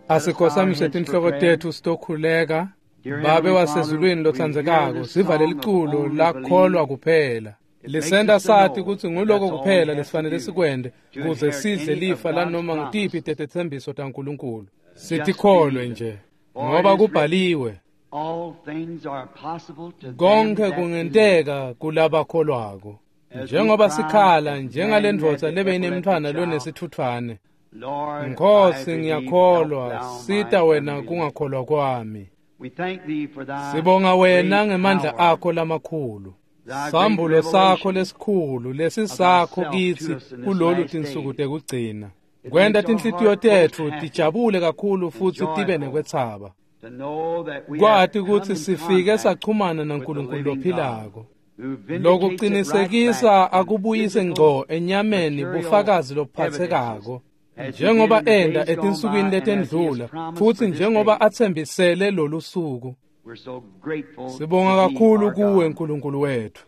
Asikhotsamise tinhloko tetfu sitokhuleka. Babe wasezulwini lotsandzekako, siva leliculo lakholwa kuphela. Lisenta sati kutsi nguloko kuphela lesifanele sikwente kuze sidle lifa lanoma ngutiphi tetetsembiso taNkulunkulu. Sitikholwe nje ngoba kubhaliwe. Konkhe kungenteka kulabakholwako. Njengoba sikhala njengalendvodza lebeyinemntfwana lonesitfutfwane. Nkhosi, ngiyakholwa, sita wena kungakholwa kwami. Sibonga wena ngemandla akho lamakhulu. Sambulo sakho lesikhulu lesisakho kitsi kulolu tinsuku tekugcina. Kwenta tinhlitiyo tetfu tijabule kakhulu futsi tibe nekwetsaba. Kwati kutsi sifike sachumana naNkulunkulu lophilako. Lokucinisekisa akubuyise ngco enyameni bufakazi lobuphatsekako. Njengoba enda etinsukwini letendlula futsi njengoba atsembisele lolu suku. Sibonga kakhulu kuwe Nkulunkulu wetfu.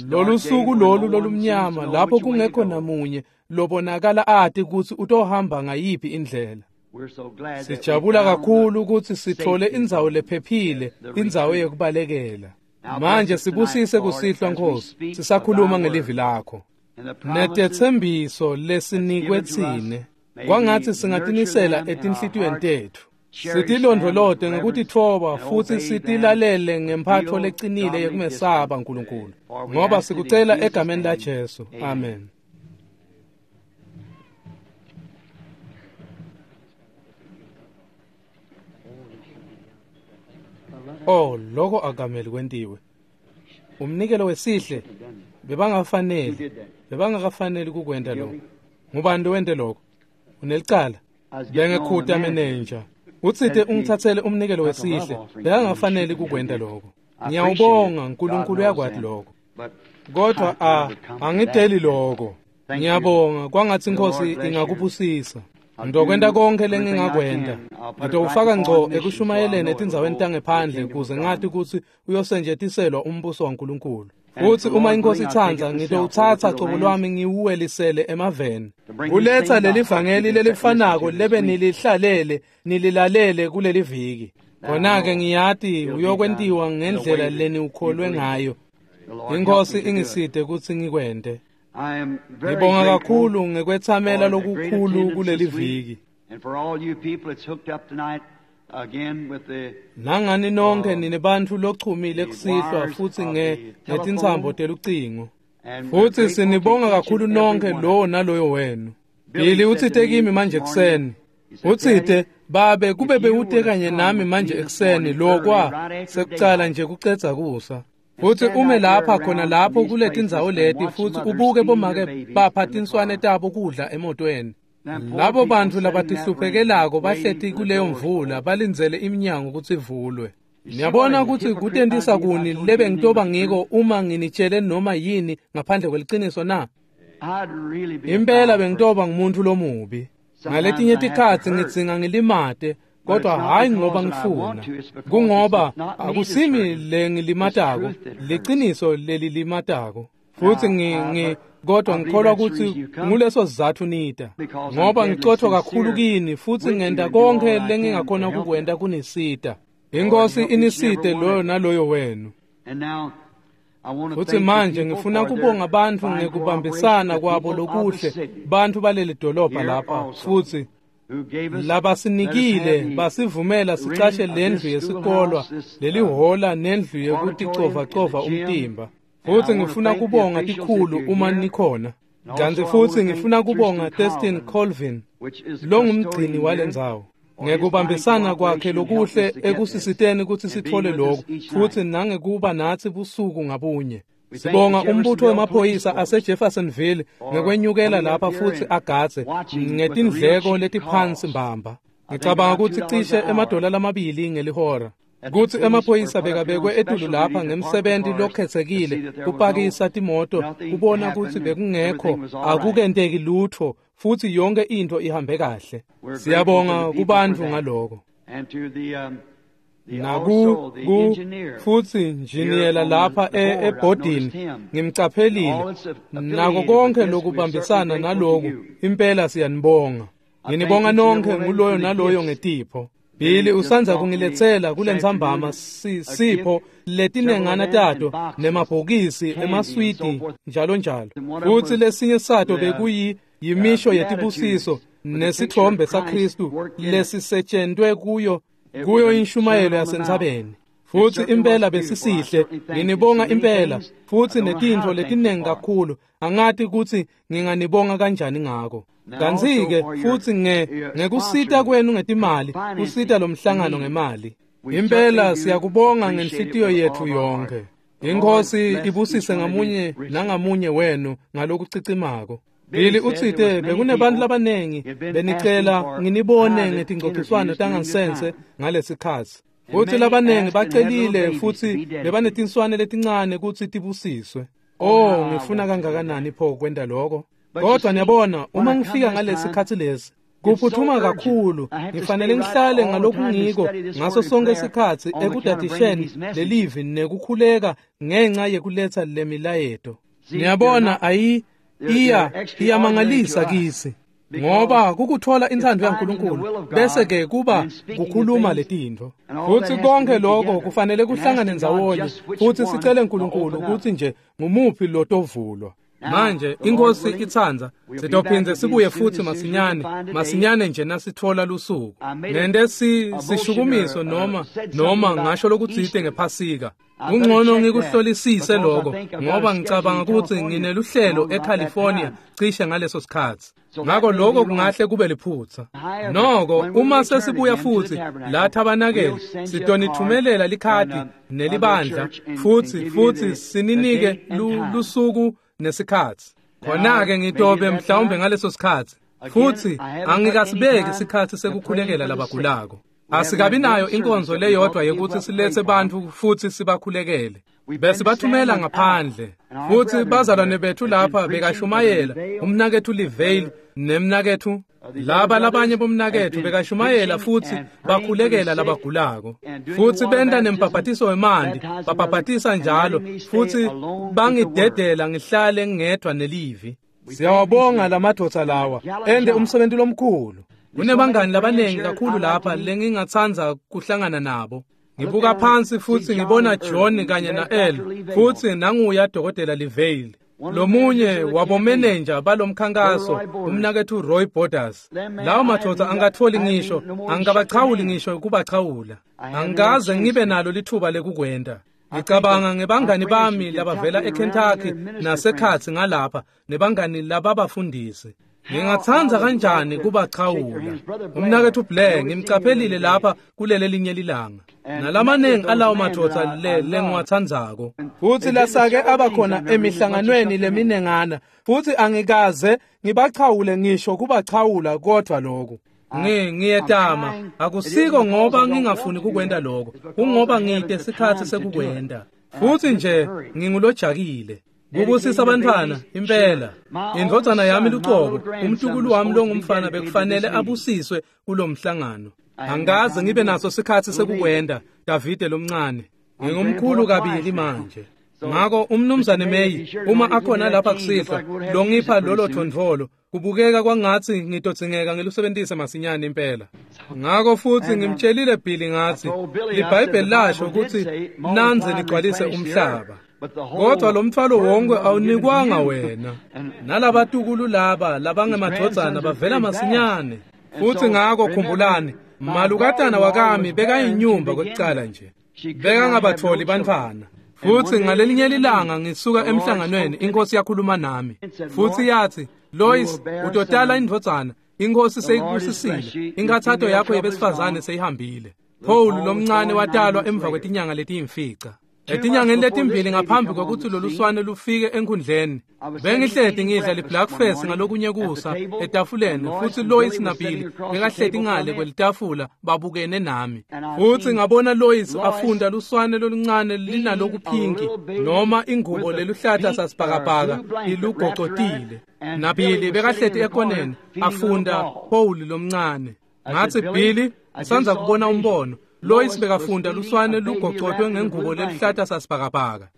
Lolu suku lolu lolumnyama lapho kungekho namunye lobonakala ati kutsi utohamba ngayiphi indlela. Sijabula kakhulu kutsi sithole indzawo lephephile, indzawo yekubalekela. Manje sibusise kusihlwa Nkhosi, sisakhuluma ngelivi lakho. Netetsembiso lesinikwe tsine, kwangatsi singatinisela etinhlitiyweni tetfu. Sitilondvolote ngekutitfoba futsi sitilalele ngemphatfo lecinile yekumesaba Nkulunkulu. Ngoba sikucela egameni laJesu. Amen. Oh, loko akameli kwentiwe. Umnikelo wesihle bebangafaneli, bebangakafaneli kukwenta lokho. Ngubani lowente lokho? Unelicala. Bengekhuta manager. Utsite ungithathele umnikelo wesihle, bekangafaneli kukwenta lokho. Ngiyawubonga, Nkulunkulu uyakwati lokho. Kodwa angideli lokho. Ngiyabonga, kwangatsi Inkosi ingakubusisa. Ngizokwenta konke lengingakwenta. Ngitowufaka ngco ekushumayeleni etindzaweni tangephandle kuze ngati kutsi uyosenjetiselwa umbuso waNkulunkulu. Futsi uma iNkosi itsandza, ngitowutsatsa cobo lwami ngiwuwelisele emaveni. Kuletsa leli vangeli lelifanako lebe nilihlalele, nililalele kuleli viki. Khona-ke ngiyati uyokwentiwa ngendlela leniwukholwe ngayo. Inkosi ingisite kutsi ngikwente. Ngibonga kakhulu ngekwetsamela lokukhulu kuleli viki. Nangani nonke nine bantfu lochumile kusihlwa futsi ngetintsambo telucingo. Futsi sinibonga kakhulu nonke lowo naloyo wenu. Billy utsite kimi manje ekuseni. Utsite, babe kube bewute kanye nami manje ekuseni lokwa sekucala nje kucedza kusa. Futsi ume lapha khona lapho kuletindzawo leti futsi ubuke bomake bapha tinswane tabo kudla emotweni. Labo bantfu labatihluphekelako bahleti kuleyo mvula balindzele iminyango kutsi ivulwe. Niyabona kutsi kutentisa kuni lebe ngitoba ngiko uma nginitshele noma yini ngaphandle kweliciniso na? Impela bengitoba ngumuntu lomubi. Ngaletinye tikhatsi ngidzinga ngilimate, kodwa hayi ngoba ngifuna. Kungoba akusimi lengilimatako, liciniso lelilimatako. Futsi kodwa ngikholwa kutsi nguleso sizatfu nita. Ngoba ngicotfo kakhulu kini futsi ngenta konke lengingakhona kukwenta kunisita. Inkosi inisite loyo naloyo wenu. Futsi manje ngifuna kubonga bantfu ngekubambisana kwabo lokuhle, bantfu baleli dolobha lapha futsi labasinikile basivumela sicashe lendlu yesikolwa, lelihola nendlu yekuticovacova umtimba. Futsi ngifuna kubonga tikhulu uma nikhona. Kantsi futsi ngifuna kubonga Thurston Colvin, longumgcini walendzawo, ngekubambisana kwakhe lokuhle ekusisiteni kutsi sitfole lokhu, futsi nangekuba natsi busuku ngabunye. Sibonga umbutho wemaphoyisa aseJeffersonville ngekwenyukela lapha futsi agadze ngetindleko letiphansi mbamba. Ngicabanga kutsi cishe $2 ngelihora. Kutsi emaphoyisa bekabekwe etulu lapha ngemsebenti lokhetsekile kupakisa timoto kubona kutsi bekungekho akukenteki lutfo futsi yonke intfo ihambe kahle. Siyabonga kubantfu ngaloko. Naku futsi njiniyela lapha ebhodini ngimcaphelile nako konke lokubambisana naloku impela siyanibonga. Nginibonga nonke nguloyo naloyo ngetipho. Billy usandza kungiletsela kulentsambama sipho letinengana tato nemabhokisi emaswidi njalo njalo. Futsi lesinye sato bekuyi yimisho yetibusiso nesithombe saKristu lesisetshentwe kuyo inshumayelo yasentsabeni. Futsi impela besisihle, nginibonga impela, futsi netintfo letinengi kakhulu, angati kutsi nginganibonga kanjani ngako. Kantsi-ke futsi ngekusita kwenu ngetimali, kusita lomhlangano ngemali. Impela siyakubonga ngenhlitiyo yetfu yonkhe. Inkosi ibusise ngamunye nangamunye wenu ngalokucicimako. Billy utsite bekunebantu labanengi benicela nginibone ngetingcociswano tangansense ngalesikhatsi. Futsi labanengi bacelile futsi bebanetinswane letincane kutsi tibusiswe. Oh, ngifuna kangakanani pho kwenta lokho. Kodwa niyabona, uma ngifika ngalesikhatsi lesi, kuphuthuma kakhulu, ngifanele ngihlale ngalokungiko ngaso sonke isikhatsi ekudadisheni lelivi nekukhuleka ngenxa yekuletsa lemilayeto. Niyabona, iyamangalisa kisi. Ngoba kukuthola intsandvo yaNkulunkulu bese ke kuba kukhuluma letintfo. Futsi konke lokho kufanele kuhlangane ndzawonye futsi sicele uNkulunkulu kutsi nje ngumuphi lotovulwa. Manje inkosi itsandza sitophindze sibuye futsi masinyane nje nasithola lusuku. Nente sishukumiso noma ngasho lokutsite ngephasika. Kungcono ngikuhlolisise lokho ngoba ngicabanga kutsi ngineluhlelo eCalifornia cishe ngaleso sikhatsi. Ngako lokho kungahle kube liphutsa. Noko uma sesibuya futsi la tabanakele sitonithumelela likhadi nelibandla futsi sininike lusuku nesikhatsi. Khona-ke ngitobe mhlawumbe ngaleso sikhatsi. Futsi angikasibeki isikhatsi sekukhulekela labagulako. Asikabi nayo inkonzo leyodwa yekuthi siletse bantfu futsi sibakhulekele. Besibathumela ngaphandle. Futsi bazalwane bethu lapha bekashumayela, umnaketfu Livale nemnaketfu laba labanye bomnaketfu bekashumayela futsi bakhulekela labagulako. Futsi benta nembhabhatiso wemanti, babhabhatisa njalo futsi bangidedela ngihlale ngedwa nelivi. Siyawabonga lamadvodza lawa, ende umsebenzi lomkhulu. Kunebangani labanengi kakhulu lapha lengingatsandza kuhlangana nabo. Ngibuka phansi futsi ngibona John kanye na-El futsi nanguya Dokotela Livale. Lomunye wabomenenja balomkhankaso umnaketfu Roy Borders. Lawo madvodza angatholi ngisho, angikabachawuli ngisho kubachawula. Angikaze ngibe nalo lithuba lekukwenta. Ngicabanga ngebangani bami labavela eKentucky nasekhatsi ngalapha nebangani lababafundisi. Ngingatsandza kanjani kubachawula. Umnaketfu Blair ngimcaphelile lapha kulele linye lilanga. Nalamanengi alawo madvodza lengiwatsandzako. Futsi lasake abakhona emihlanganweni leminengana futsi angikaze ngibachawule ngisho kubachawula kodwa lokho. Ngiyetama akusiko ngoba ngingafuni kukwenta lokho, kungoba ngite sikhatsi sekukwenta. Futsi nje ngingulojakile. Kubusisa abantwana impela. Indvodzana yami lucobo, umntukulu wami longumfana bekufanele abusiswe kulomhlangano. Angikaze ngibe naso sikhatsi sekukwenta, Davide lomncane. Ngingumkhulu kabili manje. Ngako umnumzane May uma akhona lapha kusihlwa longipha lolo thondvolo kubukeka kwangatsi ngitodzingeka ngilusebentise masinyane impela. Ngako futsi ngimtshelile Billy ngatsi liBhayibheli lasho kutsi nandze ligcwalise umhlaba. Kodwa lo mthwalo wonke awunikwanga wena. Nalabatukulu laba labangemadvodzana bavela masinyane. Futsi ngako khumbulani, malukatana wakami bekayinyumba kwekucala nje. Bekangabatholi bantfwana. Futsi ngalelinye lilanga ngisuka emhlanganweni inkosi yakhuluma nami. Futsi yathi, Lois, utotala indvodzana, inkosi seyikubusisile, inkathato yakho yebesifazane seyihambile. Paul lomncane watalwa emva kwetinyanga letiyimfica. Etinyangeni letimbili ngaphambi kwekutsi loluswane lufike enkhundleni, bengihleti ngidla li-breakfast ngalokunye kusa etafuleni futsi Lois naBilly bekahleti ngale kwelitafula babukene nami. Futsi ngabona Lois afunda luswane loluncane linalokuphinki noma ingubo leluhlata sasibhakabhaka ilugocotile. NaBilly bekahleti ekoneni afunda Paul lomncane. Ngatsi, Billy, ngisandza kubona umbono. Lois bekafunda luswane lugocotwe ngengubo lelihlata sasibhakabhaka.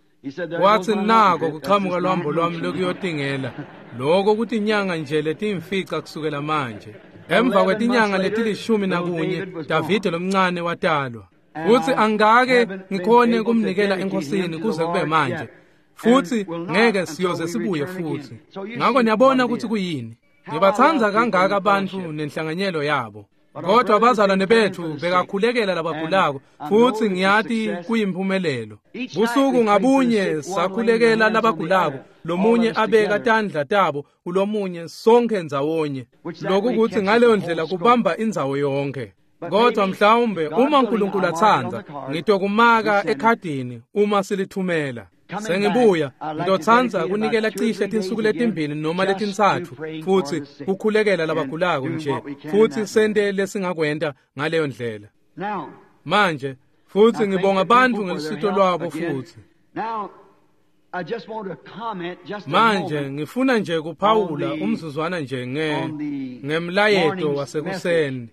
Watsi nako kuchamuka lwambo lwami lokuyotingela. Loko kutinyanga nje letimfica kusukela manje. Emva kwetinyanga leti-11 Davide lomncane watalwa. Futsi angake ngikhone kumnikela enkosini kuze kube manje. Futsi ngeke siyoze sibuye futsi. Ngako niyabona ukuthi kuyini. Ngibatsandza kangaka abantu nenhlanganyelo yabo. Kodwa abazalwane bethu bekakhulekela labagulako futsi ngiyati kuyimpumelelo. Busuku ngabunye sakhulekela labagulako, lomunye abeka tandla tabo kulomunye sonke ndzawonye. Lokhu kuthi ngaleyo ndlela kubamba indzawo yonke. Kodwa mhlawumbe uma uNkulunkulu atsandza, ngitokumaka ekhadini uma silithumela. Sengibuya ngitotsandza kunikela cishe tinsuku letimbili noma letintsatfu futsi kukhulekela labagulako nje futsi sente lesingakwenta ngaleyo ndlela. Manje futsi ngibonga bantfu ngelusito lwabo futhi. Manje ngifuna nje kuphawula umzuzwana nje ngemlayeto wasekuseni.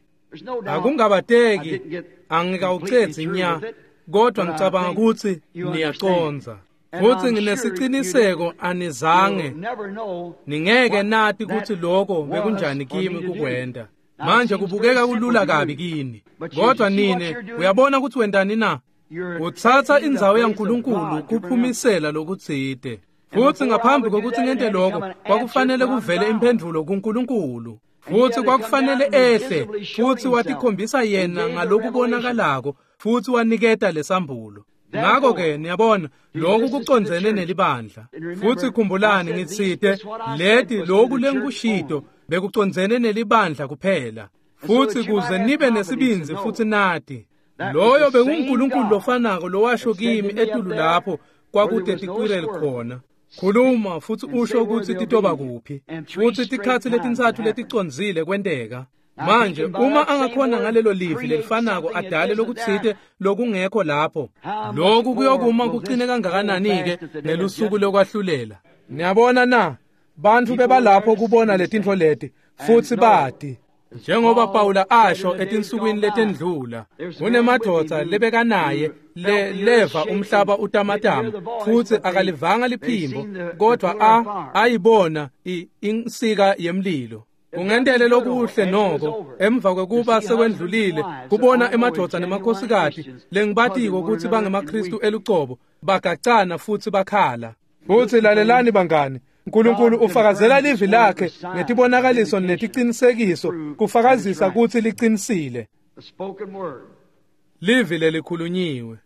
Akungabateki angikawucedzi nya, kodwa ngicabanga ukuthi niyacondza. Futsi nginesiciniseko anizange ningeke nati ukuthi lokho bekunjani kimi kukwenta. Manje kubukeka kulula kabi kini, kodwa nine uyabona ukuthi wentani na? Utsatsa indzawo yaNkulunkulu kuphumisela lokutsite. Futsi ngaphambi kokuthi ngente lokho, kwakufanele kuvele imphendvulo kuNkulunkulu. Futsi kwakufanele ehle, futsi watikhombisa yena ngalokubonakalako, futsi waniketa lesambulo. Ngakho-ke niyabona lokhu kucondzene nelibandla. Futsi khumbulani ngitsite leti lokhu lengikushito bekucondzene nelibandla kuphela. Futsi kuze nibe nesibindzi futsi nati loyo bekunguNkulunkulu lofanako lowasho kimi etulu lapho kwakute tikwireli khona. Khuluma futsi usho ukuthi titoba kuphi. Futsi tikhatsi letintsatfu leticondzile kwenteka. Manje uma angakhona ngalelo livi lelifanako adale lokutsite lokungekho lapho, lokhu kuyokuma kucine kangakanani-ke ngelusuku lokwahlulela. Niyabona na? Bantfu bebalapho kubona letintfo leti futsi bati. Njengoba Pawula asho etinsukwini letendlula, kunemadvodza lebekanaye leva umhlaba utamatama futsi akalivanga liphimbo, kodwa ayibona insika yemlilo. Kungentele lokuhle noko emva kwekuba sekwendlulile kubona emadvodza nemakhosikati lengibatiko ukuthi bangemaKristu elucobo bagacana futsi bakhala. Futsi lalelani bangani, uNkulunkulu ufakazela livi lakhe ngetibonakaliso neticinisekiso kufakazisa ukuthi liqinisile. Livi lelikhulunyiwe.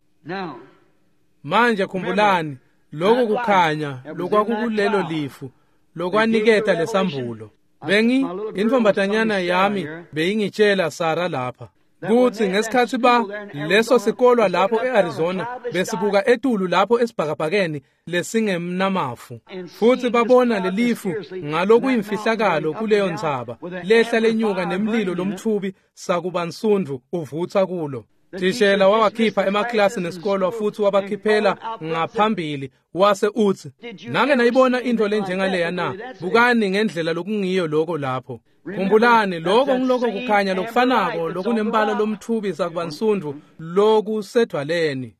Manje khumbulani lokhu kukhanya lokwakukulelo lifu lokwaniketa lesambulo. Bengi intombatanyana yami beyingitshela Sara lapha kutsi ngesikhatsi ba leso sikolwa lapho eArizona besibuka etulu lapho esibhakabhakeni lesingemnamafu futsi babona lelifu ngalokuyimfihlakalo kuleyo ntsaba lehla lenyuka nemlilo lomthubi sakubansundvu uvutsa kulo. Thishela wabakhipha emaklasi nesikolwa futsi wabakhiphela ngaphambili wase utsi, "Nake nayibona into lenjengaleya na? Bukani ngendlela lokungiyo lokho lapho. Khumbulani lokho ngiloko kukhanya lokufanako lokunembala lomthubi sakubansundvu lokusedvwaleni."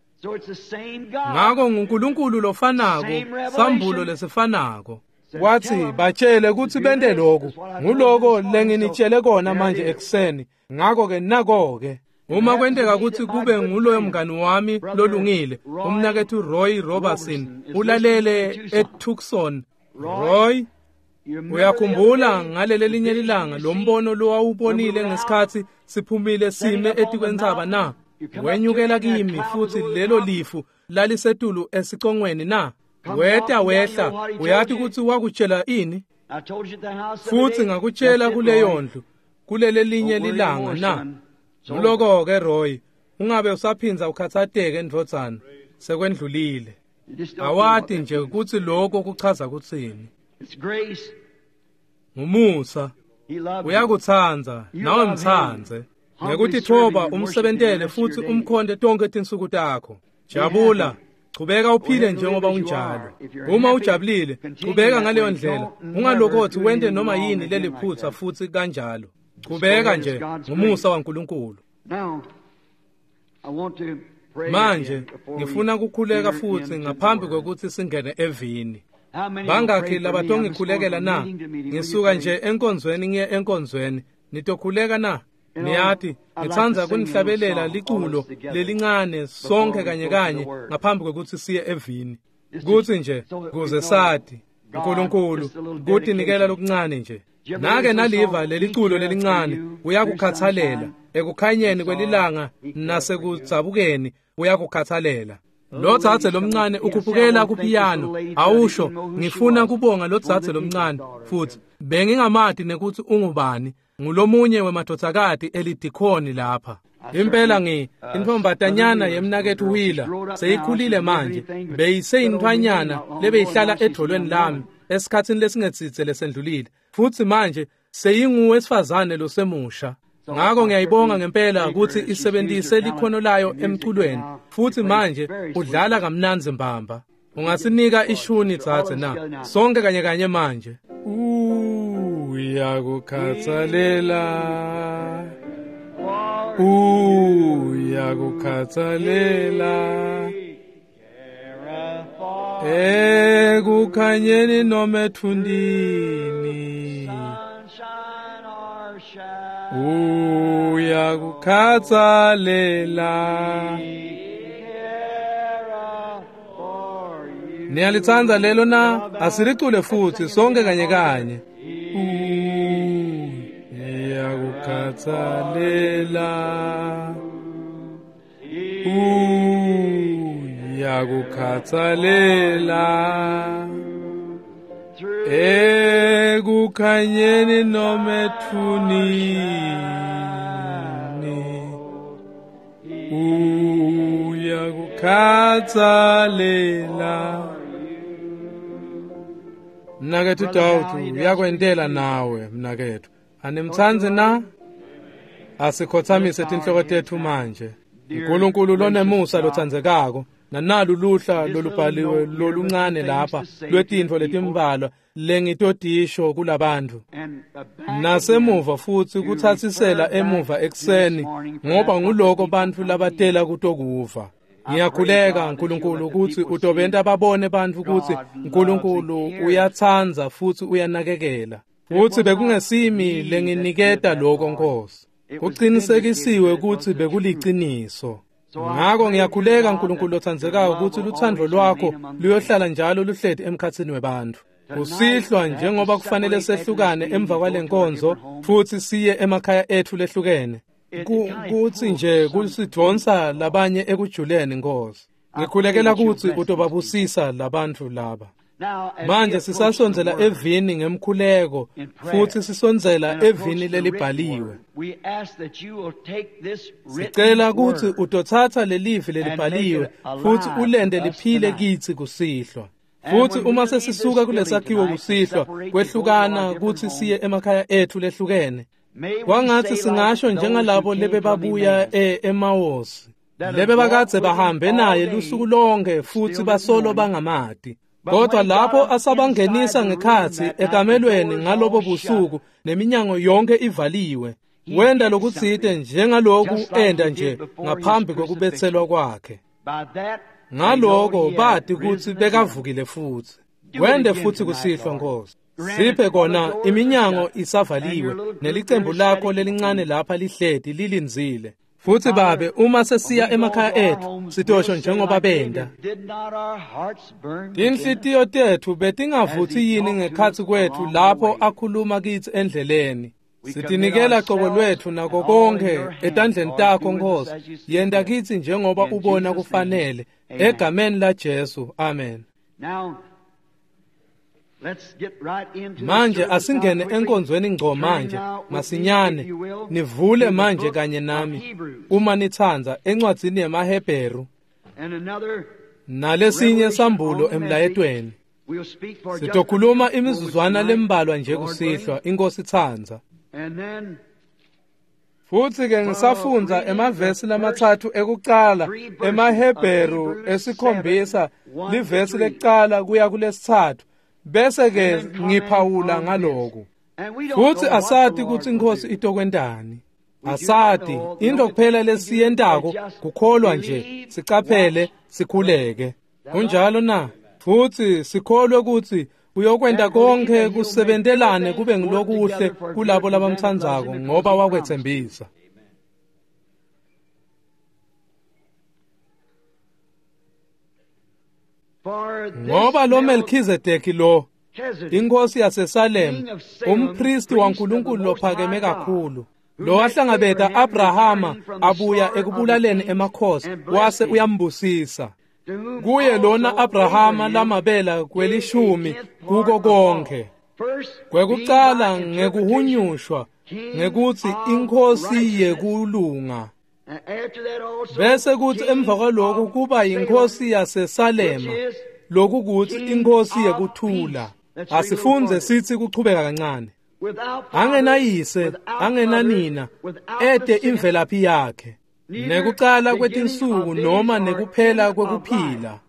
Ngako nguNkulunkulu lofanako, sambulo lesifanako. Wathi batshele kutsi bente lokhu, nguloko lenginitshele kona manje ekuseni. Ngako-ke nako-ke. Uma kwenteka kutsi kube nguloyo mngani wami lolungile, umnaketfu Roy Robertson, ulalele eTucson. Roy, uyakhumbula ngaleli linye lilanga lo mbono lowawubonile ngesikhatsi siphumile sime etikwentsaba na? Wenyukela kimi futhi lelo lifu lalisetulu esicongweni na? Weta wehla, uyati kutsi wakutshela ini? Futhi ngakutshela kuleyo ndlu, kulele linye lilanga na? Nguloko-ke Roy, ungabe usaphinza ukhatsateke ndvodzana, sekwendlulile. Awati nje kutsi lokho kuchaza kutsini. Ngumusa, uyakutsandza, nawe mtsandze. Ngekutitfoba umsebentele futsi umkhonte tonke tinsuku takho. Jabula, chubeka uphile njengoba unjalo. Uma ujabulile, chubeka ngaleyo ndlela. Ungalokothi wente noma yini leliphutsa futsi kanjalo. Chubeka nje ngumusa waNkulunkulu. Manje ngifuna kukhuleka futsi ngaphambi kwekutsi singene evini. Bangakhi labatongikhulekela na? Ngisuka nje enkonzweni ngiye enkonzweni. Nitokhuleka na? Niyati, ngitsandza kunihlabelela liculo lelincane sonke kanye kanye ngaphambi kwekutsi siye evini. Kutsi nje kuze sati uNkulunkulu kutinikela lokuncane nje. Nake naliva leliculo lelincane, uyakukhathalela ekukhanyeni kwelilanga nasekudzabukeni, uyakukhathalela. Lo dzadze lomncane ukhuphukela kupiyano, awusho ngifuna kubonga lo dzadze lomncane futhi bengingamati nekuthi ungubani, ngulomunye wemadvodzakati elidikhoni lapha. Impela intfombatanyana yemnaketfu Wheeler seyikhulile manje, beyiseyintfwanyana lebeyihlala edvolweni lami esikhatsini lesingetsitse lesendlulile, futhi manje seyinguwesifazane losemusha. Ngako ngiyayibonga ngempela ukuthi isebenzise likhono layo emculweni, futhi manje udlala kamnandzi mbamba. Ungasinika ishuni dzadze na? Sonke kanye kanye manje. Uyakukhathalela, uyakukhathalela ekukhanyeni noma ethundini, uyakukhathalela. Niyalitsandza lelo na? Asilicule futhi sonke kanye kanye. Uyakukhathalela, uyakukhathalela ekukhanyeni noma ethunini, uyakukhathalela. Mnaketfu Dawudu uyakwentela nawe mnaketfu. Animtsandzi na? Asikhothamise tinhloko tetfu manje. uNkulunkulu lonemusa lotsandzekako, nanalu luhla lolubhaliwe loluncane lapha lwetintfo letimbalwa lengitotisho kulabantfu. Nasemuva futsi kutsatsisela emuva ekuseni, ngoba nguloko bantfu labatela kutokuva. Ngiyakhuleka uNkulunkulu ukuthi utobenta babone bantfu kutsi uNkulunkulu uyatsandza futsi uyanakekela. Futsi bekungesimi lenginiketa lokho Nkosi. Kucinisekisiwe kutsi bekuliciniso. Ngako ngiyakhuleka uNkulunkulu lotsandzekako kutsi lutsandvo lwakho luyohlala njalo luhleti emkhatsini webantfu. Kusihlwa njengoba kufanele sehlukane emva kwalenkonzo futsi siye emakhaya etfu lehlukene. Kutsi nje kusidvonsa labanye ekujuleni Nkosi. Ngikhulekela kutsi utobabusisa labantfu laba. Manje sisasondzela evini ngemkhuleko futsi sisondzela evini lelibhaliwe. Sicela kutsi utotsatsa lelivi lelibhaliwe futsi ulente liphile kitsi kusihlwa. Futsi uma sesisuka kulesakhiwo kusihlwa kwehlukana kutsi siye emakhaya etfu lehlukene, kwangatsi singasho njengalabo lebebabuya eMawosi, lebebakadze bahambe naye lusuku lonke futsi basolo bangamati. Kodwa lapho asabangenisa ngekhatsi ekamelweni ngalobo busuku neminyango yonke ivaliwe, wenda lokutsite njengaloku enda nje ngaphambi kokubetselwa kwakhe. Ngaloko bati kutsi bekavukile futsi. Wende futsi kusihlwa Nkosi. Siphe kona iminyango isavaliwe nelicembu lakho lelincane lapha lihleti lilindzile. Futsi babe uma sesiya emakhaya etfu sitosho njengoba benda. Tinhlitiyo tetfu betingavutsi yini ngekhatsi kwetfu lapho akhuluma kitsi endleleni. Sitinikela cobo lwetfu nako konke etandleni takho Nkosi. Yenta kitsi njengoba ubona kufanele. Egameni la Jesu, amen. Manje asingene enkonzweni ngco manje masinyane. Nivule manje kanye nami uma nitsandza encwadzini yemaHebheru nalesinye sambulo emlayetweni. Sitokhuluma imizuzwana lembalwa nje kusihlwa, iNkosi itsandza. Futsi ke ngisafundza emavesi lamathathu ekucala emaHebheru 7 livesi lekucala kuya kulesithathu, bese ke ngiphawula ngaloku. Futsi asati kutsi iNkosi itokwentani. Asati, into kuphela lesiyentako kukholwa nje, sicaphele, sikhuleke. Kunjalo na? Futsi sikholwe kutsi uyokwenta konke kusebentelane kube ngilokuhle kulabo labamtsandzako ngoba wakwetsembisa. Ngoba lo Melchizedeki lo, inkosi yaseSalem, umpristi waNkulunkulu lophakeme kakhulu, lo wahlangabeta Abrahama abuya ekubulaleni emakhosi, wase uyambusisa. Kuye lona Abrahama lamabela kwelishumi kuko konke. Kwekucala ngekuhunyushwa ngekutsi inkosi yekulunga. Bese kuthi emva kwaloko kuba inkosi yaseSalema, lokukutsi inkosi yekuthula. Asifunze sithi kuchubeka kancane. Angenayise, angenanina, ete imvelaphi yakhe. Nekucala kwetinsuku noma nekuphela kwekuphila.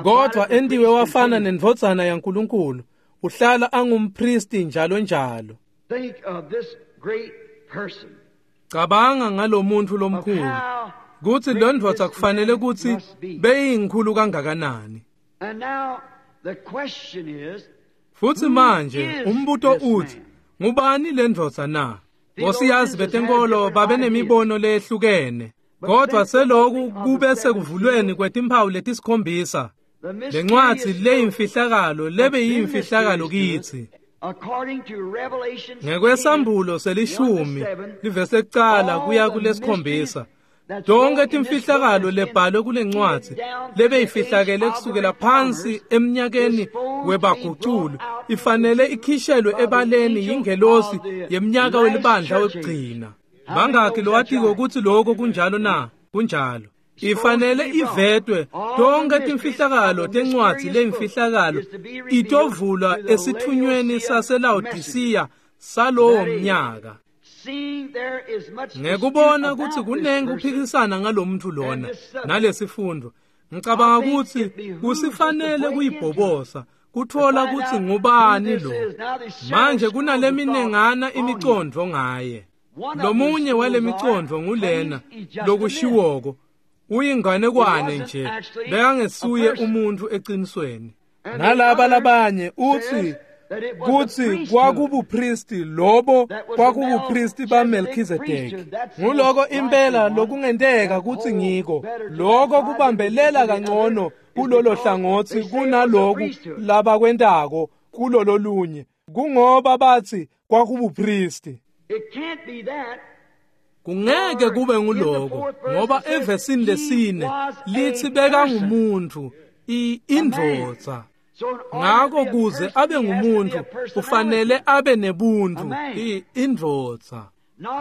Kodwa entiwe wafana nendvodzana yaNkulunkulu, uhlala angumpristi njalo njalo. Cabanga ngalomuntu lomkhulu, kutsi lo ndvodza kufanele kutsi beyinkhulu kangakanani. Futsi manje umbuto uthi, ngubani le ndvodza na? Bosiyazi betenkolo babenemibono lehlukene, kodwa seloku kube sekuvulweni kwetimphawu letisikhombisa. Lencwadzi leyimfihlakalo lebe yimfihlakalo kitsi. Ngekwesambulo selishumi livesi ekucala kuya kulesikhombisa, tonke timfihlakalo lebhalwe kulencwadzi lebeyifihlakele kusukela phansi emnyakeni webaguculu ifanele ikhishelwe ebaleni yingelosi yemnyaka welibandla wekugcina. Bangaki lowatiko kutsi lokho kunjalo na? Kunjalo. Ifanele ivetwe tonke timfihlakalo tencwadzi leyimfihlakalo itovulwa esithunyweni saseLaodisiya salowo mnyaka. Ngekubona kutsi kunengi kuphikisana ngalomuntu lona nalesifundo, ngicabanga kutsi kusifanele kuyibhobosa kutfola kutsi ngubani lo. Manje kunaleminengana imicondvo ngaye. Lomunye walemicondvo ngulena lokushiwoko uyinganekwane nje, bekangesuye umuntu eqinisweni. Nalaba labanye utsi kutsi kwakubupristi lobo kwakubupristi baMelchizedeki. Nguloko impela lokungenteka kutsi ngiko lokho kubambelela kangcono kulolo hlangotsi kunaloku labakwentako kulololunye, kungoba bathi kwakubupristi. Kungeke kube nguloko ngoba evesini lesine lithi bekangumuntu, indvodza. Ngako kuze abe ngumuntu ufanele abe nebuntu, indvodza.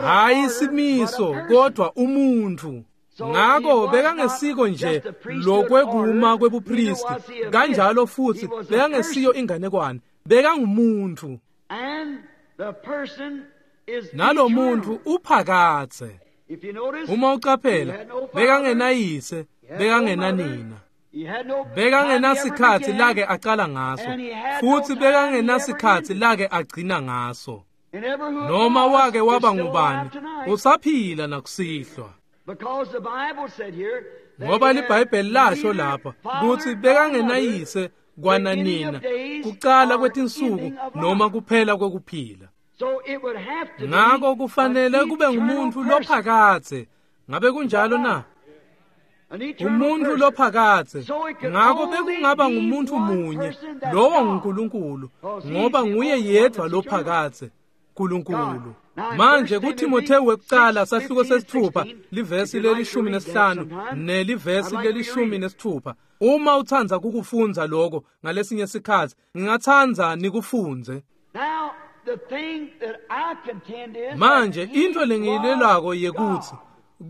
Hayi simiso kodwa umuntu. Ngako bekangesiko nje lokwekuma kwebupristi, kanjalo futhi bekangesiyo inganekwane, bekangumuntu. Nalomuntu uphakathe. Uma ucaphela, bekangenayise, bekangenanina. Bekangenasikhatsi lake acala ngaso, futhi bekangenasikhatsi lake agcina ngaso. Noma wake waba ngubani, usaphila nakusihlwa. Ngoba liBhayibheli lasho lapha kutsi bekangenayise kwananina, kucala kwetinsuku noma kuphela kwekuphila. Ngako kufanele kube ngumuntu lophakathe. Ngabe kunjalo na? Umuntu lophakathe. Ngako bekungaba ngumuntu munye, lowo nguNkulunkulu, ngoba nguye yedwa lophakathe, uNkulunkulu. Manje kuTimothewu wekucala sahluko sesithupha livesi le-15 nelivesi le-16. Uma utsandza kukufundza lokho ngalesinye sikhatsi, ngingatsandza nikufunze. Manje into lengiyilelako yekuthi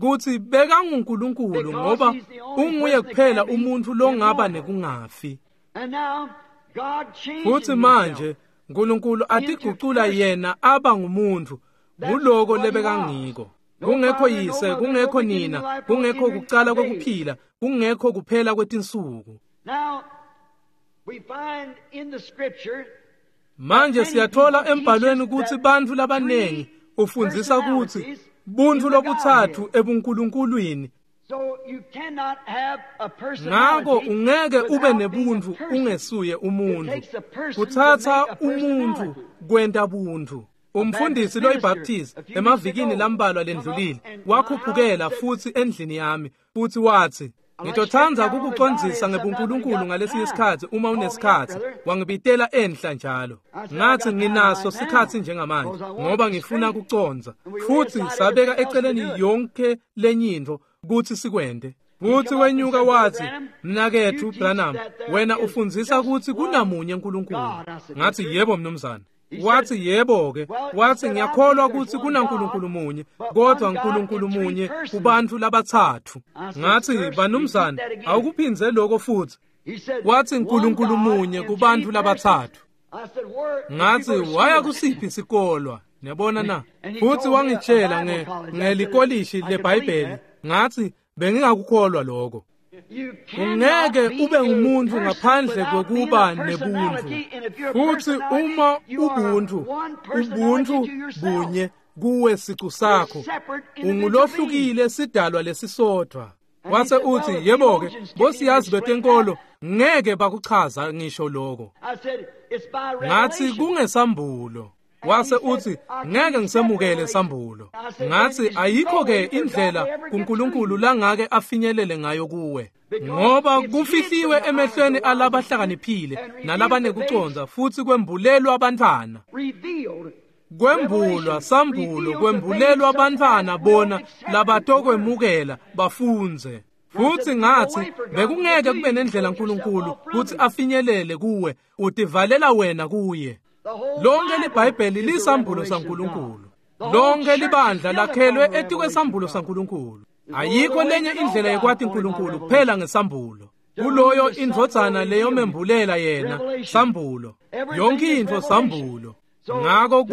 kutsi bekanguNkulunkulu ngoba unguye kuphela umuntu longaba nekungafi. Futsi manje uNkulunkulu atigucula yena aba ngumuntu, nguloko lebekangiko. Kungekho yise, kungekho nina, kungekho kucala kwekuphila, kungekho kuphela kwetinsuku. Manje siyathola embhalweni kutsi bantfu labanengi Ufundzisa kutsi buntfu lobutsatfu ebunkulunkulwini. Ngako ungeke ube nebuntfu ungesuye umuntfu. Kutsatsa umuntfu kwenta buntfu. Umfundisi loyiBaptist emavikini lambalwa lendlulile wakhuphukela futsi endlini yami futsi watsi, "Ngitotsandza kukucondzisa ngebuNkulunkulu ngalesinye isikhatsi uma unesikhatsi." Wangibitela enhla njalo. Ngathi nginaso sikhatsi njengamanje ngoba ngifuna kucondza. Futsi sabeka eceleni yonke lenyintfo kutsi sikwente. Futsi wenyuka wathi, "Mnaketfu Branham, wena ufundzisa kutsi kunamunye uNkulunkulu." Ngathi, "Yebo mnumzane." Wathi, "Yebo-ke." Wathi, "Ngiyakholwa kutsi kunaNkulunkulu munye, kodwa uNkulunkulu munye kubantfu labatsatfu." Ngathi, "Banumzane, awukuphindze lokho futhi." Wathi, "Nkulunkulu munye kubantfu labatsatfu." Ngathi, "Waya kusiphi sikolwa?" Niyabona na? Futhi wangitshela ngelikolishi leBhayibheli. Ngathi, "Bengingakukholwa lokho." Ungeke ube ngumuntu ngaphandle kwekuba nebuntfu. Futhi uma ubuntu, ubuntu bunye kuwe sicu sakho, ungulohlukile sidalwa lesisodwa. Wase uthi, "Yebo-ke, bosiyazi betenkolo ngeke bakuchaza ngisho lokho." Ngathi, "Kungesambulo." Wase uthi, "Ngeke ngisemukele sambulo." Ngathi, "Ayikho-ke indlela kuNkulunkulu langake afinyelele ngayo kuwe, ngoba kufihliwe emehlweni alabahlakaniphile nalabanekucondza futhi kwembulelwa abantwana." Kwembulwa sambulo kwembulelwa abantwana bona labatokwemukela bafundze. Futhi ngathi, bekungeke kube nendlela uNkulunkulu kuthi afinyelele kuwe, utivalela wena kuye. Lonke liBhayibheli lisambulo saNkulunkulu. Lonke libandla lakhelwe etikwesambulo saNkulunkulu. Ayikho lenye indlela yekwati uNkulunkulu kuphela ngesambulo. Kuloyo indvodzana leyomembulela yena sambulo. Yonke intfo sambulo. Ngako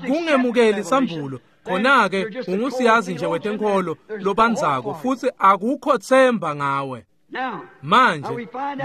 kungemukeli sambulo, khona-ke ungusiyazi nje wetenkolo lobandzako futhi akukho themba ngawe.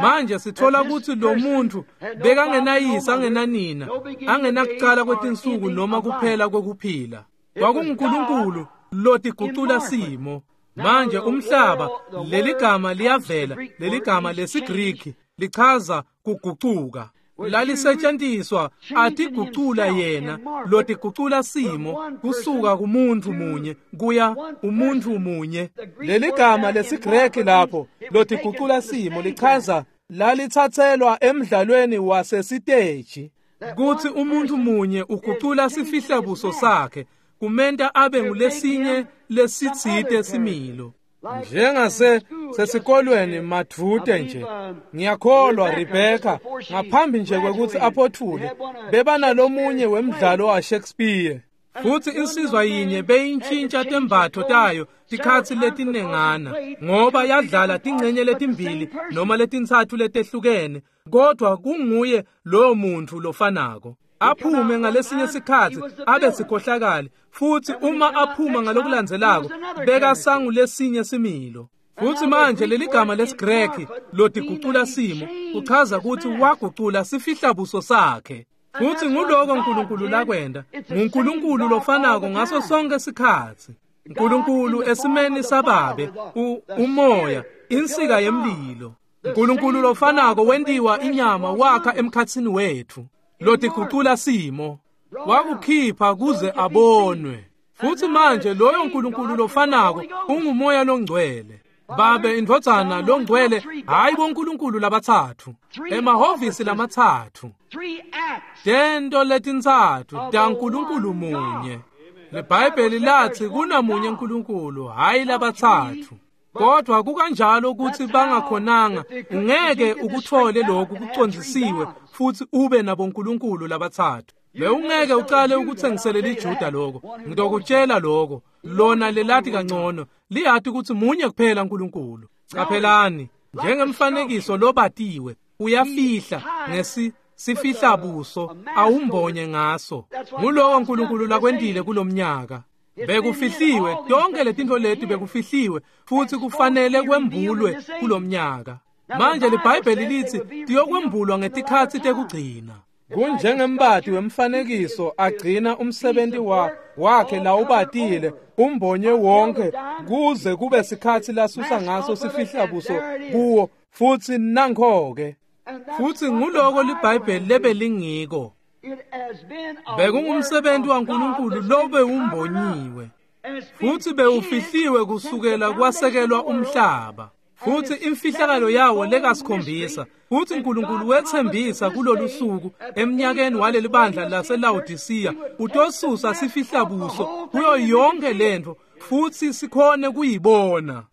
Manje sithola kutsi lo muntu bekangenayise, angenanina, angenakucala kwetinsuku noma kuphela kwekuphila. KwakunguNkulunkulu lotigucula simo. Manje umhlaba, leligama liyavela, leligama lesiGriki lichaza kugucuka. Lalisetshenziswa atigucula yena, lotigucula simo kusuka kumuntu munye kuya umuntu munye. Leligama lesiGreki lapho lotigucula simo lichaza lalithathelwa emdlalweni wasesiteji, kuthi umuntu munye ugucula sifihlabuso sakhe kumenta abe ngulesinye lesitsite similo. Njengase sesikolweni madvute nje, ngiyakholwa Rebecca ngaphambi nje kwekuthi aphothule bebanalomunye wemdlalo waShakespeare. Futhi insizwa yinye beyintshintsha tembatfo tayo tikhatsi letinengana ngoba yadlala tingcenye letimbili noma letintsatfu letehlukene, kodwa kunguye lowo muntu lofanako. Aphume ngalesinye sikhatsi abe sikhohlakali, futhi uma aphuma ngalokulandzelako bekasangulesinye similo. Futhi manje leligama lesiGreki lotigucula simo kuchaza ukuthi wagucula sifihlabuso sakhe. Futhi nguloko uNkulunkulu lakwenda, nguNkulunkulu lofanako ngaso sonke sikhatsi. uNkulunkulu esimeni sababe, umoya, insika yemlilo. uNkulunkulu lofanako wentiwa inyama wakha emkhatsini wethu, lotigucula simo, wakukhipha kuze abonwe. Futhi manje loyo uNkulunkulu lofanako ungumoya longcwele. Babe, indvodzana, longcwele, hayi boNkulunkulu labatsatfu, emahhovisi lamatsatfu, tento letintsatfu taNkulunkulu munye. LeBhayibheli lathi kunamunye uNkulunkulu, hayi labatsatfu. Kodwa kukanjalo ukuthi bangakhonanga, ungeke ukuthole lokhu kucondzisiwe futhi ube naboNkulunkulu labatsatfu. Bewungeke ucale ukuthengiselela iJuda lokho. Ngitokutshela lokho, lona lelati kangcono, liyati ukuthi munye kuphela uNkulunkulu. Qaphelani, njengemfanekiso lobatiwe, uyafihla sifihla buso awumbonye ngaso. Nguloko uNkulunkulu lakwentile kulomnyaka. Bekufihliwe, tonke letintfo leti bekufihliwe futhi kufanele kwembulwe kulomnyaka. Manje liBhayibheli lithi tiyokwembulwa ngetikhatsi tekugcina. Kunjengembati wemfanekiso agcina umsebenzi wakhe lawubatile umbonye wonke kuze kube sikhatsi lasusa ngaso sifihla buso kuwo futsi nankho-ke. Futsi nguloko liBhayibheli lebelingiko. Bekungumsebenzi waNkulunkulu lobewumbonyiwe futsi bewufihliwe kusukela kwasekelwa umhlaba. Futsi imfihlakalo yawo lekasikhombisa. Futsi uNkulunkulu wetsembisa kulolu suku eminyakeni waleli bandla laseLawodisiya utosusa sifihlabuso kuyo yonke lento futsi sikhone kuyibona.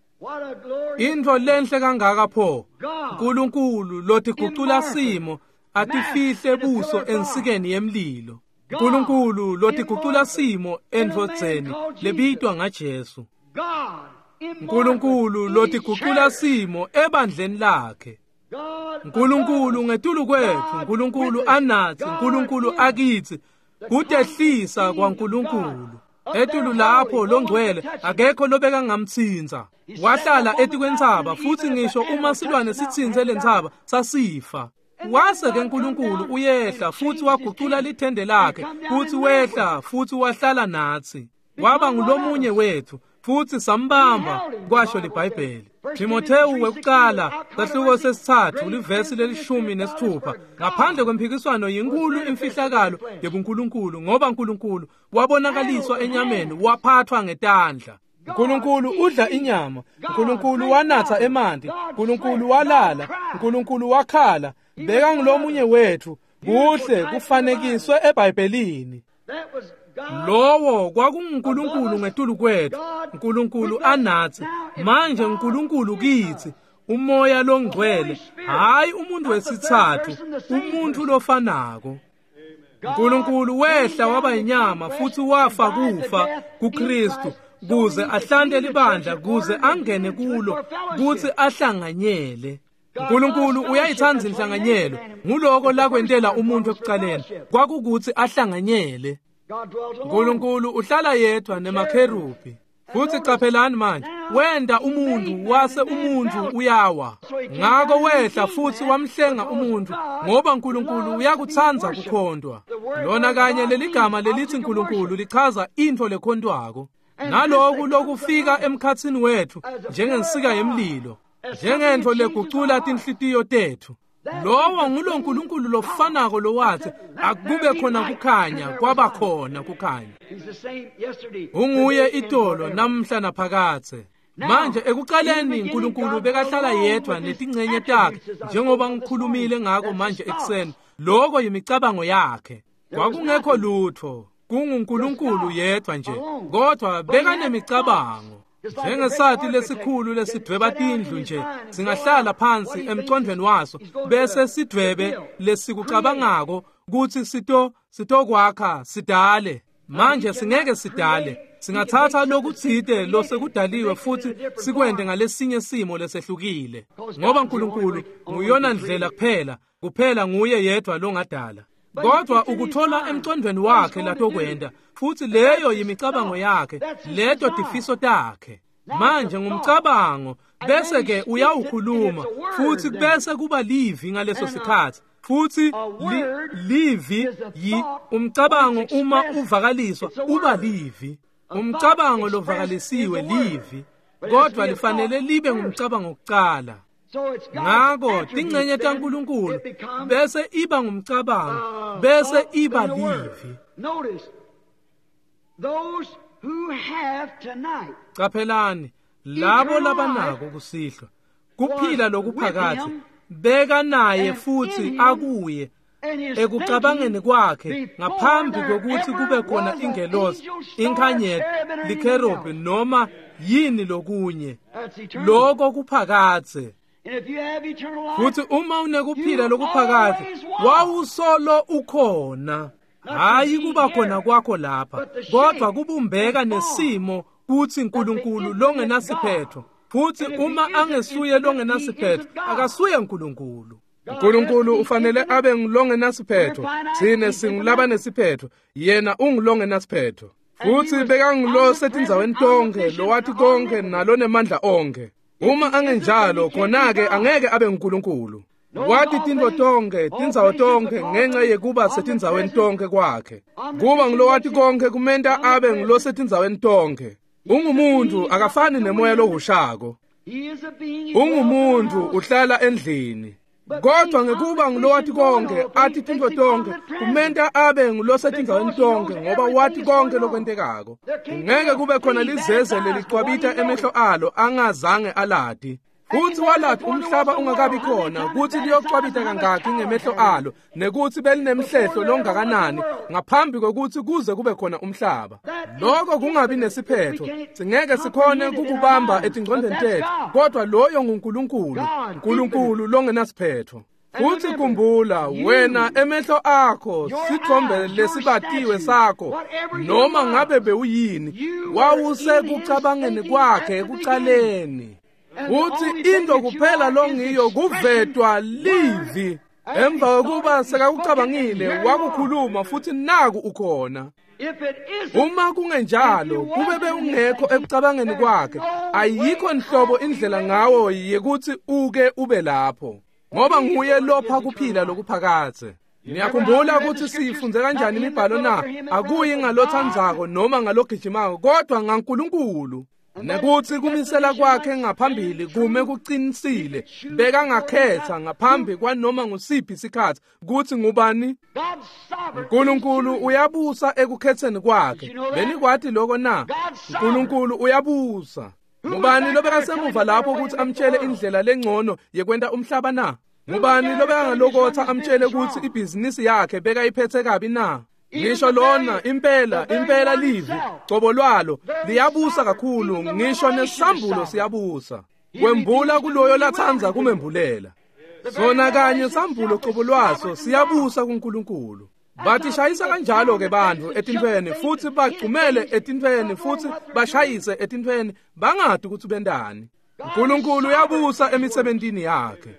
Intfo lenhle kangaka pho, uNkulunkulu lotigucula simo atifihle buso ensikeni yemlilo. uNkulunkulu lotigucula simo endvodzeni lebitwa ngaJesu. uNkulunkulu lotigucula simo ebandleni lakhe. uNkulunkulu ngetulu kwetfu, uNkulunkulu anatsi, uNkulunkulu akitsi, kutehlisa kwaNkulunkulu. Etulu lapho longcwele akekho lobeka ngamtsintsa. Wahlala etikwentsaba futsi ngisho uma silwane sitsintse lentsaba sasifa. Wase-ke uNkulunkulu uyehla futsi wagucula lithende lakhe futsi wehla futsi wahlala natsi. Waba ngulomunye wethu futsi sambamba, kwasho liBhayibheli. Timothewu wekucala sahluko sesithathu livesi le-16. Ngaphandle kwemphikiswano yinkulu imfihlakalo yebuNkulunkulu, ngoba uNkulunkulu wabonakaliswa enyameni, waphathwa ngetandla. uNkulunkulu udla inyama, uNkulunkulu wanatha emanti, uNkulunkulu walala, uNkulunkulu wakhala. Beka ngulomunye wethu. Kuhle kufanekiswe eBhayibhelini. Lowo kwakunguNkulunkulu ngetulu kwethu, uNkulunkulu anatsi. Manje uNkulunkulu kitsi, umoya longcwele, hayi umuntu wesithathu, umuntu lofanako. uNkulunkulu wehla waba inyama futsi wafa kufa kuKristu kuze ahlante libandla, kuze angene kulo kutsi ahlanganyele. uNkulunkulu uyayithanda inhlanganyelo. Nguloko lakwentela umuntu ekucaleni, kwakukuthi ahlanganyele. uNkulunkulu uhlala yedwa nemakherubi. Futsi caphelani manje, wenda umuntu wase umuntu uyawa. Ngako wehla futsi wamhlenga umuntu, ngoba uNkulunkulu uyakutsandza kukhontwa. Lona kanye leligama lelithi uNkulunkulu lichaza intfo lekhontwako. Naloku lokufika emkhatsini wetfu njengensika yemlilo, njengentfo legucula tinhlitiyo tetfu. Lowo ngulo nkulunkulu lofanako lowathi akube khona kukhanya, kwaba khona kukhanya. Unguye itolo namhla naphakadze. Manje ekuqaleni uNkulunkulu bekahlala yedwa netingcenye takhe, njengoba ngikhulumile ngako manje ekuseni. Lokho yimicabango yakhe. Kwakungekho lutho, kunguNkulunkulu yedwa nje, kodwa bekanemicabango. Njengesati lesikhulu lesidweba tindlu nje, singahlala phansi emcondvweni waso bese sidwebe lesikucabangako kutsi sitokwakha sidale. Manje singeke sidale, singathatha lokutsite losekudaliwe futhi sikwente ngalesinye simo lesehlukile, ngoba uNkulunkulu nguyona ndlela kuphela nguye yedwa longadala. Kodwa ukuthola emcondvweni wakhe latokwenta, futhi leyo yimicabango yakhe, leto tifiso takhe. Manje ngumcabango, bese ke uyawukhuluma futhi bese kuba livi ngaleso sikhathi. Futhi livi yi umcabango uma uvakaliswa uba livi. Umcabango lovakalisiwe livi, kodwa lifanele libe ngumcabango kucala. Ngako tingcenye taNkulunkulu bese iba ngumcabango, bese iba livi. Caphelani labo labanako kusihlwa kuphila lokuphakathe, beka naye futhi akuye ekucabangeni kwakhe ngaphambi kokuthi kube khona ingelosi, inkhanyeti, likherubi noma yini lokunye. Lokho kuphakathe. Futhi uma unekuphila lokuphakathe, wawusolo ukhona. Hayi kuba khona kwakho lapha, kodwa kubumbeka nesimo kuthi uNkulunkulu longenasiphetho. Futhi uma angesuye longenasiphetho, akasuye uNkulunkulu. uNkulunkulu ufanele abe ngulongenasiphetho. Thine singulabanesiphetho, yena ungulongenasiphetho. Futhi bekangulo setindzaweni tonke, lowathi konke nalonemandla onke. Uma angenjalo, khona-ke angeke abe nguNkulunkulu. Wati tintfo tonkhe, tindzawo tonkhe, ngenxa yekuba setindzaweni tonkhe kwakhe. Kuba ngulowati konkhe kumenta abe ngulosetindzaweni tonkhe. Ungumuntfu akafani nemoya lohushako. Ungumuntfu uhlala endlini. Kodwa ngekuba ngulowati konkhe, ati tintfo tonkhe, kumenta abe ngulosetindzaweni tonkhe ngoba wati konkhe lokwentekako. Ngeke kube khona lizeze lelicwabita emehlo alo angazange alati. Futsi walati umhlaba ungakabi khona kutsi liyocwabita kangaki ngemehlo alo nekutsi belinemhlehlo longakanani ngaphambi kwekutsi kuze kube khona umhlaba. Lokho kungabi nesiphetho, singeke sikhone kukubamba etingcondweni tetfu, kodwa loyo nguNkulunkulu, uNkulunkulu longenasiphetho. Futsi khumbula wena emehlo akho sithombe lesibatiwe sakho noma ngabe bewuyini wawusekucabangeni kwakhe ekucaleni. Futsi into kuphela longiyo kuvetwa livi. Emva kokuba sekakucabangile wakukhuluma futhi naku ukhona. Uma kungenjalo kube bewungekho ekucabangeni kwakhe, ayikho nhlobo indlela ngawo yekuthi uke ube lapho, ngoba nguye lopha kuphila lokuphakadze. Niyakhumbula ukuthi siyifunze kanjani imibhalo na? Akuyi ngalothandzako noma ngalogijimako, kodwa ngaNkulunkulu. Nekuthi kumisela kwakhe ngaphambili kume kuqinisile, bekangakhetha ngaphambi kwanoma ngusiphi isikhathi kuthi ngubani. uNkulunkulu uyabusa ekukhetheni kwakhe. Benikwati lokho na? uNkulunkulu uyabusa. Ngubani lobekasemuva lapho ukuthi amtshele indlela lengcono yekwenta umhlaba na? Ngubani lobekangalokotha amtshele ukuthi ibhizinisi yakhe bekayiphethe kabi na? Ngisho lona impela impela livi cobo lwalo liyabusa kakhulu, ngisho nesambulo siyabusa. Kwembula kuloyo latsandza kumembulela. Sona kanye sambulo cobo lwaso siyabusa kuNkulunkulu. Batishayisa kanjalo ke bantfu etintfweni futhi bagcumele etintfweni futhi bashayise etintfweni bangadi ukuthi bendani. uNkulunkulu uyabusa emisebentini yakhe.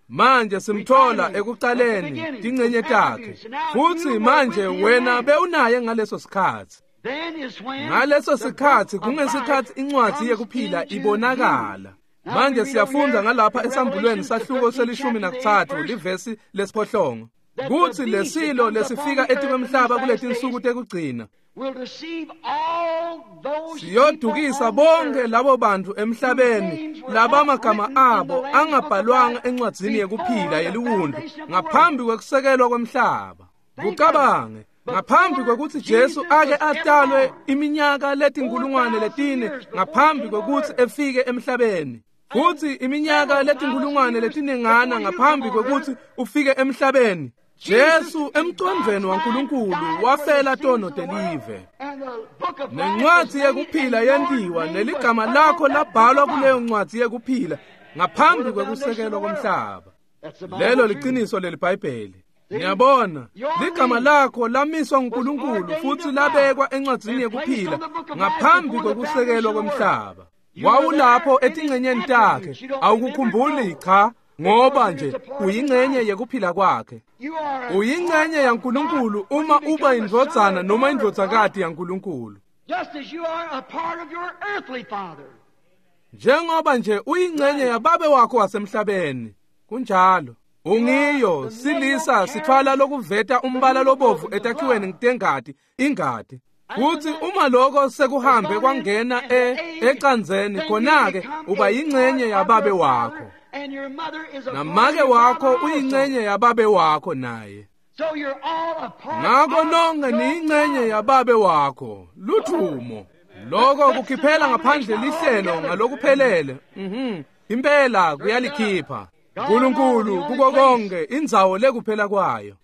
Manje simthola ekuqaleni tingcenye takhe. Futhi manje wena bewunaye ngaleso sikhathi. Ngaleso sikhathi kungesikhathi incwadi yekuphila ibonakala. Manje siyafunda ngalapha esambulweni sahluko se-13 livesi lesiphohlongo kuthi lesilo lesifika etikwemhlaba kuletinsuku tekugcina siyodukisa bonke labo bantu emhlabeni labamagama abo angabhalwanga encwadzini yekuphila yeliwundlu ngaphambi kwekusekelwa kwemhlaba. Kucabange ngaphambi kwekutsi Jesu ake atalwe iminyaka letinkulungwane letine ngaphambi kwekutsi efike emhlabeni, futhi iminyaka letinkulungwane letinengana ngaphambi kwekutsi ufike emhlabeni, Jesu emcondvweni waNkulunkulu wafela tono telive. Nencwadzi yekuphila yentiwa neligama lakho labhalwa kuleyo ncwadzi yekuphila ngaphambi kwekusekelwa komhlaba. Lelo liqiniso leliBhayibheli. Niyabona, ligama lakho lamiswa nguNkulunkulu futhi labekwa encwadzini yekuphila ngaphambi kwekusekelwa komhlaba. Wawulapho etingcenyeni takhe, awukukhumbuli cha, ngoba nje uyingcenye yekuphila kwakhe. Uyingcenye yaNkulunkulu uma uba indvodzana noma indvodzakati yaNkulunkulu. Njengoba nje uyingcenye yababe wakho wasemhlabeni. Kunjalo. Ungiyo silisa sithwala lokuveta umbala lobovu etakhiweni ngitengati ingati. Futhi uma lokho sekuhambe kwangena ecanzeni khona-ke uba yingcenye yababe wakho. Namake wakho uyingcenye yababe wakho naye. Ngakho nonke niyingcenye yababe wakho. Luthumo. Lokho kukhiphela ngaphandle lihlelo ngalokuphelele. Impela kuyalikhipha. uNkulunkulu kuko konke indzawo lekuphela kwayo.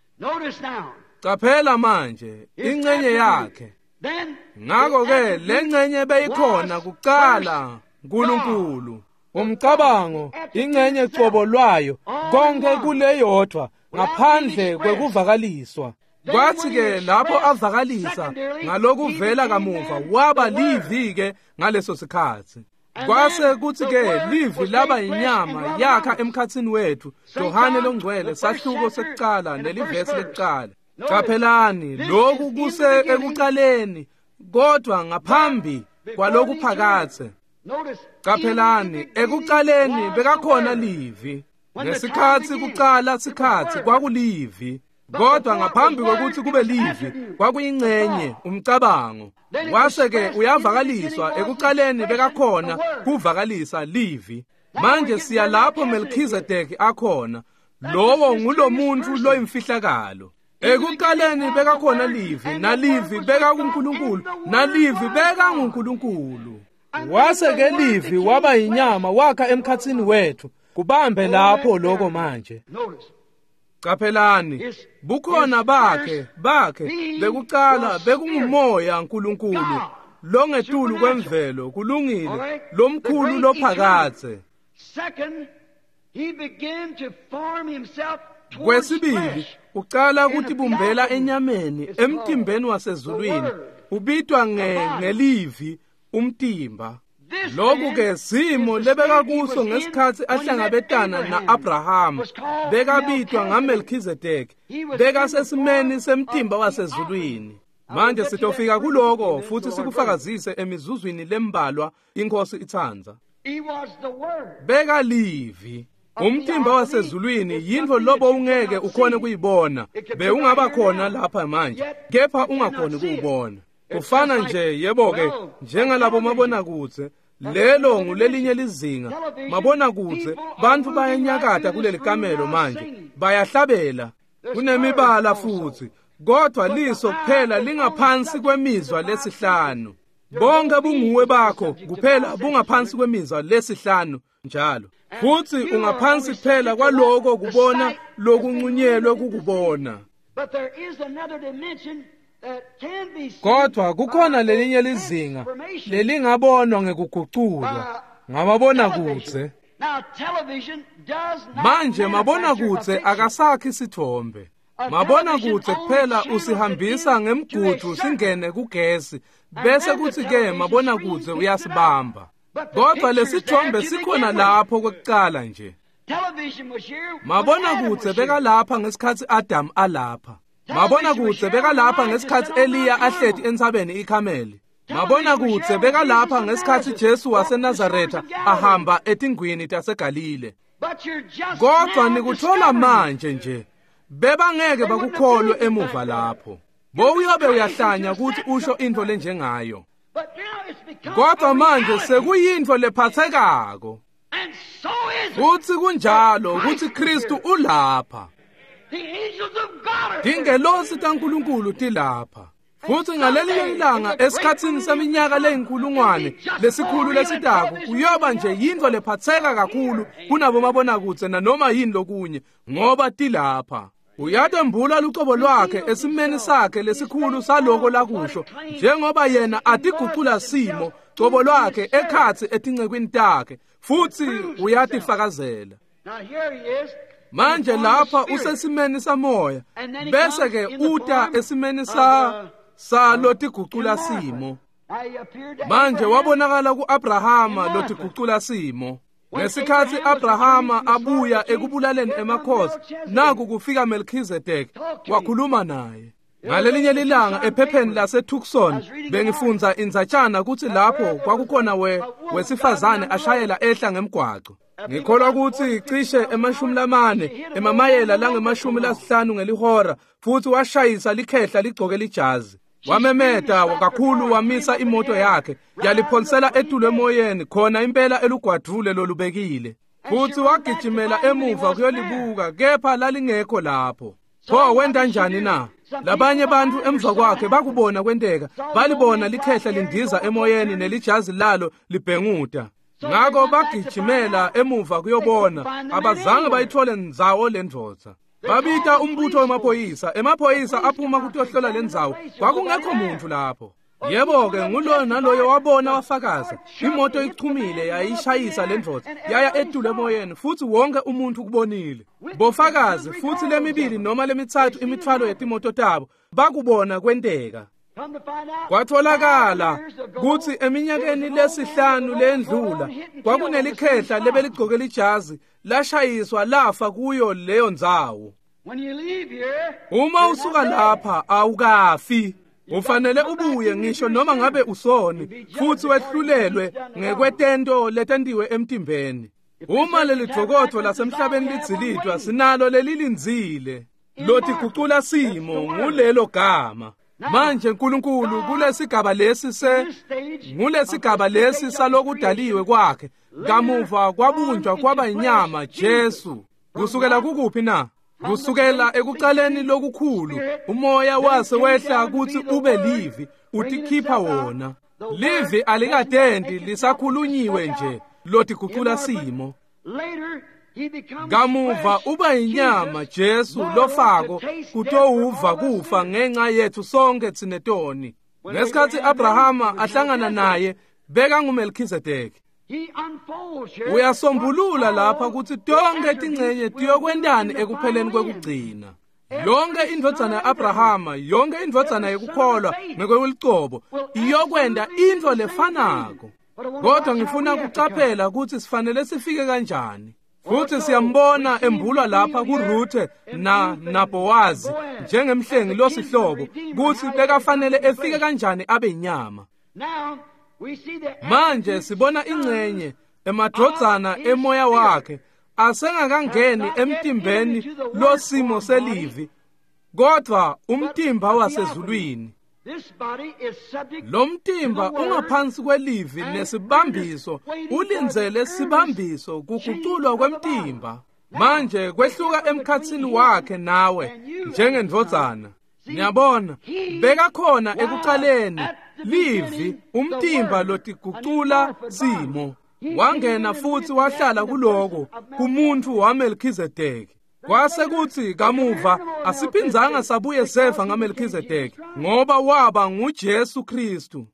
Qaphela manje ingcenye yakhe. Ngakho-ke le ngcenye beyikhona kuqala uNkulunkulu. Umcabango ingcenye cobo lwayo konke kuleyodwa ngaphandle kwekuvakaliswa. Kwathi-ke lapho avakalisa ngalokuvela kamuva waba livi-ke ngaleso sikhathi. Kwase kuthi-ke livi laba inyama yakha emkhathini wethu. Johane longcwele sahluko sekuqala nelivesi lekuqala. Qaphelani lokhu kuse ekuqaleni kodwa ngaphambi kwalokuphakathe. Qaphelani ekuqaleni bekakhona livi. Ngesikhatsi kucala sikhatsi kwakulivi, kodwa ngaphambi kokuthi kube livi kwakuyingcenye umcabango. Wase-ke uyavakaliswa, ekucaleni bekakhona kuvakalisa livi. Manje siya lapho Melchizedek akhona, lowo ngulomuntu loyimfihlakalo. Ekuqaleni bekakhona livi, nalivi bekakuNkulunkulu, nalivi bekanguNkulunkulu. Wase-ke livi waba yinyama wakha emkhatsini wethu. Kubambe lapho lokho manje. Qaphelani, bukhona bakhe bekucala bekungumoya uNkulunkulu longetulu kwemvelo, kulungile, lomkhulu lophakadze. Kwesibili, ucala kutibumbela enyameni emtimbeni wasezulwini, ubitwa ngelivi umtimba. Lokhu ke simo lebekakuso ngesikhatsi ahlangabetana na-Abrahama, bekabitwa ngaMelchizedek, bekasesimeni semtimba wasezulwini. Manje sitofika kuloko futhi sikufakazise emizuzwini lembalwa inkosi itsandza. Bekalivi. Umtimba wasezulwini yintfo lobo ungeke ukhone kuyibona, bewungaba khona lapha manje, kepha ungakhoni kuwubona. Kufana nje yebo-ke njengalabo mabonakudze, lelo ngulelinye lizinga. Mabonakudze bantfu bayanyakata kuleli kamelo manje, bayahlabela, kunemibala futhi, kodwa liso kuphela lingaphansi kwemizwa lesihlanu. Bonke bunguwe bakho kuphela bungaphansi kwemizwa lesihlanu njalo. Futhi ungaphansi kuphela kwaloko kubona lokuncunyelwe kukubona. Kodwa kukhona lelinye lizinga lelingabonwa ngekuguculwa ngamabonakudze. Manje mabonakudze akasakhi sithombe. Mabonakudze kuphela usihambisa ngemgudu singene kugesi, bese kuthi-ke mabonakudze uyasibamba. Kodwa lesithombe sikhona lapho kwekucala nje. Mabonakudze bekalapha ngesikhatsi Adam alapha. Mabonakudze bekalapha ngesikhatsi Eliya ahleti entsabeni iKhameli. Mabonakudze bekalapha ngesikhatsi Jesu waseNazaretha ahamba etingwini taseGalile. Kodwa nikuthola manje nje, bebangeke bakukholwe emuva lapho. Bowuyobe uyahlanya ukuthi usho intfo lenjengayo. Kodwa manje sekuyintfo lephathekako. Futhi kunjalo ukuthi Kristu ulapha. Tingelosi taNkulunkulu tilapha. Futhi ngalelinye ilanga esikhatsini seminyaka leyinkulungwane lesikhulu lesitako kuyoba nje yintfo lephatheka kakhulu kunabo mabonakudze nanoma yini lokunye, ngoba tilapha. Uyatembula lucobo lwakhe esimeni sakhe lesikhulu saloko lakusho, njengoba yena atigucula simo cobo lwakhe ekhatsi etincekwini takhe, futhi uyatifakazela. Manje lapha usesimeni samoya, bese ke uta esimeni sa lotigucula simo. Manje wabonakala ku-Abrahama lotigucula simo. Ngesikhatsi Abrahama abuya ekubulaleni emakhosi, naku kufika Melchizedek wakhuluma naye. Ngalelinye lilanga ephepheni lase-Tucson bengifundza indzatshana kutsi lapho kwakukhona wesifazane ashayela ehla ngemgwaco. Ngikholwa ukuthi cishe 40 emamayela lange-50 ngelihora, futhi washayisa likhehla ligcoke lijazi. Wamemeta kakhulu wamisa imoto yakhe, yaliphonsela etulu emoyeni khona impela elugwadvule lolubekile. Futhi wagijimela emuva kuyolibuka, kepha lalingekho lapho. Pho wenta njani na? Labanye bantu emva kwakhe bakubona kwenteka, balibona likhehla lindiza emoyeni nelijazi lalo libhenguta. Ngako bagijimela emuva kuyobona, abazange bayithole ndzawo lendvodza. Babita umbutho wemaphoyisa, emaphoyisa aphuma kutohlola lendzawo, kwakungekho muntu lapho. Yebo-ke nguloyo naloyo wabona wafakaza, imoto ichumile yayishayisa lendvodza, yaya etulu emoyeni, futhi wonke umuntu ukubonile. Bofakazi futhi lemibili noma lemithathu imithwalo yetimoto tabo bakubona kwenteka. Kwatholakala kutsi eminyakeni lesihlanu lendlula kwakunelikhehla lebeligcoke lijazi lashayiswa lafa kuyo leyo ndzawo. Uma usuka lapha awukafi, ufanele ubuye ngisho noma ngabe usoni, futhi wehlulelwe ngekwetento letentiwe emtimbeni. Uma leli dvokotfo lasemhlabeni lidzilitwa, sinalo lelilindzile lotigucula simo ngulelo gama. Manje uNkulunkulu kulesigaba lesi ngulesigaba lesi salokudaliwe kwakhe, kamuva kwabunjwa kwaba inyama Jesu. Kusukela kukuphi na? Kusukela ekucaleni lokukhulu umoya wase wehla kutsi ube livi, utikhipha wona. Livi alikadendi, lisakhulunyiwe nje, lotigucula simo. Kamuva uba inyama Jesu lofako kutowuva kufa ngenxa yethu sonke tsinetoni. Ngesikhatsi Abrahama ahlangana naye beka nguMelkhizedeki. Uyasombulula lapha kutsi tonke tingcenye tiyokwentani ekupheleni kwekugcina. Yonke indvodzana ya-Abrahama, yonke indvodzana yekukholwa ngekwelucobo iyokwenta intfo lefanako. Kodwa ngifuna kucaphela kutsi sifanele sifike kanjani. Futhi siyambona embulwa lapha kuRuthe naBowazi njengemhlengi losihlobo kutsi bekafanele efike kanjani abe inyama. Manje sibona ingcenye emadvodzana emoya wakhe asengakangeni emtimbeni losimo selivi, kodwa umtimba wasezulwini. Lo mtimba ungaphansi kwelivi nesibambiso, ulindzele sibambiso kuguculwa kwemtimba. Manje kwehluka emkhatsini wakhe nawe njengendvodzana. Niyabona, bekakhona ekucaleni livi, umtimba lotigucula simo. Wangena futhi wahlala kuloko kumuntu waMelkhizedeki. Kwase kuthi kamuva asiphindzanga sabuye seva ngaMelkhizedeki, ngoba waba nguJesu Kristu.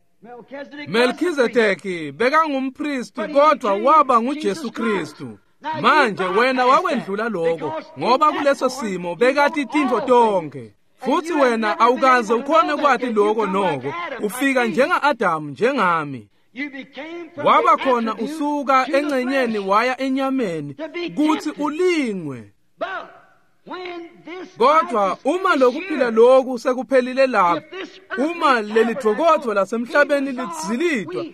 Melkhizedeki bekangumpristi, kodwa waba nguJesu Kristu. Manje wena wakwendlula lokho, ngoba kuleso simo bekati tintfo tonke. Futhi wena awukaze ukhone kwati lokho noko, ufika njenga-Adamu njengami. Waba khona usuka engcenyeni waya enyameni kuthi ulingwe. Kodwa uma lokuphila loku sekuphelile lapho, uma leli dvokotfo lasemhlabeni lidzilitwa,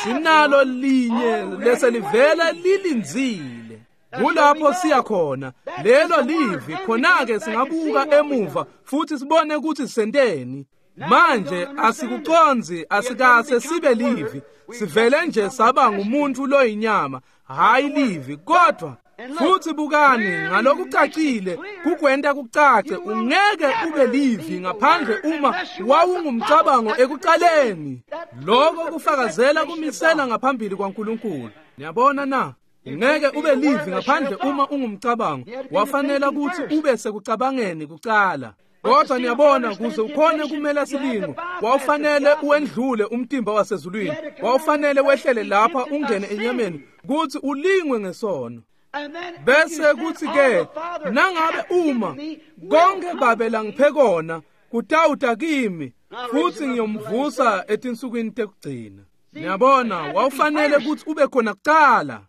sinalo linye leselivela lilindzile. Kulapho siya khona, lelo livi. Khona-ke singabuka emuva futhi sibone ukuthi senteni. Manje asikucondzi, asikase sibe livi, sivele nje saba ngumuntu loyinyama, hayi livi. Kodwa futhi bukani ngalokucacile, kukwenta kucace, ungeke ube livi ngaphandle uma wawungumcabango ekucaleni. Lokho kufakazela kumisela ngaphambili kwaNkulunkulu. Niyabona na? Ungeke ube livi ngaphandle uma ungumcabango. Wafanela ukuthi ube sekucabangeni kucala. Kodwa niyabona, kuze ukhone kumela silingo, wawufanele uwendlule umtimba wasezulwini, wawufanele wehlele lapha ungene enyameni kuthi ulingwe ngesono. Bese kuthi ke nangabe uma konke babe langiphe kona kutawuta kimi, futhi ngiyomvusa etinsukwini tekugcina. Niyabona, wawufanele ukuthi ube khona kucala.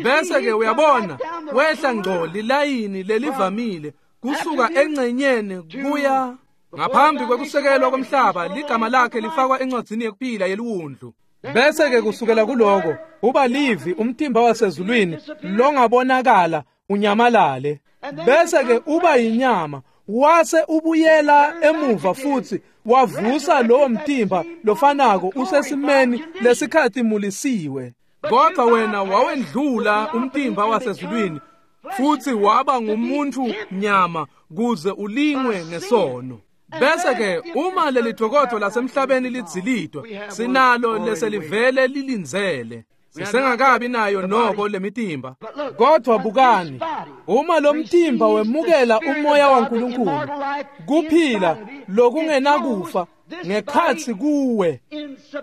Bese ke uyabona, wehla ngco lilayini lelivamile kusuka engcenyeni kuya ngaphambi kwekusekelwa komhlaba, ligama lakhe lifakwa encwadzini yekuphila yeliwundlu. Bese ke kusukela kuloko uba livi, umtimba wasezulwini longabonakala unyamalale. Bese ke uba inyama, wase ubuyela emuva futhi wavusa lowo mtimba lofanako usesimeni lesikhatimulisiwe. Kodwa wena wawendlula umtimba wasezulwini futhi waba ngumuntu nyama kuze ulingwe ngesono. Bese ke uma leli dvokotfo lasemhlabeni lidzilitwa, sinalo leselivele lilindzele. Sisengakabi nayo noko lemitimba. Kodwa bukani, uma lo mtimba wemukela umoya waNkulunkulu, kuphila lokungenakufa ngekhatsi kuwe,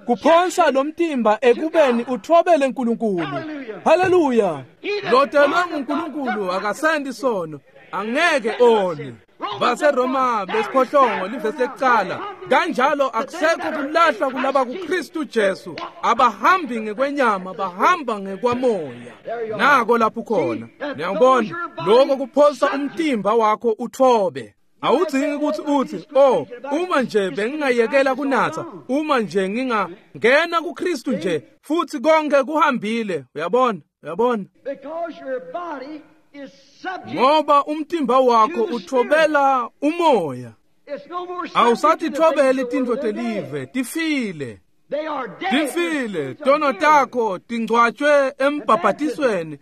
kuphonsa lo mtimba ekubeni uthobele uNkulunkulu. Haleluya! Lotelwe nguNkulunkulu akasendi sono, angeke one. BaseRoma besiphohlongo livesi lekucala, kanjalo akusekho kulahlwa kulaba kuKristu Jesu, abahambi ngekwenyama, bahamba ngekwamoya. Nako lapho khona. Niyabona, lokho kuphosa umtimba wakho uthobe. Awudzingi ukuthi uthi, oh, uma nje bengingayekela kunatha, uma nje ngingangena kuKristu nje, futhi konke kuhambile. Uyabona? Uyabona? Ngoba umtimba wakho uthobela umoya. Awusathithobeli tintfo telive, tifile. Tifile, tono takho tingcwatshwe embhabhatisweni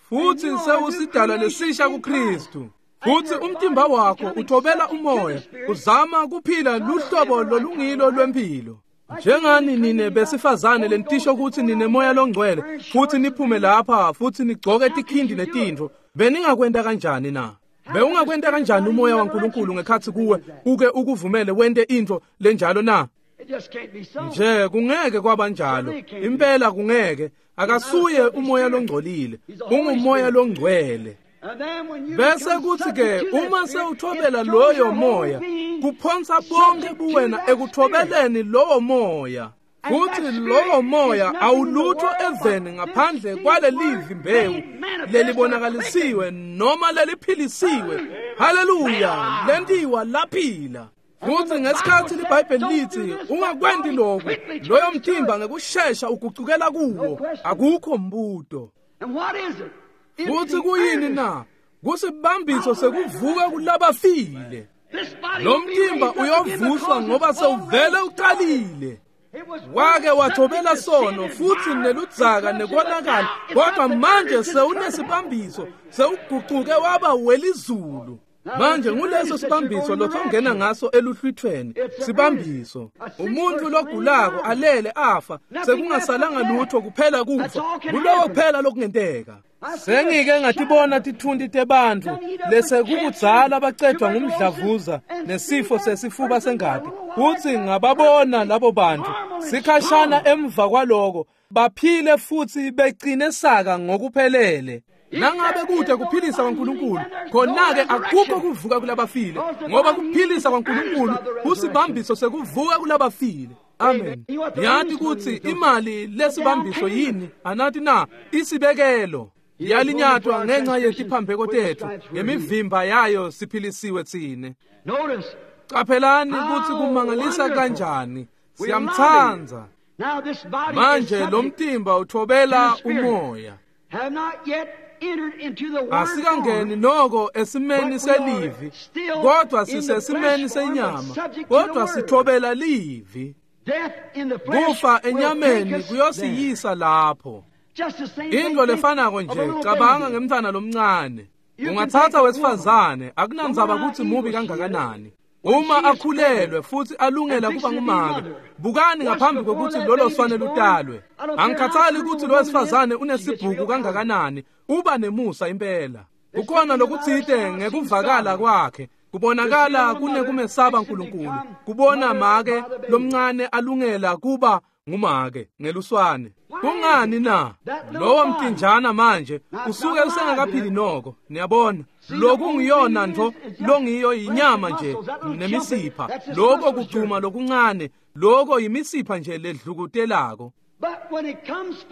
futhi sewusidalwa lesisha kuKristu. Futhi umtimba wakho uthobela umoya, uzama kuphila luhlobo lolungilo lwempilo. Njengani nine besifazane lenitisho ukuthi ninemoya longcwele futhi niphume lapha futhi nigcoke tikhindi netintfo, beningakwenta kanjani na? Bewungakwenta kanjani umoya waNkulunkulu ngekhatsi kuwe uke ukuvumele wente intfo lenjalo na? Nje kungeke kwabanjalo, impela kungeke. Akasuye umoya longcolile, ungumoya longcwele. Bese kuthi ke uma sewuthobela loyo moya, kuphonsa bonke buwena ekuthobeleni lowo moya. Futhi lowo moya awulutho eveni ngaphandle kwalelivi mbewu lelibonakalisiwe noma leliphilisiwe. Haleluya, lentiwa laphila. Futhi ngesikhathi liBhayibheli lithi ungakwenti lokhu, loyo mtimba ngekushesha ugucukela kuwo, akukho mbuto. Futhi kuyini na? Kusibambiso sekuvuka kulabafile. Lo mtimba uyovuswa ngoba sewuvele uqalile. Wake wathobela sono futhi neludzaka nekonakala, kodwa manje sewunesibambiso, sewuguquke waba welizulu. Manje nguleso sibambiso lothongena ngaso eluhlwithweni, sibambiso. Umuntu logulako alele afa, sekungasalanga lutho kuphela kufa. Kuloko kuphela lokungenteka. Sengike ngatibona tithunti tebantfu lesekukudzala bacedwa ngumdlavuza nesifo sesifuba sengati. Futhi ngababona labo bantu sikhashana emva kwaloko baphile futhi begcine saka ngokuphelele. Nangabe kude kuphilisa kwaNkulunkulu, khona-ke akukho kuvuka kulabafile, ngoba kuphilisa kwaNkulunkulu kusibambiso sekuvuka kulabafile. Amen. Niyati kutsi imali lesibambiso yini? Anati na? Isibekelo. Yalinyatwa ngenxa yetiphambeko tetfu, ngemivimba yayo siphilisiwe tsine. Qaphelani kutsi kumangalisa kanjani. Siyamtsandza. Manje lo mtimba uthobela umoya. Asikangeni noko esimeni selivi, kodwa sisesimeni senyama, kodwa sithobela livi. Kufa enyameni kuyosiyisa lapho. Into lefanako nje, cabanga ngemntwana lomncane. Ungathatha wesifazane, akunandzaba kutsi mubi kangakanani. Uma akhulelwe futhi alungela kuba ngumake, bukani ngaphambi kokuthi lolo swane lutalwe. Angikhathali ukuthi lo wesifazane unesibhuku kangakanani, uba nemusa impela. Kukhona lokutsite ngekuvakala kwakhe, kubonakala kunekumesaba uNkulunkulu, kubona make lomncane alungela kuba ngumake ngeluswane. Kungani na? Lowo mtinjana manje usuke usengakaphili noko. Niyabona, lokungiyona nto longiyo inyama nje nemisipha, lokho kugcuma lokuncane, lokho yimisipha nje ledlukutelako.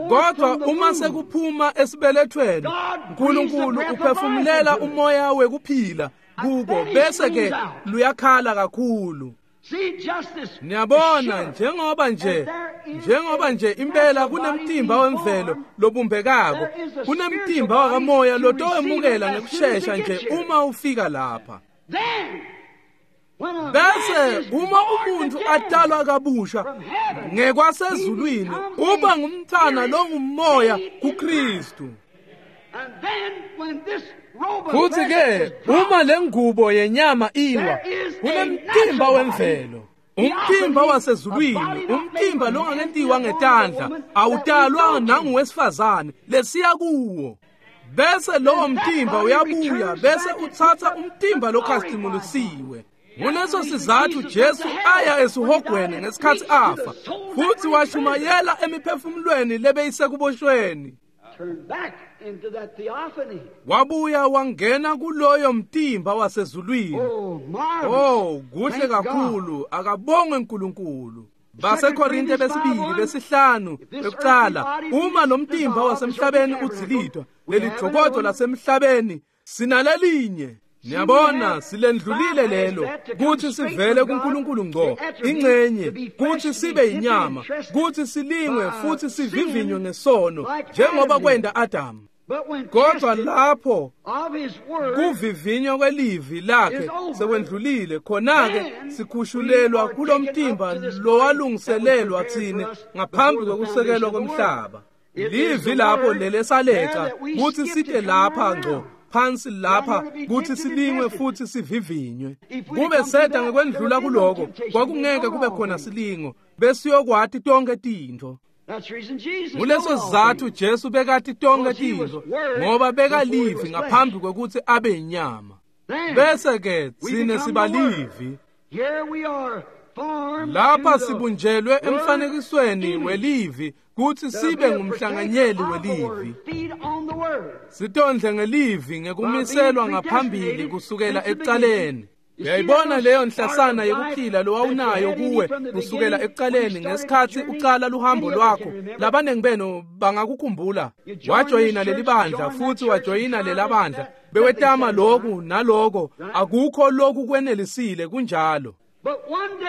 Kodwa uma sekuphuma esibelethweni, uNkulunkulu uphefumulela umoya wekuphila kuko, bese ke luyakhala kakhulu. Niyabona, njengoba nje impela kunemtimba wemvelo lobumbekako, kunemtimba wakamoya lotowemukela ngekushesha nje uma ufika lapha. Bese uma umuntu atalwa kabusha ngekwasezulwini, uba ngumntwana longumoya kuKristu. Futhi ke uma lengubo yenyama iwa, kunemtimba wemvelo, umtimba wasezulwini, umtimba longakentiwa ngetandla, awutalwa nanguwesifazane lesiya kuwo. Bese lowo mtimba uyabuya, bese utsatsa umtimba lokhazimulisiwe. Nguleso sizathu Jesu aya esihogweni ngesikhathi afa, futhi washumayela emiphefumulweni lebeyisekuboshweni. Wabuya wangena kuloyo mtimba wasezulwini. Oh, kuhle kakhulu, akabongwe uNkulunkulu. BaseKorinte besibili besihlanu ekuqala, uma lo mtimba wasemhlabeni udzilidwa, leli jokodo lasemhlabeni sinalelinye. Niyabona, silendlulile lelo kutsi sivele kuNkulunkulu ngco, ingcenye kutsi sibe inyama, kutsi silingwe futhi sivivinywe ngesono njengoba kwenta Adamu. Kodwa lapho kuvivinywa kwelivi lakhe sekwendlulile, khona-ke sikhushulelwa kulomtimba lowalungiselelwa tsine ngaphambi kwekusekelwa komhlaba. Livi lapho lelesaleca kutsi site lapha ngco phansi lapha kutsi silingwe futhi sivivinywe. Kube seda ngekwendlula kuloko, kwakungeke kube khona silingo, besiyokwati tonke tintfo. Nguleso sizatfu Jesu bekati tonke tintfo, ngoba bekalivi ngaphambi kwekutsi abe inyama. Bese-ke tsine sibalivi. Lapha sibunjelwe emfanekisweni welivi kutsi sibe ngumhlanganyeli welivi. Sitondle ngelivi ngekumiselwa ngaphambili kusukela ekucaleni. Uyayibona leyo nhlasana yekuphila lowawunayo kuwe kusukela ekucaleni ngesikhatsi ucala luhambo lwakho. Labanengi benu bangakukhumbula. Wajoyina leli bandla futhi wajoyina lela bandla. Bewetama loku naloko, akukho loku kwenelisile kunjalo.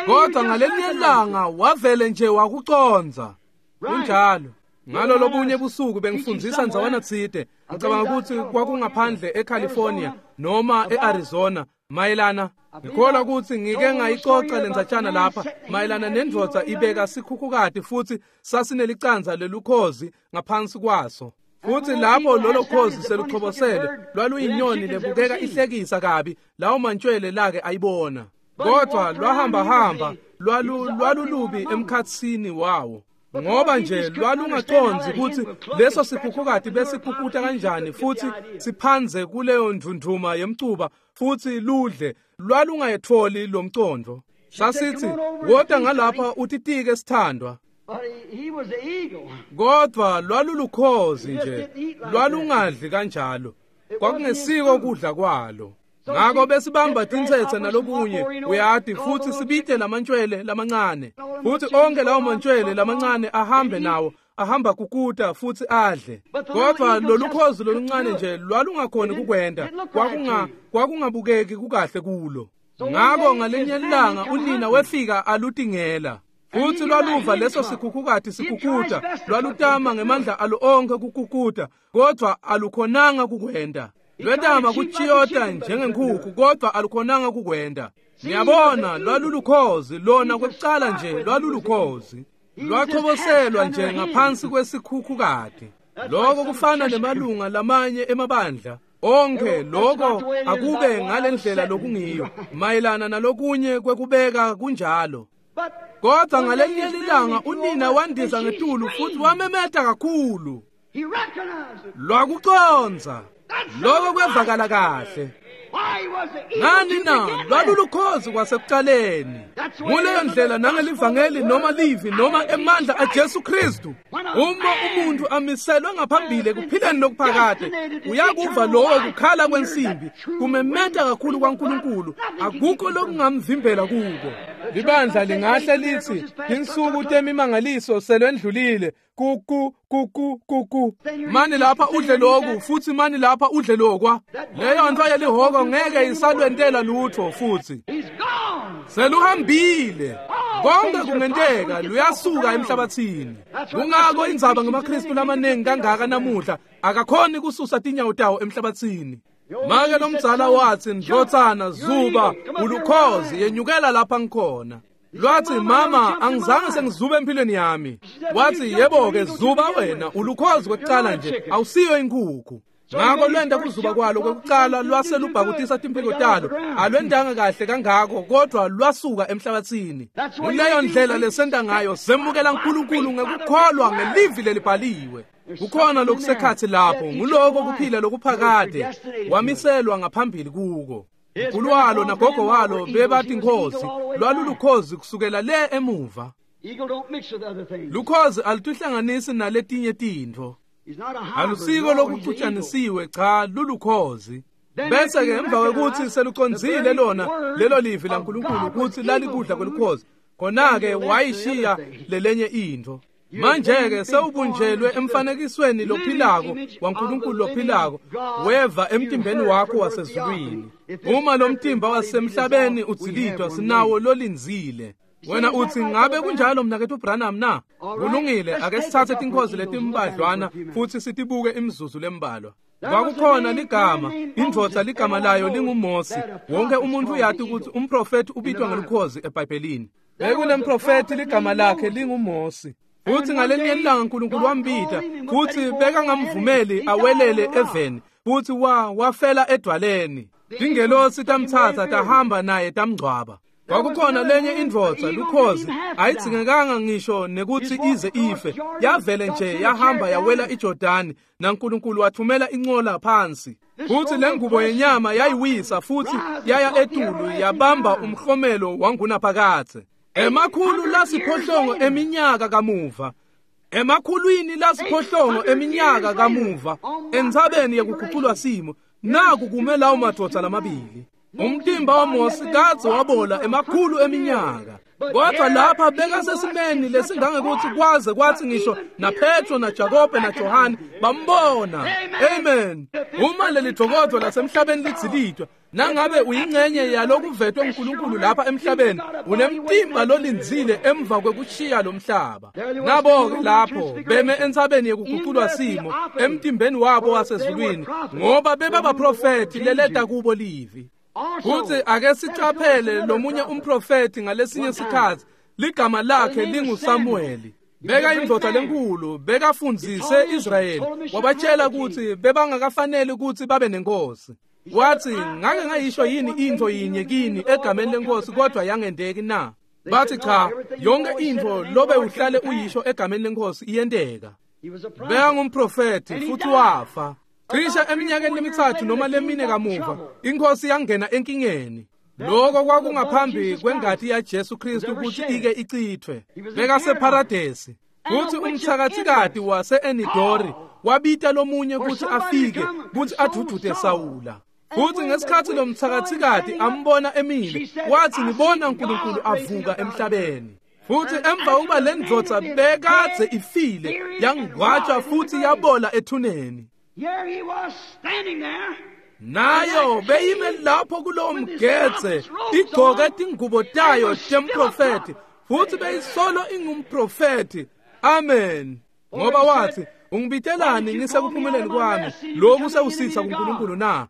Kodwa ngalelinye ilanga wavele nje wakucondza. Kunjalo. Ngalo lobunye busuku bengifundzisa ndzawana tsite, ngicabanga kutsi kwakungaphandle eCalifornia noma eArizona, mayelana ngikholwa kutsi ngike ngayicoca lendzatshana lapha mayelana nendvodza ibeka sikhukhukati futhi sasinelicandza lelukhozi ngaphansi kwaso. Futhi lapho lolo khozi seluchobosele lwaluyinyoni lebukeka ihlekisa kabi lawo mantshwele lake ayibona. Kodwa lwahamba lwalulubi emkhatsini wawo, ngoba nje lwalungacondzi kutsi leso sikhukhukati besikhukhuta kanjani futhi siphanze kuleyo ndvundvuma yemcuba futhi ludle. Lwalungayitholi lo mcondvo. Sasithi, wota ngalapha utitike sithandwa. Kodwa lwalulukhozi nje, lwalungadli kanjalo, kwakungesiko kudla kwalo. Ngako besibamba tintsetse nalokunye, uyati, futhi sibite lamantshwele lamancane, futhi onke lawo mantshwele lamancane ahambe nawo, ahamba kukuta futhi adle. Kodwa lolukhozi loluncane nje lwalungakhoni kukwenta, kwakungabukeki kukahle kulo. Ngako ngalenye ilanga unina wefika alutingela, futhi lwaluva leso sikhukhukati sikhukhuta, lwalutama ngemandla alo onke kukhukhuta, kodwa alukhonanga kukwenta. Lwetama kuchiyota njengenkukhu, kodwa alukhonanga kukwenta. Ngiyabona, lwalulukhozi lona kwekucala nje lwalulukhozi, lwachoboselwa nje ngaphansi kwesikhukhukati. Lokho kufana nemalunga lamanye emabandla onke, lokho akube ngalendlela lokungiyo mayelana nalokunye kwekubeka kunjalo. Kodwa ngalenye ilanga unina wandiza ngetulu futhi wamemeta kakhulu. Lwakucondza. Lokho kwevakala kahle. Ngani na? Lwalulukhozi kwasekucaleni. Nguleyo ndlela nangelivangeli noma livi noma emandla aJesu Kristu. Uma umuntu amiselwe ngaphambili ekuphileni lokuphakade, uyakuva lowo kukhala kwensimbi kumemeta kakhulu kwaNkulunkulu, akukho lokungamvimbela kuko. Libandla lingahle lithi insuku temimangaliso selwendlulile, kuku kuku kuku, mani lapha udle lokhu futhi mani lapha udle lokwa. Leyo nto yelihoko ngeke isalwentela lutho futhi, seluhambile. Konke kungenteka, luyasuka emhlabathini. Kungako indzaba ngemaKristu lamaningi kangaka namuhla akakhoni kususa tinyawo tawo emhlabathini. Make lomdzala wathi, ndlotsana zuba ulukhozi, yenyukela lapha ngikhona. Lwathi, mama, angizange sengizube empilweni yami. Wathi, yebo-ke, zuba wena, ulukhozi kwekucala nje, awusiyo inkukhu. Ngako lwenda kuzuba kwalo kwekucala lwase lubhakutisa timphiko talo, alwendanga kahle kangako, kodwa lwasuka emhlabathini. Kuleyo ndlela lesenta ngayo, semukela uNkulunkulu ngekukholwa ngelivi lelibhaliwe. Kukhona lokusekhathi lapho, nguloko kuphila lokuphakade, wamiselwa ngaphambili kuko. Mkhulu walo nagogo walo bebathi lwalulukhozi kusukela le emuva. Lukhozi alutihlanganisi naletinye tintfo. Alusiko lokuxutshanisiwe, cha, lulukhozi. Bese-ke emva kwekutsi selucondzile lona lelo livi laNkulunkulu kutsi lalikudla kwelukhozi, khona-ke wayishiya lelenye intfo. Manje-ke sewubunjelwe emfanekisweni lophilako waNkulunkulu lophilako, weva emtimbeni wakho wasezulwini. Uma lo mtimba wasemhlabeni udzilitwa, sinawo lolindzile. Wena uthi, ngabe kunjalo mnaketfu Branham na? Kulungile, ake sithathe tinkhozi letimbadlwana futhi sitibuke imizuzu lembalwa. Kwakukhona ligama, indvodza ligama layo linguMosi. Wonke umuntu uyati ukuthi umprofethi ubitwa ngelukhozi eBhayibhelini. Bekunemprofethi ligama lakhe linguMosi. Futhi ngalenye ilanga uNkulunkulu wambita, futhi bekangamvumeli awelele eveni, futhi wafela edwaleni. Tingelosi tamthatha tahamba naye tamngcwaba. Kwakukhona lenye indvodza lukhozi, ayidzingekanga ngisho nekuthi ize ife, yavele nje yahamba yawela iJordani, naNkulunkulu wathumela incola phansi. Futhi lengubo yenyama yayiwisa futhi yaya etulu yabamba umhlomelo wangunaphakadze. Emakhulu lasiphohlongo eminyaka kamuva, emakhulwini lasiphohlongo eminyaka kamuva, entsabeni yekuguculwa simo, naku kume lawo madvodza lamabili. Umtimba waMosi kadze wabola emakhulu eminyaka, kodwa lapha bekasesimeni lesingangekuthi kwaze kwathi ngisho naPetro naJakobe naJohane bambona. Amen. Uma leli dvokodvo lasemhlabeni lidzilitwa, nangabe uyingxenye yalokuvetwe uNkulunkulu lapha emhlabeni, unemtimba lolindzile emva kwekushiya lo mhlaba. Nabo-ke lapho beme entsabeni yekuguculwa simo emtimbeni wabo wasezulwini, ngoba bebabaprofethi leleta kubo livi. Futhi ake sicaphele lomunye umprofethi ngalesinye sikhathi, ligama lakhe linguSamueli. Beka indvodza lenkulu, bekafundzise Israyeli, wabatshela ukuthi bebangakafaneli ukuthi babe nenkosi. Wathi, ngake ngayisho yini intfo yinye kini egameni lenkosi kodwa yangendeki na? Bathi cha, yonke intfo lobe uhlale uyisho egameni lenkosi iyenteka. Beka ngumprofethi futhi wafa. Cishe eminyakeni lemithathu noma lemine kamuva, inkosi yangena enkingeni. Lokho kwakungaphambi kwengati yaJesu Kristu ukuthi ike ichithwe. Bekaseparadesi. Futhi umthakathikati wase-Enidori wabita lomunye ukuthi afike ukuthi adudude Sawula. Futhi ngesikhathi lo mthakathikati ambona emile, wathi, ngibona uNkulunkulu avuka emhlabeni. Futhi emva ukuba le ndvodza bekadze ifile, yangcwatshwa futhi yabola ethuneni. Nayo beyime lapho kulowo mgedze, igcoke tingubo tayo temprofethi, futhi beyisolo ingumprofethi. Amen. Ngoba wathi, ungibitelani ngisekuphumeleni kwami, lokhu sewusitha kuNkulunkulu na?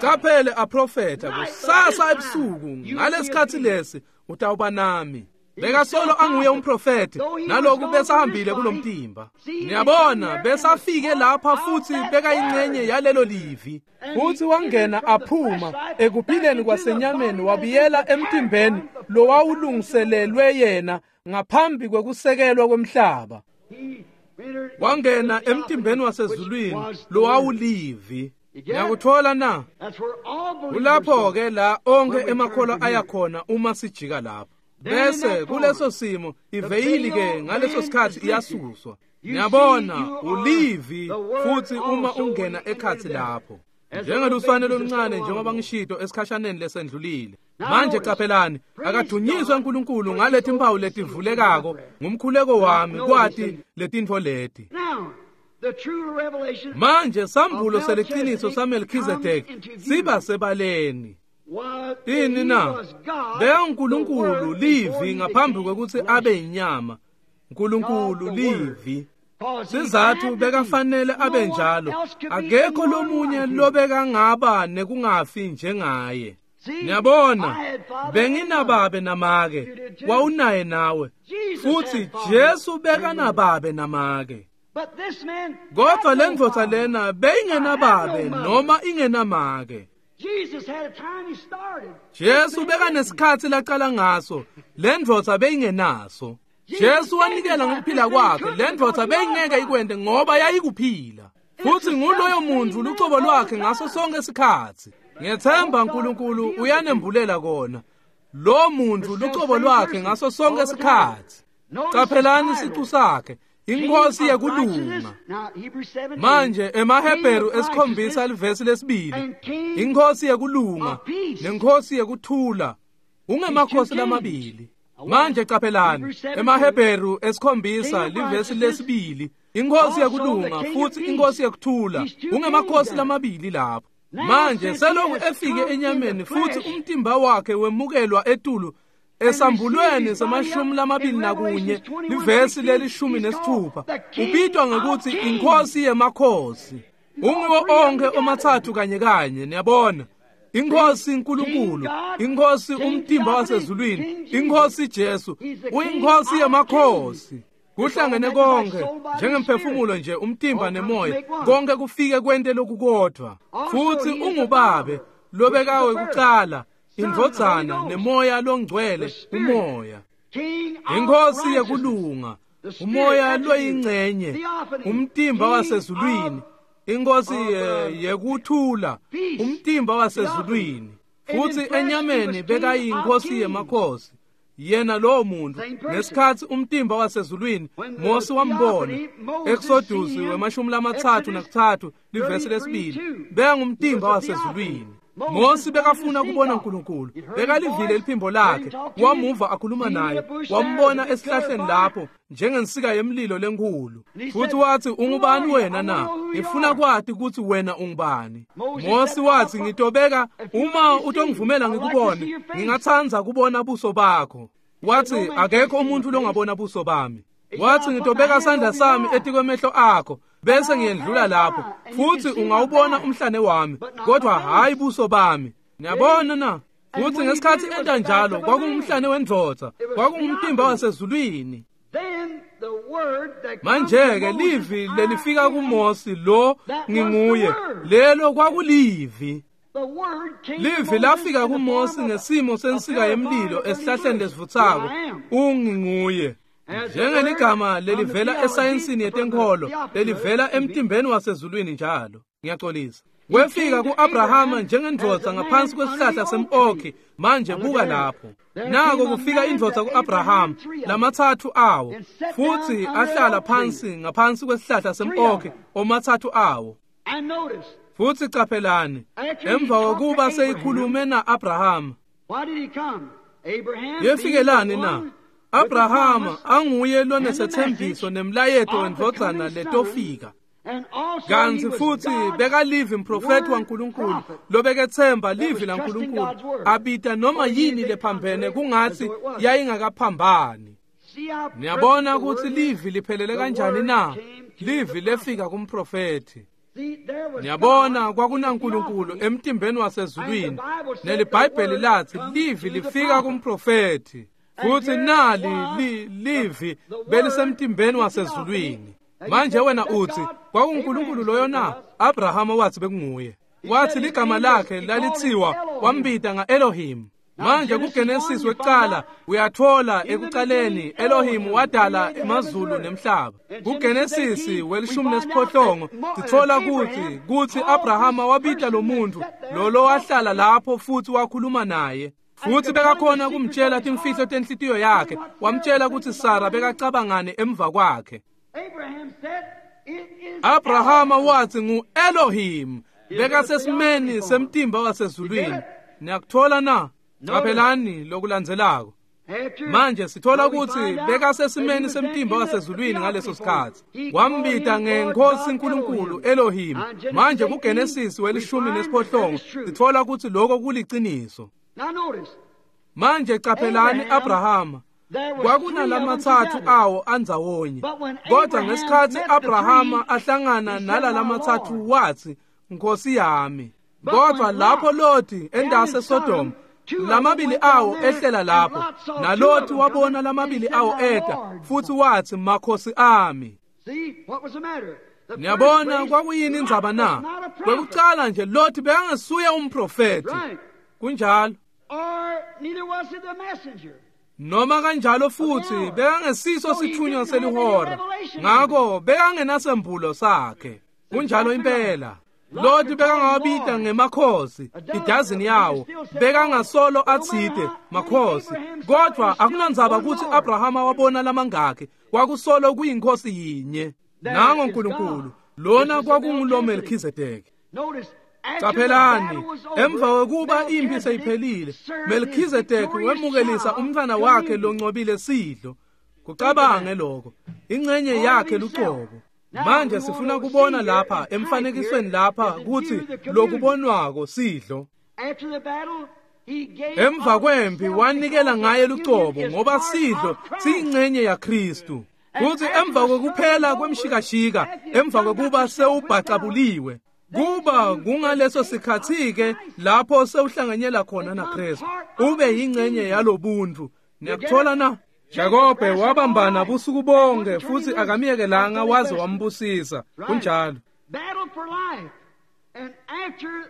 Caphele aprofetha, kusasa ebusuku ngalesikhathi lesi utawuba nami. Bekasolo anguye umprofethi, naloku besahambile kulomtimba. Niyabona, besafike lapha futhi bekayingxenye yalelo livi. Futhi wangena aphuma ekuphileni kwasenyameni wabuyela emtimbeni lowawulungiselelwe yena ngaphambi kwekusekelwa kwemhlaba. Wangena emtimbeni wasezulwini lowawulivi. Ngiyakuthola na? Kulapho-ke la onke emakholwa ayakhona uma sijika lapho. Bese kuleso simo iveyili ke ngaleso sikhathi iyasuswa. Ngiyabona ulivi futhi uma ungena ekhathi lapho. Njengeluswane loluncane njengoba ngishito esikhashaneni lesendlulile. Manje caphelani, akadunyiswe uNkulunkulu ngalethi impawu letivulekako ngumkhuleko wami kwati letintfo leti. Manje sambulo seliqiniso saMelkhizedeki siba sebaleni. Ini na? Beka uNkulunkulu livi ngaphambi kwekuthi abe inyama. uNkulunkulu livi. Sizathu bekafanele abe njalo. Akekho lomunye lobekangaba nekungafi njengaye. Niyabona, benginababe namake, wawunaye nawe. Futhi Jesu bekanababe namake. Kodwa le ndvodza lena beyingenababe noma ingenamake. Jesu bekanesikhathi laqala ngaso, le ndvodza beyingenaso. Jesu wanikela ngokuphila kwakhe, le ndvodza beyingeke ikwente ngoba yayikuphila. Futhi nguloyo muntu lucobo lwakhe ngaso sonke isikhathi. Ngiyethemba uNkulunkulu uyanembulela kona. Lo muntu lucobo lwakhe ngaso sonke isikhathi. Caphelani isicu sakhe, inkosi yekulunga. Manje emaHebheru esikhombisa livesi lesibili, inkosi yekulunga nenkosi yekuthula ungemakhosi lamabili. Manje caphelani, emaHebheru 7 livesi 2, iNkhosi yekulunga futhi iNkhosi yekuthula, ungemakhosi lamabili lapho. Manje seloku efike enyameni futhi umtimba wakhe wemukelwa etulu esambulweni se-21 livesi le-16, ubitwa ngekuthi iNkhosi yemakhosi. Unguwo onke omathathu kanye kanye, niyabona. Inkosi uNkulunkulu, iNkhosi umtimba wasezulwini, iNkhosi Jesu, uyiNkhosi yemakhosi. Kuhlangene konke njengemphefumulo nje, umtimba nemoya, konke kufike kwente lokukodwa. Futhi ungubabe lobekawe kucala, indvodzana nemoya longcwele, umoya. Inkosi yekulunga, umoya loyingcenye, umtimba wasezulwini, inkosi yekuthula, umtimba wasezulwini. Futhi enyameni bekayinkosi yemakhosi. Yena lowo muntu ngesikhathi umtimba wasezulwini Mose wambona Exodus 33 livesi 2, bekangumtimba wasezulwini. Mose bekafuna kubona uNkulunkulu, bekalivile liphimbo lakhe, wamuva akhuluma naye, wambona esihlahleni lapho njengensika yemlilo lenkulu. Futhi wathi, ungubani wena na? Ngifuna kwati ukuthi wena ungubani. Mose wathi, ngitobeka uma utongivumela ngikubone, ngingathanda kubona buso bakho. Wathi, akekho umuntu longabona buso bami. Wathi, ngitobeka sandla sami etikwemehlo akho bese ngiyendlula lapho, futhi ungawubona umhlane wami, kodwa hayi buso bami. Niyabona na? Futhi ngesikhathi enta njalo, kwakungumhlane wendvodza, kwakungumtimba wasezulwini. Manje-ke livi lelifika kuMose, lo nginguye, lelo kwakulivi. Livi lafika kuMose ngesimo sensika yemlilo esihlahleni lesivuthako, unginguye. Njengeligama lelivela esayensini yetenkholo, lelivela emtimbeni wasezulwini njalo. Ngiyaxolisa. Wefika ku-Abrahama njengendvodza ngaphansi kwesihlahla sem-okhi. Manje buka lapho. Nako kufika indvodza ku-Abrahama, lamathathu awo, futhi ahlala phansi ngaphansi kwesihlahla sem-okhi, omathathu awo. Futhi caphelani, emva kokuba seyikhulume na-Abrahama, yefikelani na? Abrahama anguye lonesethembiso nemlayeto wendvodzana letofika. Kanti futhi bekalivi mprofeti waNkulunkulu lobekethemba livi laNkulunkulu, abita noma yini lephambene kungathi yayingakaphambani. Niyabona ukuthi livi liphelele kanjani na? Livi lefika kumprofeti. Niyabona kwakunaNkulunkulu emtimbeni wasezulwini, neliBhayibheli lathi livi lifika kumprofeti. Futhi nali livi belisemtimbeni wasezulwini. Manje wena uthi kwakunguNkulunkulu loyo na? Abrahama wathi bekunguye. Wathi ligama lakhe lalithiwa wambita nga-Elohim. Manje kuGenesis wekucala uyathola ekucaleni Elohim wadala emazulu nemhlaba. KuGenesis 18 sithola ukuthi Abrahama wabita lo muntu lo wahlala lapho futhi wakhuluma naye. Futhi bekakhona kumtshela timfihlo tenhlitiyo yakhe, wamtshela ukuthi Sara bekacabangane emva kwakhe. Abrahama wathi ngu-Elohim, bekasesimeni semtimba wasezulwini. Niyakuthola na? Qaphelani lokulandzelako. Manje sithola ukuthi bekasesimeni semtimba wasezulwini ngaleso sikhathi. Wambita ngenkosi uNkulunkulu Elohim. Manje kuGenesis 18 sithola ukuthi lokho kuliciniso. Manje qaphelani Abrahama kwakunalamathathu awo andzawonye, kodwa ngesikhathi Abrahama ahlangana nalalamathathu wathi, Nkosi yami. Kodwa lapho Loti endase Sodom, lamabili awo ehlela lapho, naLoti wabona lamabili awo eta futhi wathi, makhosi ami. Niyabona kwakuyini indzaba na? Kwekucala nje Loti bekangasuye umprofeti. Kunjalo. Noma kanjalo futhi bekangesiso sithunywa selihora, ngakho bekangenasembulo sakhe. Kunjalo impela. Loti bekangawabita ngemakhosi idazini yawo, bekangasolo athide makhosi, kodwa akunandzaba ukuthi Abrahama wabona lamangakhe, kwakusolo kuyinkosi yinye. Nango uNkulunkulu lona kwakungulo Melchizedek. Caphelani, emva kwekuba impi seyiphelile, Melchizedek wemukelisa umntfwana wakhe loncobile sidlo. Kucabange lokho, ingcenye yakhe lucobo. Manje sifuna kubona lapha emfanekisweni lapha kutsi lokubonwako sidlo. Emva kwempi wanikela ngaye lucobo ngoba sidlo siyingcenye yaKristu. Kuthi emva kokuphela kwemshikashika, emva kokuba sewubhacabuliwe, kuba kungaleso sikhathi-ke lapho sewuhlanganyela khona naKristu, ube yingcenye yalobuntu. Niyakuthola na? Jakobe wabambana busuku bonke futhi akamiyekelanga waze wambusisa. Kunjalo.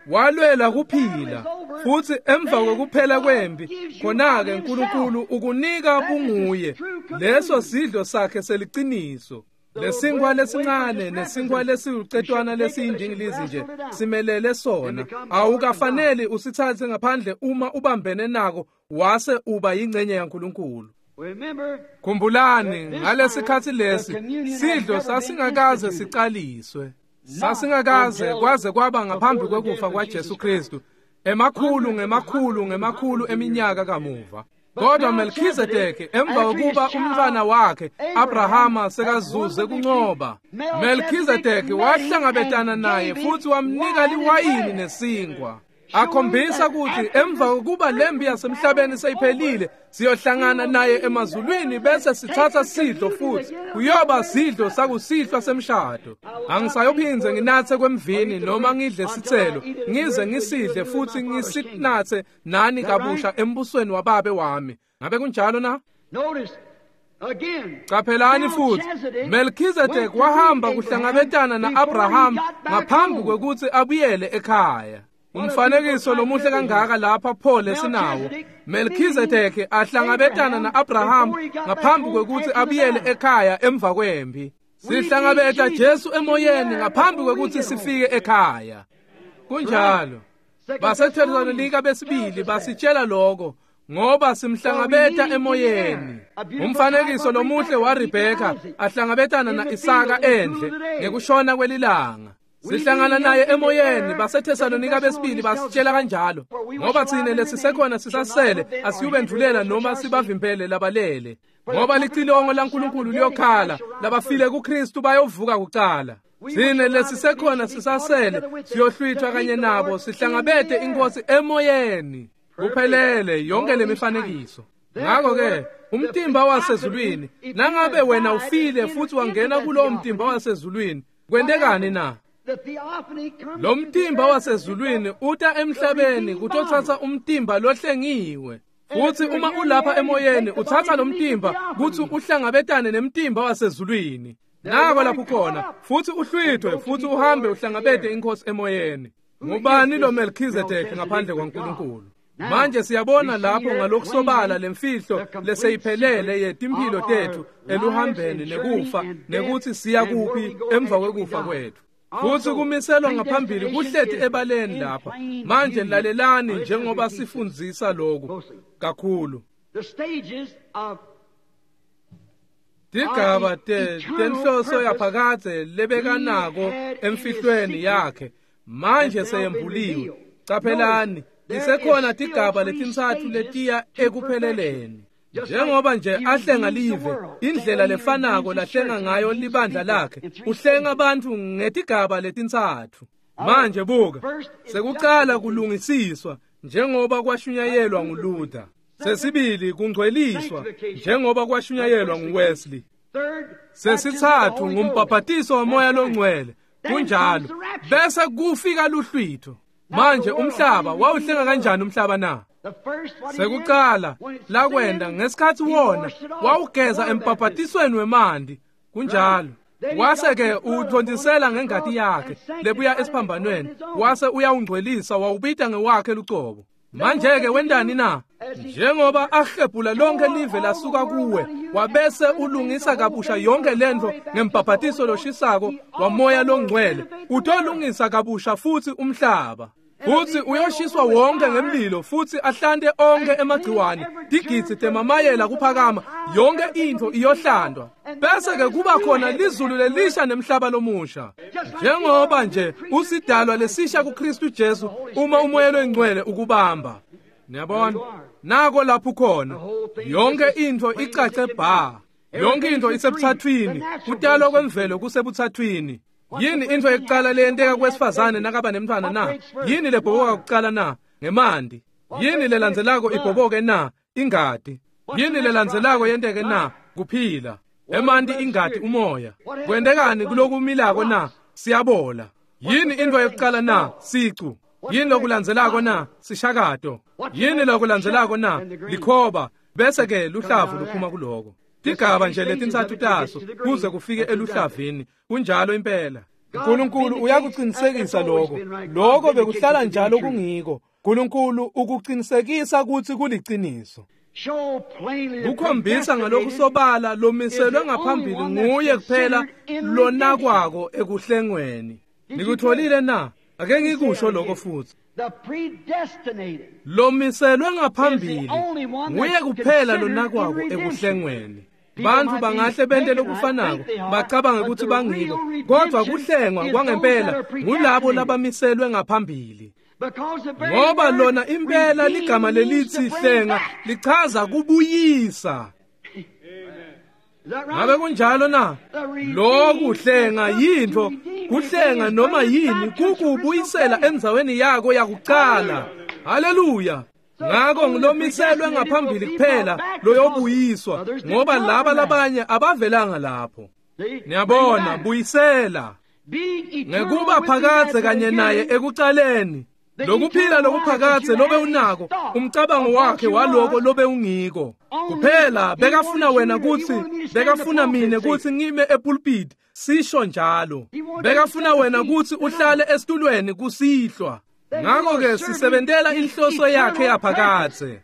Walwela kuphila futhi emva kokuphela kwempi khona-ke uNkulunkulu ukunika bunguye. Leso sidlo sakhe seliciniso. Lesinkwa lesincane nesinkwa lesiwucetwana lesiyindingilizi nje simelele sona. Awukafaneli usithathe ngaphandle uma ubambene nako wase uba yingcenye yaNkulunkulu. Khumbulani ngalesikhathi lesi sidlo sasingakaze sicaliswe. Sasingakaze kwaze kwaba ngaphambi kwekufa kwaJesu Kristu, emakhulu ngemakhulu ngemakhulu eminyaka kamuva. Kodwa Melchizedek emva kokuba umntwana wakhe Abrahama sekazuze kuncoba, Melchizedek wahlangabetana naye futhi wamnika liwayini nesinkwa, akhombisa ukuthi emva kokuba lempi yasemhlabeni seyiphelile siyohlangana naye emazulwini bese sithatha sidlo futhi kuyoba sidlo sakusihlwa semshado. Angisayophinze nginathe kwemvini noma ngidle sithelo, ngize ngisidle futhi ngisinathe nani kabusha embusweni wababe wami. Ngabe kunjalo na? Caphelani futhi, Melchizedek wahamba kuhlangabetana na-Abraham ngaphambi kwekuthi abuyele ekhaya. Umfanekiso lomuhle kangaka lapha pho lesinawo. Melchizedek ahlangabetana na-Abraham ngaphambi kwekuthi abuyele ekhaya emva kwempi. Sihlangabeta Jesu emoyeni ngaphambi kwekuthi sifike ekhaya. Kunjalo. BaseThesalonika besibili basitshela lokho ngoba simhlangabeta emoyeni. Umfanekiso lomuhle waRebheka ahlangabetana na-Isaka endle ngekushona kwelilanga. Sihlangana naye emoyeni. BaseThesalonika besibili basitshela kanjalo ngoba thine lesisekhona sisasele asiyubendvulela noma sibavimbele labalele, ngoba licilongo laNkulunkulu liyokhala, labafile kuKristu bayovuka kucala. Thine lesisekhona sisasele siyohlwithwa kanye nabo sihlangabete inkosi emoyeni. Kuphelele yonke lemifanekiso. Ngakho-ke umtimba wasezulwini, nangabe wena ufile futhi wangena kulowo mtimba wasezulwini, kwentekani na? Lo mtimba wasezulwini uta emhlabeni kutothatha umtimba lohlengiwe. Futhi uma ulapha emoyeni uthatha lo mtimba kuthi uhlangabetane nemtimba wasezulwini. Nako lapho khona futhi uhlwithwe futhi uhambe uhlangabete inkosi emoyeni. Ngubani lo Melchizedek ngaphandle kwaNkulunkulu? Manje siyabona lapho ngalokusobala lemfihlo leseyiphelele yetimphilo tethu eluhambeni nekufa nekuthi siya kuphi emva kwekufa kwethu. Futhi kumiselwa ngaphambili kuhleti ebaleni lapha. Manje lalelani njengoba sifundzisa lokhu kakhulu. Tigaba tenhloso yaphakadze lebekanako emfihlweni yakhe manje seyembuliwe. Caphelani, tisekhona tigaba letintsatfu letiya ekupheleleni. Njengoba nje ahlenga live, indlela lefanako lahlenga ngayo libandla lakhe, uhlenga abantu ngetigaba letintsatfu. Manje buka, sekucala kulungisiswa njengoba kwashunyayelwa nguLuther. Sesibili kungcweliswa njengoba kwashunyayelwa nguWesley. Sesithathu ngumbhaphatiso wamoya longcwele. Kunjalo. Bese kufika luhlwitho. Manje umhlaba wawuhlenga kanjani umhlaba na? Sekucala lakwenda ngesikhathi wona wawugeza embhaphatisweni wemanti. Kunjalo. Wase ke uthontisela ngengati yakhe lebuya esiphambanweni, wase uyawungcwelisa wawubita ngewakhe lucobo. Manje ke wendani na? Njengoba ahlephula lonke live lasuka kuwe, wabese ulungisa kabusha yonke lento ngembhaphatiso loshisako wamoya longcwele, utolungisa kabusha futhi umhlaba. Futsi uyoshiswa wonke ngemlilo futsi ahlante onke emagciwane, tigidzi temamayela kuphakama, yonke intfo iyohlandwa. Bese-ke kuba khona lizulu lelisha nemhlaba lomusha. Njengoba nje usidalwa lesisha kuKristu Jesu uma umoya loyingcwele ukubamba. Niyabona? Nako lapho khona. Yonke intfo icace bha. Yonke intfo isebuthathwini. Kutalwa kwemvelo kusebuthathwini. Yini intfo yekucala leyenteka kwesifazane nakaba nemntfwana na? Yini lebhoboka kucala na? Ngemanti. Yini lelandzelako ibhoboke na? Ingati. Yini lelandzelako yenteke na? Kuphila. Emanti, ingati, umoya. Kwentekani kulokumilako na? Siyabola. Yini intfo yekucala na? Sicu. Yini lokulandzelako na? Sishakato. Yini lokulandzelako na? Likhoba. Bese ke luhlavu luphuma kuloko. Tigaba nje letintsatfu taso kuze kufike eluhlavini. Kunjalo impela. uNkulunkulu uyakuqinisekisa lokho. Lokho bekuhlala njalo kungiko. uNkulunkulu ukuqinisekisa ukuthi kuliciniso. Kukhombisa ngalokusobala lomiselwe ngaphambili nguye kuphela lonakwako ekuhlengweni. Nikutholile na? Ake ngikusho lokho futhi. Lomiselwe ngaphambili nguye kuphela lonakwako ekuhlengweni. Bantfu bangahle bente lokufanako bacabange ukuthi bangiko, kodwa kuhlengwa kwangempela ngulabo labamiselwe ngaphambili. Ngoba lona impela ligama lelithi hlenga lichaza kubuyisa. Ngabe kunjalo na? Lokuhlenga yintfo, kuhlenga noma yini kukubuyisela endzaweni yako yakucala. Haleluya. Ngako ngilomiselwe ngaphambili kuphela loyobuyiswa, ngoba laba labanye abavelanga lapho. Niyabona, buyisela ngekuba phakadze kanye naye ekucaleni. Lokuphila lokuphakadze lobe unako, umcabango wakhe waloko lobe ungiko. Kuphela bekafuna wena kutsi, bekafuna mine kutsi ngime epulpit, sisho njalo. Bekafuna wena kutsi uhlale esitulweni kusihlwa. Ngako-ke sisebentela inhloso yakhe yaphakadze.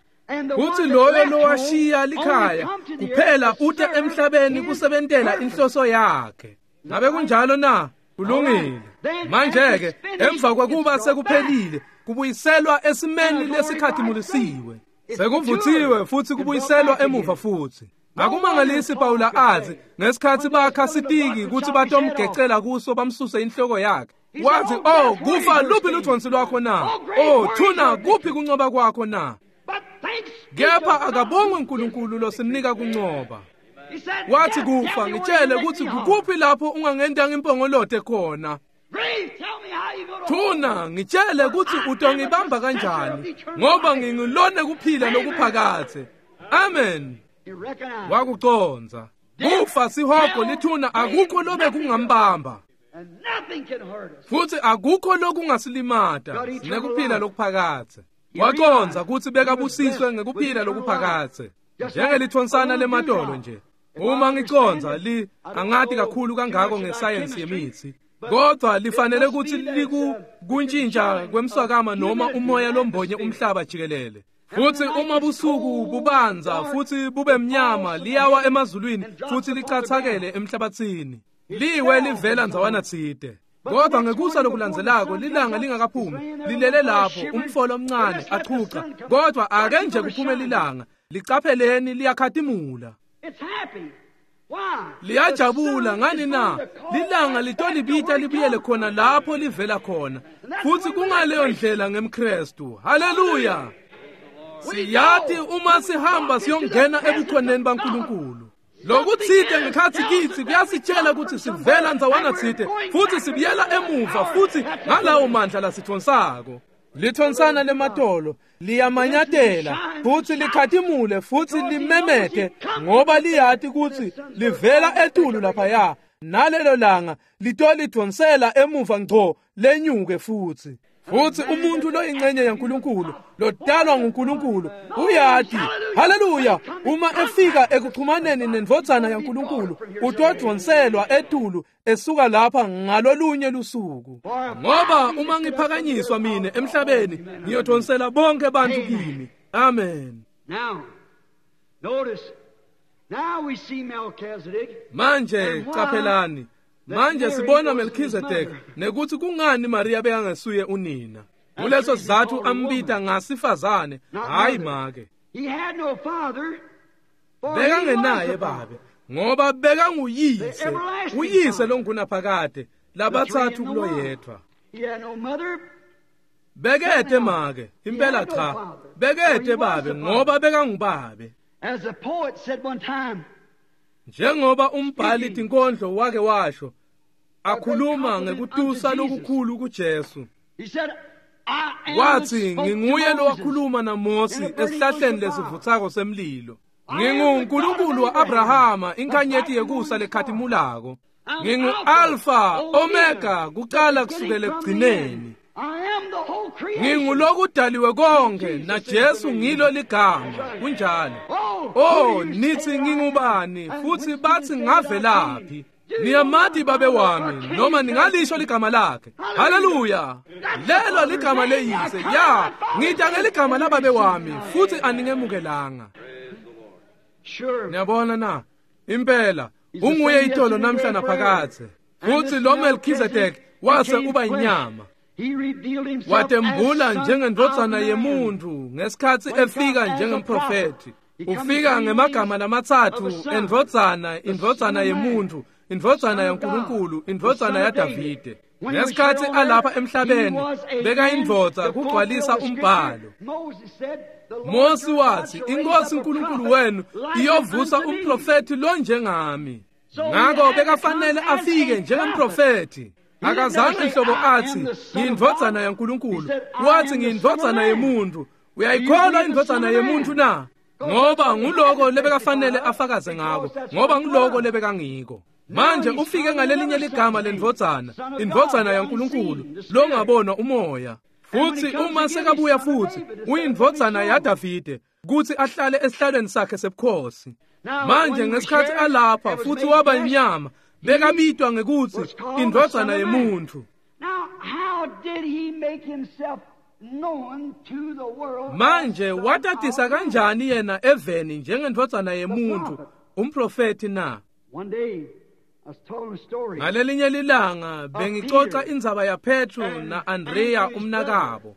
Kutsi loyo lowashiya likhaya kuphela ute emhlabeni kusebentela inhloso yakhe. Ngabe kunjalo na? Kulungile. Manje-ke emva kwekuba sekuphelile, kubuyiselwa esimeni lesikhatimulisiwe. Sekuvuthiwe futhi kubuyiselwa emuva futhi. Akumangalisi Pawula athi ngesikhathi bakha sitiki kutsi batomgecela kuso bamsuse inhloko yakhe. Wathi, "Oh, kufa luphi ludvonsi lwakho na? Oh, thuna kuphi kuncoba kwakho na?" Kepha akabongwe uNkulunkulu losinika kuncoba. Wathi kufa, ngitshele ukuthi kukuphi lapho ungangenta impongolote khona. Thuna, ngitshele ukuthi utongibamba kanjani, ngoba ngingilone kuphila lokuphakathe. Amen. Wakuconza. Kufa, sihogo, lithuna, akukho lobe kungambamba. Futhi akukho lokungasilimata nekuphila lokuphakathe. Waconza ukuthi bekabusiswe ngekuphila lokuphakathe. Njengelithonsana lematolo nje. Uma ngiconza angati kakhulu kangako ngesayensi yemithi, kodwa lifanele ukuthi likuntshintsha kwemswakama noma umoya lombonye umhlaba jikelele. Futhi uma busuku bubanza futhi bube mnyama, liyawa emazulwini futhi lichathakele emhlabathini. Liwe livela ndzawana tsite. Kodwa ngekusa lokulandzelako lilanga lingakaphumi, lilele lapho umfolo omncane achucha, kodwa ake nje kuphume lilanga, licapheleni liyakhatimula. Liyajabula ngani na? Lilanga litolibita libuyele khona lapho livela khona. Futhi kungaleyo ndlela ngemKristu. Haleluya. Siyati uma sihamba siyongena ebukhoneni baNkulunkulu. Lokutsite ngekhatsi kitsi kuyasitshela ukuthi sivela ndzawana tsite futhi sibuyela emuva futhi ngalawo mandla lasithonsako. Lithonsana lematolo liyamanyatela futhi likhatimule futhi limemete, ngoba liyati ukuthi livela etulu laphaya, nalelo langa litolidvonsela emuva ngco lenyuke futhi. Futhi umuntu loyingcenye yaNkulunkulu, lodalwa nguNkulunkulu, uyati, haleluya, uma efika ekuxhumaneni nendvodzana yaNkulunkulu, utodvonselwa etulu esuka lapha ngalolunye lusuku. Ngoba uma ngiphakanyiswa mine emhlabeni, ngiyodonsela bonke bantu kimi. Amen. Manje caphelani. Manje sibona Melchizedek nekuthi kungani Maria bekangasuye unina. Kuleso sizatfu ambita ngasifazane, hhayi make. Bekangenaye babe, ngoba bekanguyise, uyise longunaphakade, labatsatfu kuloyedvwa. Bekete make, impela cha, bekete babe ngoba bekangubabe. Njengoba umbhali tinkondlo wake washo, akhuluma ngekutusa lokukhulu kuJesu. Wathi, nginguye lowakhuluma naMosi esihlahleni lesivutsako semlilo. NginguNkulunkulu wa-Abrahama, inkanyeti yekusa lekhatimulako. Ngingu-Alfa, Omega, kucala kusukela ekugcineni. Ngingulokudaliwe konke, naJesu ngilo ligama. Kunjalo. Oh, nithi ngingubani, futhi bathi ngavelaphi? Niyamati babe wami, noma ningalisho ligama lakhe. Haleluya! Lelo ligama leyise. Ya, ngita ngeligama lababe wami, futhi aningemukelanga. Niyabona na? Impela, unguye itolo namhla naphakadze. Futhi lo Melchizedek wase uba inyama. Watembula njengendvodzana yemuntu ngesikhatsi efika njengemprofethi. Ufika ngemagama lamatsatfu, endvodzana, indvodzana yemuntu, indvodzana yaNkulunkulu, indvodzana yaDavide. Ngesikhatsi alapha emhlabeni, bekayindvodza kugcwalisa umbhalo. Mosi wathi, iNkosi uNkulunkulu wenu iyovusa umprofethi lonjengami. Ngako bekafanele afike njengemprofethi. Akazange nhlobo athi, ngiyindvodzana yaNkulunkulu. Wathi ngiyindvodzana yemuntu. Uyayikholwa indvodzana yemuntu na? Ngoba nguloko lebekafanele afakaze ngako, ngoba nguloko lebekangiko. Manje ufike ngalelinye ligama lendvodzana, indvodzana yaNkulunkulu, longabonwa umoya. Futhi uma sekabuya futhi, uyindvodzana yaDavide, kuthi ahlale esihlalweni sakhe sebukhosi. Manje ngesikhatsi alapha futhi waba inyama, bekabitwa ngekuthi indvodzana yemuntu. Manje watatisa kanjani yena eveni njengendvodzana yemuntu, umprofethi na? Ngalelinye lilanga bengicoca indzaba yaPetru na-Andrea umnakabo.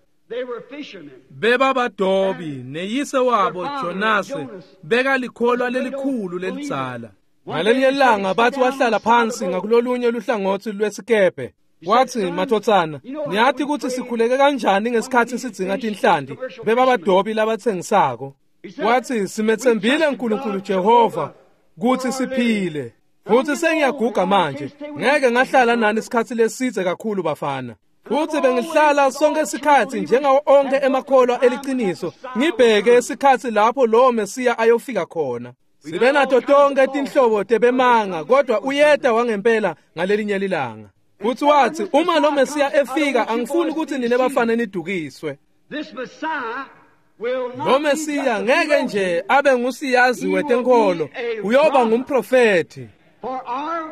Bebabadobi neyise wabo Jonase bekalikholwa lelikhulu lelidzala. Ngalelinye lilanga bathi wahlala phansi ngakulolunye luhlangotsi lwesikebhe. Wathi, mathotsana, niyati ukuthi sikhuleke kanjani ngesikhatsi sidzinga tinhlanti, bebabadobi labatsengisako. Wathi, simetsembile uNkulunkulu Jehova kuthi siphile. Futhi sengiyaguga manje, ngeke ngahlala nani isikhatsi lesidze kakhulu bafana. Futhi bengihlala sonke isikhatsi njengawo onke emakholwa eliciniso, ngibheke isikhatsi lapho lowo Mesiya ayofika khona. Sibe nato tonke tinhlobo tebemanga, kodwa uyeta wangempela ngalelinye lilanga. Futhi wathi, uma lo Mesiya efika, angifuni ukuthi nine bafana nidukiswe. Lo Mesiya ngeke nje abe ngusiyazi wetenkolo, uyoba ngumprofethi.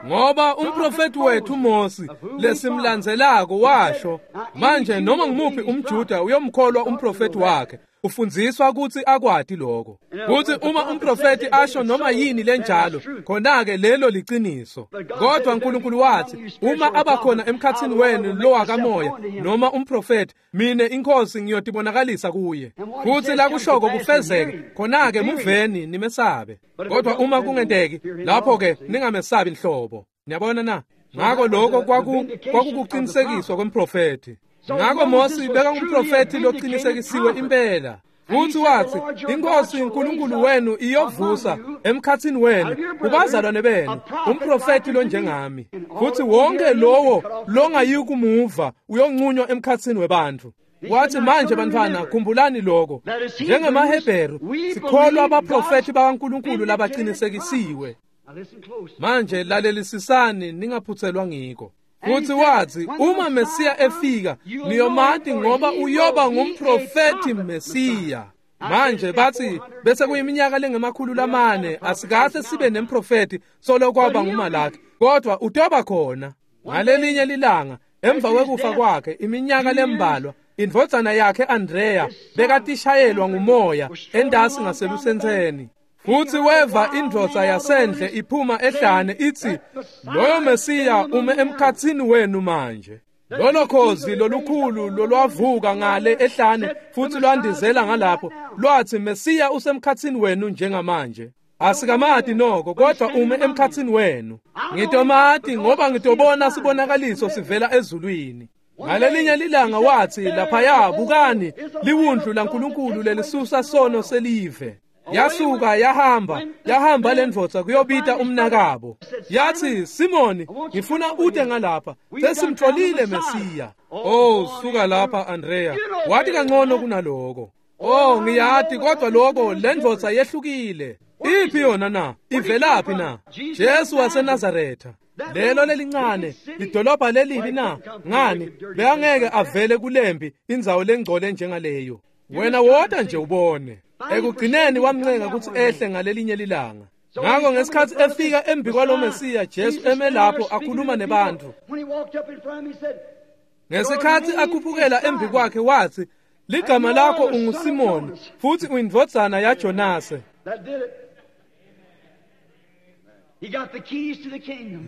Ngoba umprofethi wethu Mosi lesimlandzelako washo, manje noma ngumuphi umJuda uyomkholwa umprofethi wakhe, ufundziswa ukuthi akwati lokho. Kuthi uma umprofethi asho noma yini lenjalo, khona-ke lelo liciniso. Kodwa uNkulunkulu wathi, uma abakhona emkhatsini wenu lo wakamoya noma umprofethi, mine inkosi ngiyotibonakalisa kuye. Futhi lakushoko kufezeke, khona-ke muveni nimesabe. Kodwa uma kungenteki, lapho-ke ningamesabi nhlobo. Niyabona na? Ngako lokho kwakukuqinisekiswa kwemprofethi. Ngako Mosi bekangumprofethi loqinisekisiwe impela. Futhi wathi, iNkosi uNkulunkulu wenu iyovusa emkhatsini wenu kubazalwane benu umprofethi lonjengami. Futhi wonke lowo longayikumuva uyonqunywa emkhatsini webantfu. Wathi, manje bantfwana, khumbulani lokho. NjengemaHebheru sikholwa abaprofethi bakaNkulunkulu labaqinisekisiwe. Manje lalelisisani ningaphuthelwa ngiko. Futhi wathi, uma Mesiya efika, niyomati ngoba uyoba ngumprofethi Mesiya. Manje bathi bese kuyiminyaka lengemakhulu lamane asikahle sibe nemprofethi solo kwaba nguMalaki, kodwa utoba khona. Ngalelinye lilanga emva kwekufa kwakhe iminyaka lembalwa, indvodzana yakhe Andrea bekatishayelwa ngumoya endasi ngaselusentseni. Futhi weva indvodza yasendle iphuma ehlane ithi, loyo Mesiya ume emkhatsini wenu manje. Lolo khozi lolukhulu lolwavuka ngale ehlane futhi lwandizela ngalapho lwathi Mesiya usemkhathini wenu njengamanje. Asikamati noko kodwa ume emkhathini wenu. Ngitomati ngoba ngitobona sibonakaliso sivela ezulwini. Ngalelinye lilanga wathi laphaya bukani liwundlu laNkulunkulu lelisusa sono selive. Yasuka yahamba lendvodza kuyobita umnakabo. Yathi Simoni ngifuna ute ngalapha sesimtholile Mesiya. Oh suka lapha Andrea wathi kangcono kunaloko. Oh ngiyati kodwa lokho lendvodza yehlukile. Iphi yona na? Ivelaphi na? Jesu waseNazaretha. Lelo lelincane lidolobha lelibi na? Ngani bekangeke avele kulembi indzawo lengcole njengaleyo. Wena wota nje ubone. Ekugcineni wamncenga ukuthi ehle ngalelinye lilanga. Ngakho ngesikhathi efika embi kwalo Mesiya Jesu eme lapho akhuluma nebantu. Ngesikhathi akhuphukela embi kwakhe wathi ligama lakho unguSimoni futhi uyindvodzana yaJonase.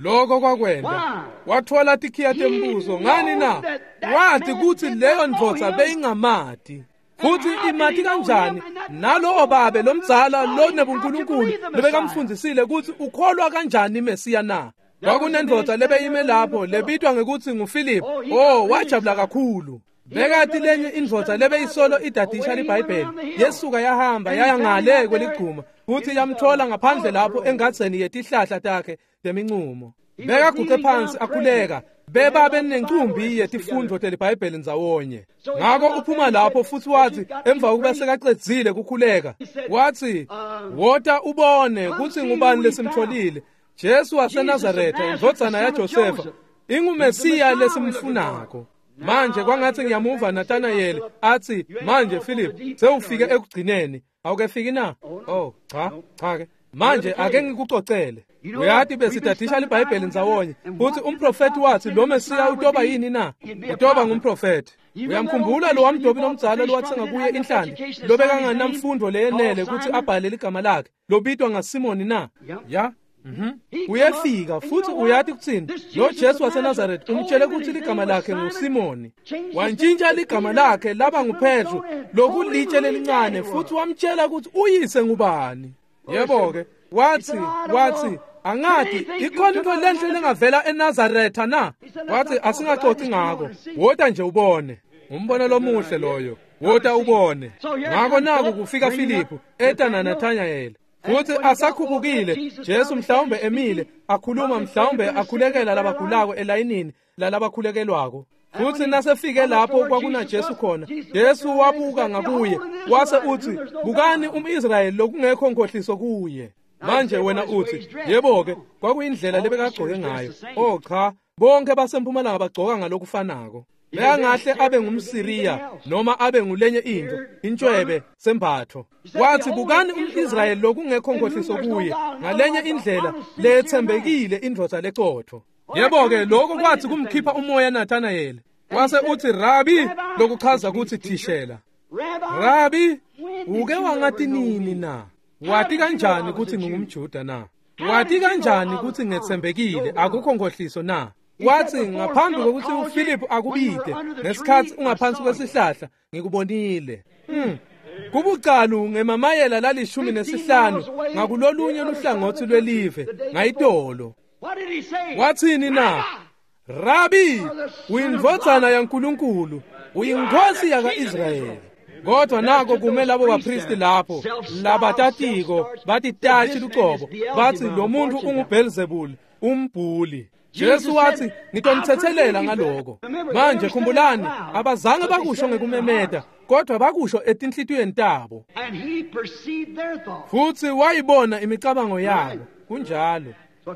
Lokho kwakwenta wathola tikhiya tembuso. Ngani na? Wathi kuthi leyo ndvodza beyingamati. Futhi imati kanjani nalowo babe lomdzala lonebunkulunkulu lebekamfundisile ukuthi ukholwa kanjani Mesiya na? Kwakunendvodza lebeyime lapho lebitwa ngekuthi nguPhilip. Oh wajabula kakhulu. Bekati lenye indvodza lebeyisolo idadisha liBhayibheli yesuka yahamba yaya ngale kweligcuma futhi yamthola ngaphandle lapho engadzeni yetihlahla takhe temincumo. Bekaguqe phansi akhuleka beba benencumbi yetifundo teliBhayibheli ndzawonye. Ngakho uphuma lapho futhi wathi emva kokuba sekacedzile kukhuleka wathi wota ubone kuthi ngubani lesimtholile. Jesu waseNazaretha indvodzana yaJosefa inguMesiya lesimfunako. Manje kwangathi ngiyamuva Nathanael athi manje Philip sewufike ekugcineni awukefiki na? Oh cha cha ke manje ake ngikucocele. Uyati besidadisha liBhayibheli ndzawonye futhi umprofeti wathi lo Mesiya utoba yini na? Utoba ngumprofeti. Uyamkhumbula lo wamdobi lomdzala lowathenga kuye inhlanti lobekanganamfundo leyenele ukuthi abhale ligama lakhe lobitwa ngaSimoni na? Ya. Uyefika futhi uyati kuthini lo Jesu waseNazaretha umtshele ukuthi ligama lakhe nguSimoni. Wantshintsha ligama lakhe laba nguPetru lokulitshe lelincane futhi wamtshela ukuthi uyise ngubani. Yebo ke wathi angati ikhona into lenhle lengavela eNazaretha na? Wathi asingaxoxi ngako wota nje ubone. Umbono lomuhle loyo wota ubone. Ngakho naku kufika Philip eta naNathanael. Futhi asakhuphukile Jesu mhlawumbe emile akhuluma mhlawumbe akhulekela labagulako elayinini lalabakhulekelwako. Futhi nasefike lapho kwakuna Jesu khona Jesu wabuka ngakuye wase uthi bukani umIsrayeli lokungekho nkohliso kuye. Manje wena uthi yebo ke kwakuyindlela lebekagcoke ngayo. Oh cha bonke basempumalanga bagcoka ngalokufanako. Bekangahle abe ngumSiriya noma abe ngulenye into intshwebe sembatho. Wathi bukani umIsrayeli lokungekho nkohliso kuye ngalenye indlela lethembekile indvodza lecotho. Yebo ke lokho kwathi kumkhipha umoya Nathanael. Wase uthi Rabi lokuchaza ukuthi thishela. Rabi uke wangathi nini na? Wathi kanjani ukuthi ngingumJuda na? Wathi kanjani ukuthi ngethembekile akukho nkohliso na? Wathi ngaphambi kokuthi uPhilip akubide ngesikhathi ungaphansi kwesihlahla ngikubonile. Kubucalu ngemamayela lali15 ngakulolunye luhlangothi lwelive ngayitolo. Wathini na? Rabi uyindvodzana yaNkulunkulu uyinkosi yakaIsrayeli. Kodwa nako kume labo bapristi lapho labatatiko batitashi lucobo bathi lo muntu unguBelzebul umbhuli. Jesu wathi ngitomthethelela ngaloko. Manje khumbulani abazange bakusho ngekumemeta kodwa bakusho etinhlitiyweni tabo. Futhi wayibona imicabango yabo. Kunjalo.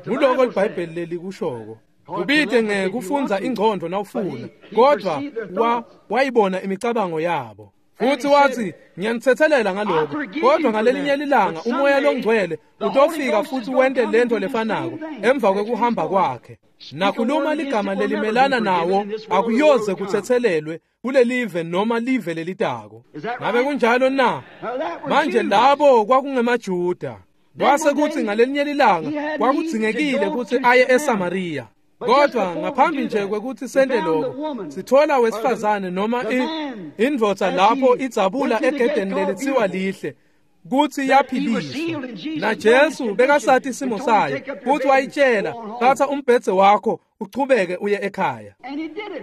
Nguloko iBhayibheli lelikushoko. Kubide ngekufundza ingqondo nawufuna kodwa wayibona imicabango yabo. Futhi wathi ngiyanithethelela ngaloko kodwa ngalelinye lilanga umoya longcwele utofika futhi wente lento lefanako emva kwekuhamba kwakhe. Nakhuluma ligama lelimelana nawo akuyoze kuthethelelwe kulelive noma live lelitako. Ngabe kunjalo na? Manje labo kwakungemaJuda. Kwase kuthi ngalelinye lilanga kwakudzingekile ukuthi aye eSamaria. Kodwa ngaphambi nje kwekuthi sente lokho, sithola wesifazane noma indvodza lapho idzabula egedeni lelitsiwa lihle kutsi yaphiliswa. Na Jesu bekasati isimo sayo, futhi wayitshela, thatha umbhedze wakho uchubeke uye ekhaya.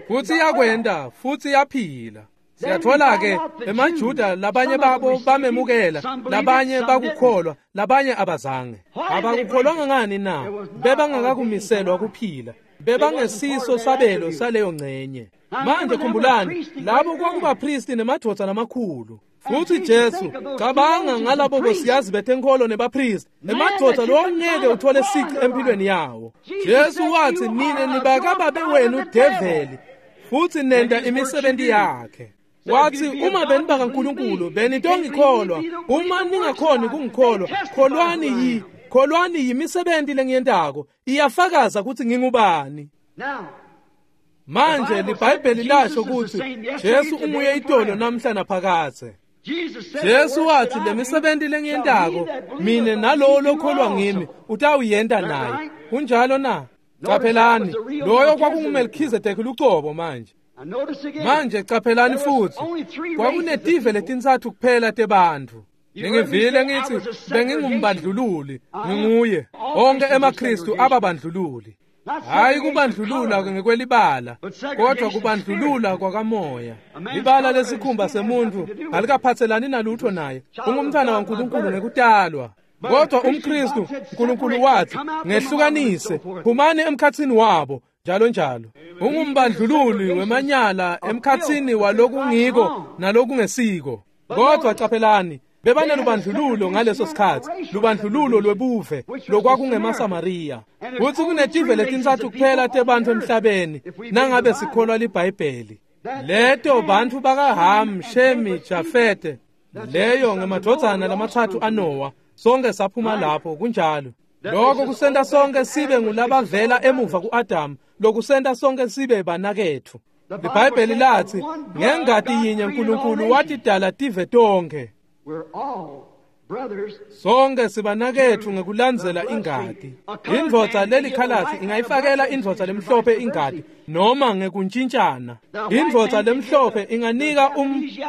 Futhi yakwenda, futhi yaphila. Siyathola ke emaJuda labanye babo bamemukela, labanye bakukholwa, labanye abazange. Abakukholwanga ngani na? Bebangakakumiselwa kuphila. Bebangesiso sabelo saleyo ngcenye. Manje khumbulani, labo kwakubapristi nemadvodza lamakhulu. Futhi Jesu cabanga ngalabo bosiyazi betenkholo nebapristi, emadvodza longeke uthole sici empilweni yawo. Jesu wathi nine nibakababe wenu develi, futhi nenda imisebenzi yakhe. Wathi uma beniba kaNkulunkulu benitongikholwa, uma ningakhoni kungikholwa, kholwani yimisebenzi lengiyentako, iyafakaza ukuthi ngingubani. Manje liBhayibheli lasho ukuthi Jesu unguye itolo namhla naphakadze. Jesu wathi lemisebenzi lengiyentako mina nalowo lokholwa ngimi utawuyenta naye. Kunjalo na? Qaphelani, loyo kwakunguMelkhizedeki lucobo manje. Manje qaphelani futhi, kwakunetive letintsatfu kuphela tebantfu. Ningivile ngithi bengingumbandlululi, nginguye. Onke emaKristu ababandlululi. Hayi kubandlulula ngekwelibala, kodwa kubandlulula kwakamoya. Libala lesikhumba semuntu alikaphathelani nalutho naye. Ungumntwana waNkulunkulu ngekutalwa. Kodwa umKristu, uNkulunkulu wathi, ngehlukanise, phumani emkhathini wabo, njalo njalo. Ungumbandlululi wemanyala emkhathini walokungiko nalokungesiko. Kodwa qaphelani, bebanelubandlululo ngaleso sikhathi, lubandlululo lwebuve lokwakungemasamaria. Kuthi kunetive letintsatfu kuphela tebantfu emhlabeni nangabe sikholwa liBhayibheli. Leto bantfu bakaHam, Shemi, Jafete, leyo ngemadvodzana lamatsatfu aNowa. Sonke saphuma lapho, kunjalo. Lokho kusenta sonke sibe ngulabavela emuva ku-Adamu, lokusenta sonke sibe banaketfu. LiBhayibheli lathi ngengati yinye uNkulunkulu watidala tive tonke. Sonke sibanaketfu ngekulandzela ingati. Indvodza lelikhalasi ingayifakela indvodza lemhlophe ingati noma ngekuntshintshana. Indvodza lemhlophe inganika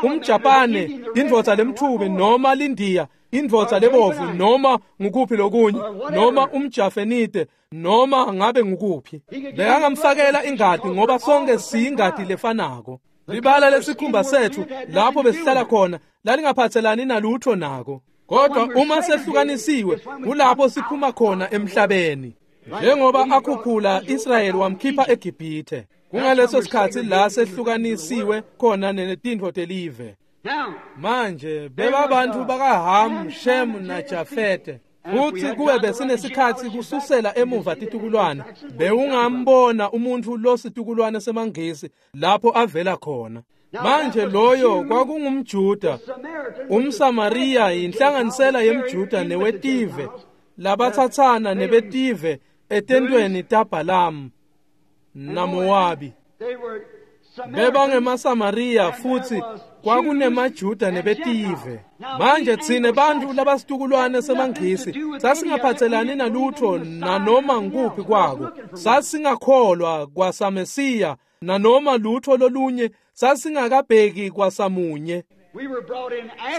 umJapane indvodza lemthubi noma lindiya, indvodza lebovu noma ngukuphi lokunye, noma umJafenite noma ngabe ngukuphi. Bekangamfakela ingati ngoba sonke siyingati lefanako. Libala lesikhumba sethu lapho besihlala khona lalingaphathelani nalutho nako. Kodwa uma sehlukanisiwe kulapho siphuma khona emhlabeni. Njengoba akhuphula Israyeli wamkhipha eGibhithe. Kungaleso sikhathi la sehlukanisiwe khona netintfo telive. Manje bebabantu bakaHam, Shem naJafete. Futhi kube besinesikhathi kususela emuva titukulwane, bewungambona umuntu lositukulwane semaNgisi lapho avela khona. Manje loyo kwakungumJuda, umSamariya yinhlanganisela yemJuda newetive labathathana nebetive etentweni taBhalamu naMowabi. BebangemaSamariya futhi kwakunemaJuda nebetive. Manje thine bantfu labasitukulwane semaNgisi sasingaphathelani nalutho nanoma ngukuphi kwako. Sasingakholwa kwasaMesiya nanoma lutho lolunye, sasingakabheki kwasamunye.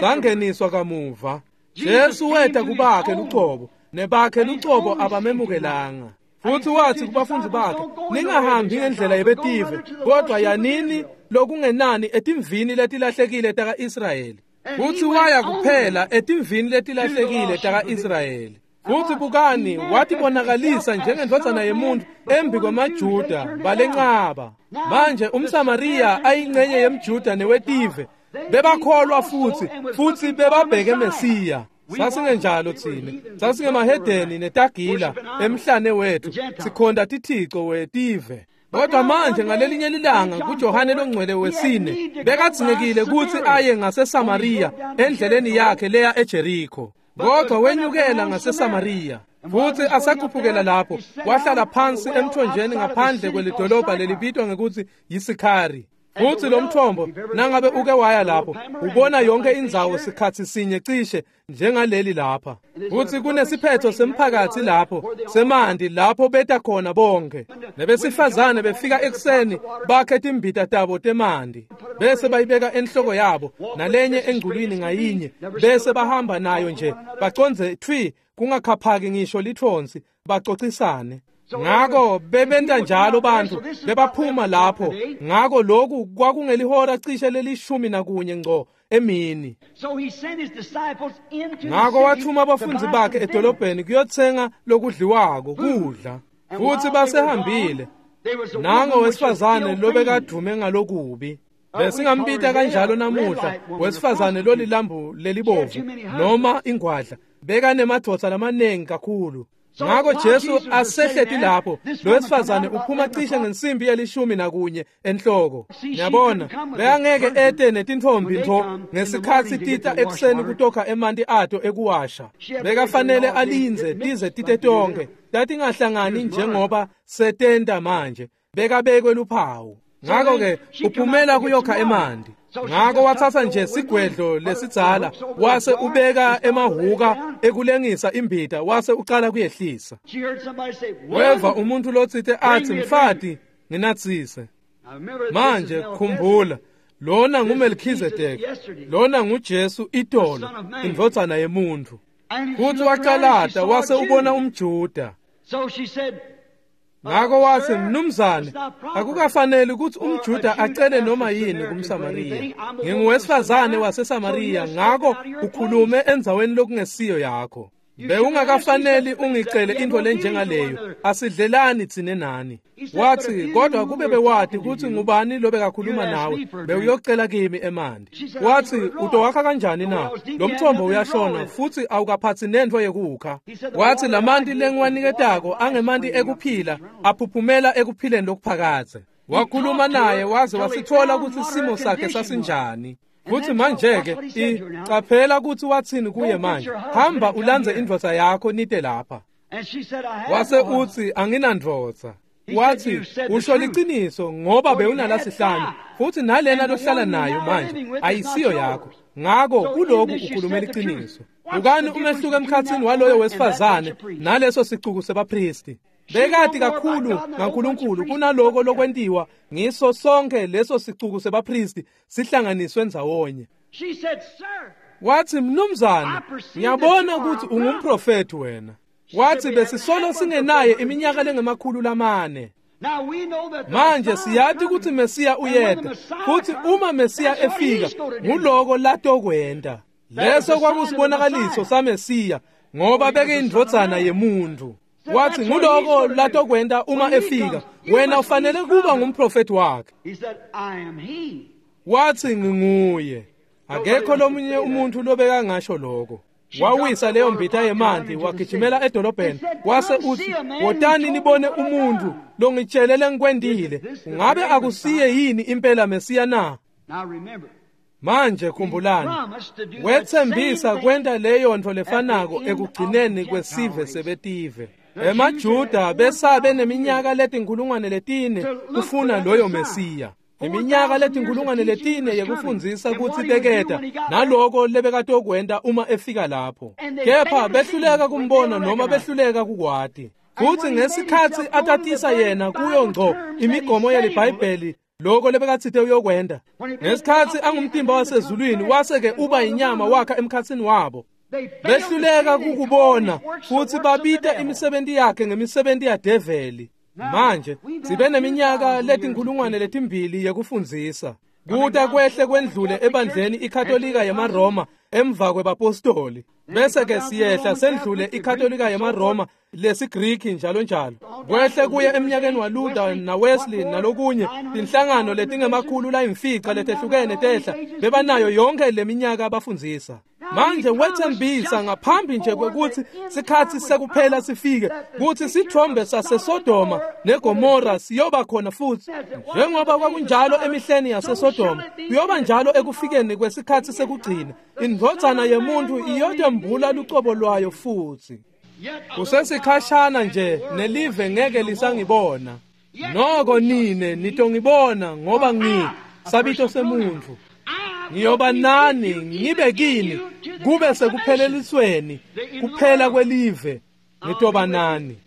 Sangeniswa kamuva. Jesu weta kubakhe lucobo, nebakhe lucobo abamemukelanga. Futhi wathi kubafundi bakhe, ningahambi ngendlela yebetive, kodwa yanini lokungenani etimvini letilahlekile taka-Israyeli. Futhi waya kuphela etimvini letilahlekile taka-Israyeli. Futhi bukani, watibonakalisa njengendvodzana yemuntu embi kwemaJuda balenqaba. Manje umSamariya ayingcenye yemJuda newetive, bebakholwa futhi bebabheke Mesiya. Sasingenjalo thina, sasingemahedeni netagila emhlane wethu, sikhonda tithico wetive. Kodwa manje ngalelinye lilanga kuJohane longcwele wesine bekadzingekile kutsi aye ngaseSamariya endleleni yakhe leya eJeriko. Kodwa wenyukela ngaseSamariya. Futhi asakhuphukela lapho, wahlala phansi emthonjeni ngaphandle kwelidolobha lelibitwa ngekuthi yiSikhari. Futsi lo mthombo nangabe uke waya lapho ubona yonke indzawo sikhatsi sinye cishe njengaleli lapha. Futsi kunesiphetho semphakatsi lapho semanti lapho beta khona bonke. Nebesifazane befika ekuseni bakhe timbita tabo temanti bese bayibeka enhloko yabo nalenye engculwini ngayinye bese bahamba nayo nje bacondze thwi kungakhaphaki ngisho lithonsi bacocisane. Ngako bebenta njalo bantfu bebaphuma lapho. Ngako lokhu kwakungelihora cishe leli-11 ngco emini. Ngako wathuma abafundzi bakhe edolobheni kuyotsenga lokudliwako kudla. Futsi basehambile nango wesifazane lobekadume ngalokubi. Besingambita kanjalo namuhla wesifazane lolilambu lelibovu noma ingwadla, bekanemadvodza lamaningi kakhulu. Ngako Jesu asehleti lapho, lo wesifazane uphuma cishe ngensimbi ye-11 enhloko. Ngiyabona bekangeke ete netintfombi ntfo ngesikhatsi tita ekuseni kutokha emanti ato ekuwasha. Bekafanele alindze tize tite tonke, tatingahlangani njengoba setenta manje. Bekabekwe luphawu. Ngako-ke uphumela kuyokha emanti. Ngako watsatsa nje sigwedlo lesidzala wase ubeka emahuka ekulengisa imbita wase ucala kuyehlisa. Weva umuntu lotsite atsi, "Mfati, nginatsise." Manje khumbula, lona nguMelkhizedeki, lona nguJesu itolo, indvodzana yemuntfu. Futsi wacalata wase ubona umJuda. Ngako watsi, "Mnumzane, akukafaneli kutsi umJuda acele noma yini kumSamariya. Nginguwesifazane waseSamariya, ngako ukhulume endzaweni lokungesiyo yakho. Bewungakafaneli ungicele intfo lenjengaleyo, asidlelani tsine nani." Watsi, "Kodwa kube bewati kutsi ngubani lobekakhuluma nawe, bewuyocela kimi emanti." Watsi, "Utowakha kanjani na? Lo mthombo uyashona futsi awukaphatsi nentfo yekukha." Watsi, "Lamanti lengiwaniketako angemanti ekuphila, aphuphumela ekuphileni lokuphakadze." Wakhuluma naye waze wasitfola kutsi simo sakhe sasinjani. Futsi manje-ke caphela kutsi watsini kuye manje, "Hamba ulandze indvodza yakho nite lapha." Wase utsi, "Anginandvodza." Watsi, "Usho liciniso ngoba bewunalasihlanu futsi nalena lohlala nayo manje ayisiyo yakho. Ngako kuloku ukhulume liciniso." Bukani umehluko emkhatsini waloyo wesifazane naleso sicuku sebaphristi. Bekati kakhulu ngaNkulunkulu kunaloko lokwentiwa ngiso sonke leso sicuku sebaphristi sihlanganiswe ndzawonye. Watsi, "Mnumzane, ngiyabona kutsi ungumprofethi wena." Watsi, "Besisolo singenaye iminyaka lengama-400. Manje siyati kutsi Mesiya uyeta, futsi uma Mesiya efika, nguloko latokwenta." Leso kwakusibonakaliso saMesiya, ngoba bekeyindvodzana yemuntfu. Watsi, "Nguloko latokwenta uma efika, wena ufanele kuba ngumprofethi wakhe." Watsi, "Nginguye." Akekho lomunye umuntu lobekangasho loko. Wawisa leyo mbita yemanti wagijimela edolobheni wase utsi, "Wotani nibone umuntu longitshele lengikwentile. Ungabe akusiye yini impela Mesiya na?" Manje khumbulani, wetsembisa kwenta leyo ntfo lefanako ekugcineni kwesive sebetive. EmaJuda besabe neminyaka leti-4,000 kufuna loyo Mesiya. Iminyaka leti-4,000 yekufundzisa kutsi beketa naloko lebekatokwenta uma efika lapho. Kepha behluleka kumbona noma behluleka kukwati. Futsi ngesikhatsi atatisa yena kuyo ngco imigomo yeliBhayibheli loko lebekatsite uyokwenta. Ngesikhatsi angumtimba wasezulwini wase-ke uba inyama wakha emkhatsini wabo. Behluleka kukubona futsi babita imisebenti yakhe ngemisebenti yadeveli. Manje sibe neminyaka leti-2,000 yekufundzisa. Kuta kwehle kwendlule ebandleni iKatolika yemaRoma emva kwebapostoli. Bese-ke siyehla sendlule iKatolika yemaRoma lesiGriki njalo njalo. Kwehle kuye eminyakeni waLuther naWesley nalokunye, tinhlangano letingama-500 letehlukene tehla, bebanayo yonke leminyaka abafundzisa. Manje wetsembisa ngaphambi nje kwekutsi sikhatsi sekuphela sifike kutsi sitfombe saseSodoma neGomora siyoba khona futsi. Njengoba kwakunjalo emihleni yaseSodoma, kuyoba njalo ekufikeni kwesikhatsi sekugcina. Indvodzana yemuntfu iyotembula lucobo lwayo futsi. Kusesikhashana nje nelive ngeke lisangibona. Noko nine nitongibona ngoba Sabito semuntfu. Ngiyoba nani, ngibe kini, kube sekuphelelisweni, kuphela kwelive, ngitoba nani.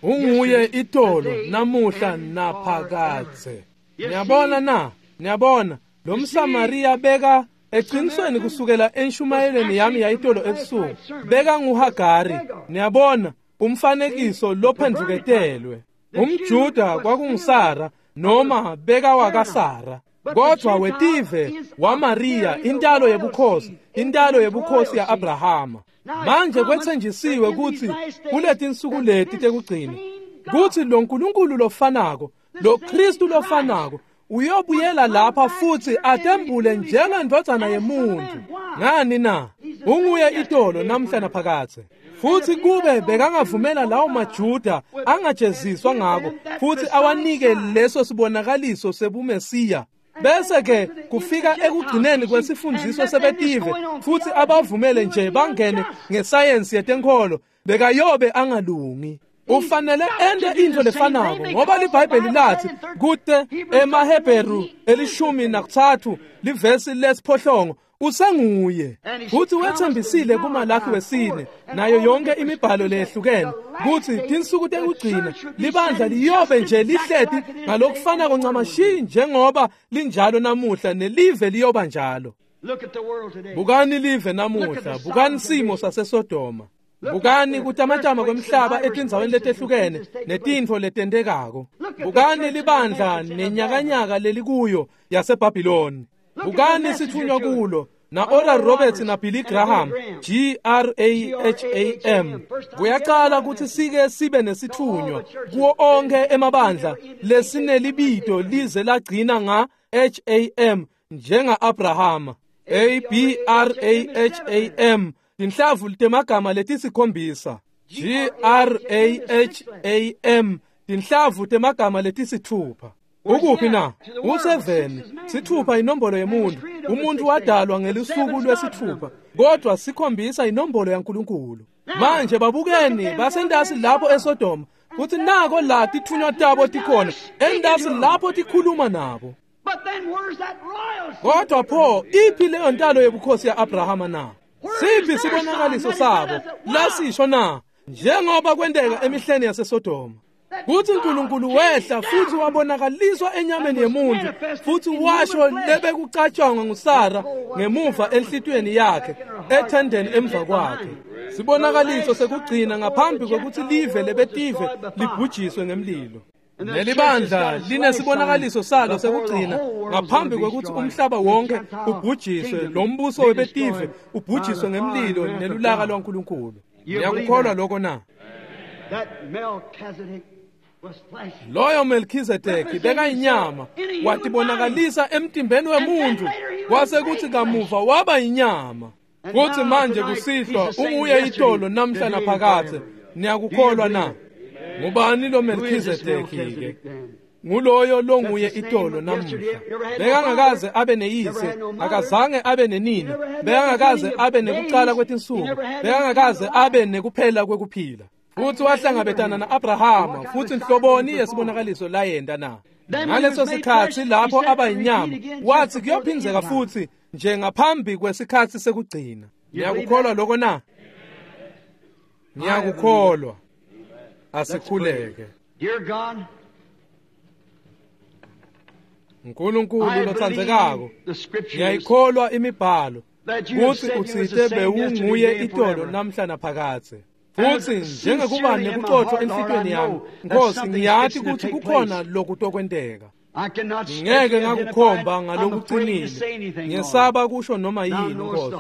Unguye itolo, namuhla, naphakadze. Niyabona na? Niyabona, lo mSamariya beka eqinisweni kusukela enshumayelweni yami yayitolo ebusuku, beka nguHagari. Niyabona, umfanekiso lophendvuketelwe. UmJuda kwakunguSara noma beka wakaSara. Kodwa wetive waMaria, intalo yebukhosi, intalo yebukhosi ya-Abrahama. Manje kwethenjisiwe kutsi kuletinsuku leti tekugcina, kutsi lo Nkulunkulu lofanako, lo Kristu lofanako, uyobuyela lapha futsi atembule njengendvodzana yemuntu. Ngani na? Unguye itolo, namhla naphakadze. Futhi kube bekangavumela lawo maJuda angajeziswa ngako futhi awanike leso sibonakaliso sebuMesiya, bese ke kufika ekugcineni kwesifundiso sebetive futhi abavumele nje bangene ngesayensi yetenkholo, bekayobe angalungi. Ufanele ente intfo lefanako, ngoba liBhayibheli lathi kute emaHebheru 13 livesi lesiphohlongo, usenguye. Futhi wethembisile kuMalaki 4 nayo yonke imibhalo leyehlukene kutsi tinsuku tekugcina libandla liyobe nje lihleti ngalokufanako ncamashi njengoba linjalo namuhla, nelive liyoba njalo. Bukani live namuhla, bukani simo saseSodoma, bukani kutamatama kwemhlaba etindzaweni letehlukene netintfo letentekako, bukani libandla nenyakanyaka lelikuyo yaseBhabhiloni, bukani sithunywa kulo na Oral Roberts na Billy Graham, Graham. Kuyaqala ukuthi sike sibe nesithunywa kuwo onke emabandla lesinelibito lize lagcina nga Ham njenga Abrahama, Abraham, tinhlavu temagama letisikhombisa, Graham, tinhlavu temagama letisithupha. Ukuphi na? Useveni. Sithupha inombolo yemuntu. Umuntu wadalwa ngelusuku lwesithupha, kodwa sikhombisa inombolo yaNkulunkulu. Manje babukeni basentasi lapho eSodoma, futhi nako la tithunywa tabo tikhona, entasi lapho tikhuluma nabo. Kodwa pho iphi leyo ntalo yebukhosi ya-Abrahama na? Siphi sibonakaliso sabo lasisho na? Njengoba kwenteka emihleni yaseSodoma, kutsi uNkulunkulu wehla futhi wabonakaliswa enyameni yemuntu, futhi washo lebekucatshangwa nguSara ngemuva enhlitiyweni yakhe ethendeni emva kwakhe. Sibonakaliso sekugcina ngaphambi kwekutsi live lebetive libhujiswe ngemlilo. Nelibandla linesibonakaliso salo sekugcina ngaphambi kwekutsi umhlaba wonke ubhujiswe, lo mbuso webetive ubhujiswe ngemlilo nelulaka lwaNkulunkulu. Niyakukholwa lokho na? Loyo Melchizedeki bekayinyama, watibonakalisa emtimbeni wemuntu, kwase kuthi kamuva waba yinyama. Futhi manje kusihlwa unguye itolo, namhla naphakadze. Niyakukholwa na? Ngubani lo Melchizedeki ke? Nguloyo longuye itolo namuhla. Bekangakaze abe neyise, akazange abe nenina, bekangakaze abe nekucala kwetinsuku, bekangakaze abe nekuphela kwekuphila. Futhi wahlangabetana na-Abrahama, futhi nhloboni yesibonakaliso layenta na? Ngaleso sikhatsi lapho aba yinyama, wathi kuyophindzeka futhi nje ngaphambi kwesikhatsi sekugcina. Niyakukholwa lokho na? Ngiyakukholwa. Asikhuleke. Nkulunkulu lotsandzekako, ngiyayikholwa imibhalo kutsi utsite bewunguye itolo, namhla naphakadze. Futhi njengekuba nekucotfo enhlitiyweni yami, Nkosi, ngiyati kutsi kukhona lokutokwenteka. Ngeke ngakukhomba ngalokucinile, ngesaba kusho noma yini, Nkosi.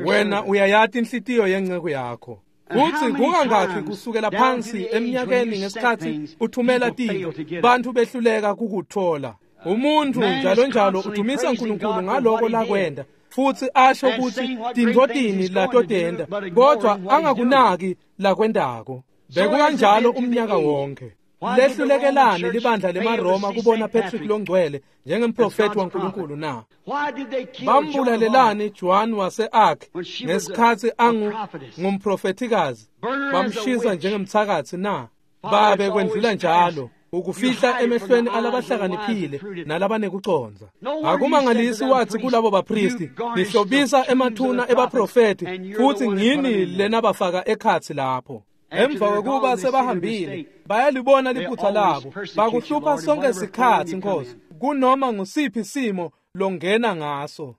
Wena uyayati inhlitiyo yenceku yakho. Kutsi kungangakhi kusukela phansi eminyakeni ngesikhatsi uthumela tintfo, bantfu behluleka kukutfola. Umuntu njalo njalo udumisa uNkulunkulu ngaloko lakwenta, futhi asho kutsi tintfo tini latotenta, kodwa angakunaki lakwentako. Bekukanjalo umnyaka wonke. Lehlulekelani libandla lemaRoma kubona Patrick longcwele njengemprofethi waNkulunkulu na? Bambulalelani Joan wase-Arc ngesikhatsi ngumprofethikazi, bamshisa njengemthakathi na? Babe kwendlula njalo. Ukufihla emehlweni alabahlakaniphile nalabanekucondza. Akumangalisi wathi kulabo bapristi, nihlobisa emathuna ebaprofeti futhi ngini lenabafaka ekhatsi lapho. Emva kwekuba sebahambile bayalibona liphutha labo, bakuhlupha sonke sikhatsi Nkosi, kunoma ngusiphi simo longena ngaso.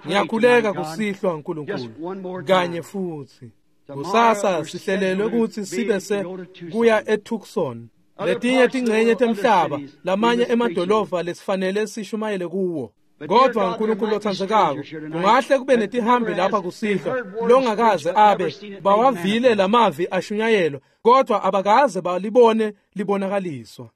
Ngiyakhuleka kusihlwa nkulunkulu kanye futhi. Kusasa sihlelelwe ukuthi sibe se kuya eTucson, letinye tingcenye temhlaba, lamanye emadolobha lesifanele sishumayele kuwo. Kodwa nkulunkulu lotsandzekako, kungahle kube netihambi lapha kusihlwa longakaze abe bawavile lamavi ashunyayelwa, kodwa abakaze balibone libonakaliswa.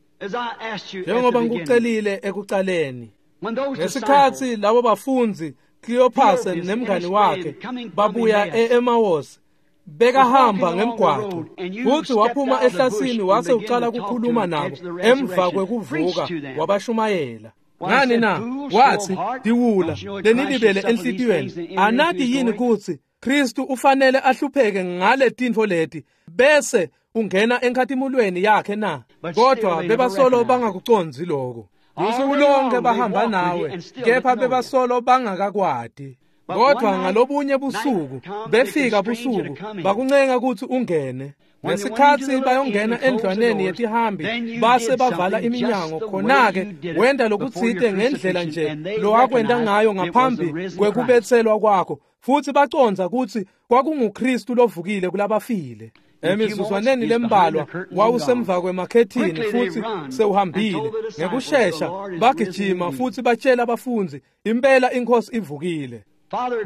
Njengoba ngikucelile ekucaleni, ngesikhatsi labo bafundzi Cleopas nemngani wakhe babuya e-Emmaus, bekahamba ngemgwaqo futhi waphuma ehlasini wase ucala ukukhuluma nabo emva kwekuvuka wabashumayela. Ngani na? Wathi, diwula lenilibele enhlitiyweni, anati yini kutsi Kristu ufanele ahlupheke ngale tintfo leti bese ungena enkhatimulweni yakhe na? Kodwa bebasolo bangakucondzi lokho. Usuku lonke bahamba nawe, kepha bebasolo bangakakwati. Kodwa ngalobunye busuku befika busuku bakuncenga ukuthi ungene. Ngesikhatsi bayongena endlwaneni yetihambi base bavala iminyango, khona-ke wenda lokutsite ngendlela nje lowakwenta ngayo ngaphambi kwekubetselwa kwakho, futhi bacondza kutsi kwakunguKristu lovukile kulabafile. Emizuzwaneni lembalwa wawusemva kwemakhethini futhi sewuhambile. Ngekushesha bagijima futhi batshela abafundzi, impela inkosi ivukile.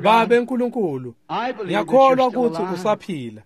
Babe nkulunkulu, ngiyakholwa ukuthi usaphila,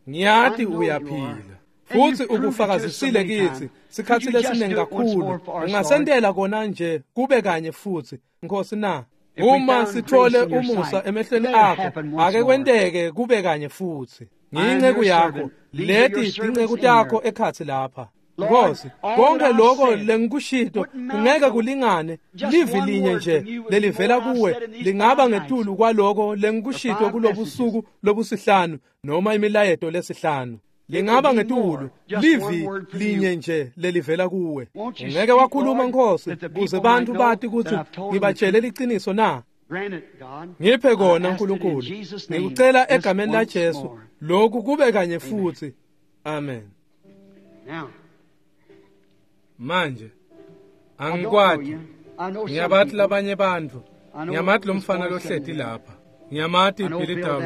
ngiyati uyaphila futhi ukufakazisile kithi sikhathi lesiningi kakhulu. Ungasentela kona nje kube kanye futhi Nkosi na? Uma sithole umusa emehlweni akho, ake kwenteke kube kanye futhi. Ngiyinceku yakho, leti tinceku takho ekhatsi lapha. Nkosi, konke lokho lengikushito kungeke kulingane livi linye nje lelivela kuwe lingaba ngetulu kwaloko lengikushito kulobusuku lobusihlanu noma imilayeto lesihlanu. Lingaba ngetulu livi linye nje lelivela kuwe. Ungeke wakhuluma Nkosi kuze bantu bati ukuthi ngibatshele liciniso na? Ngiphe kona nkulunkulu, ngikucela egameni la Jesu lokhu kube kanye futhi. Amen. Manje angikwati, ngiyabathi labanye bantfu, ngiyamathi lo mfana lohleti lapha, ngiyamathi Billy Dowd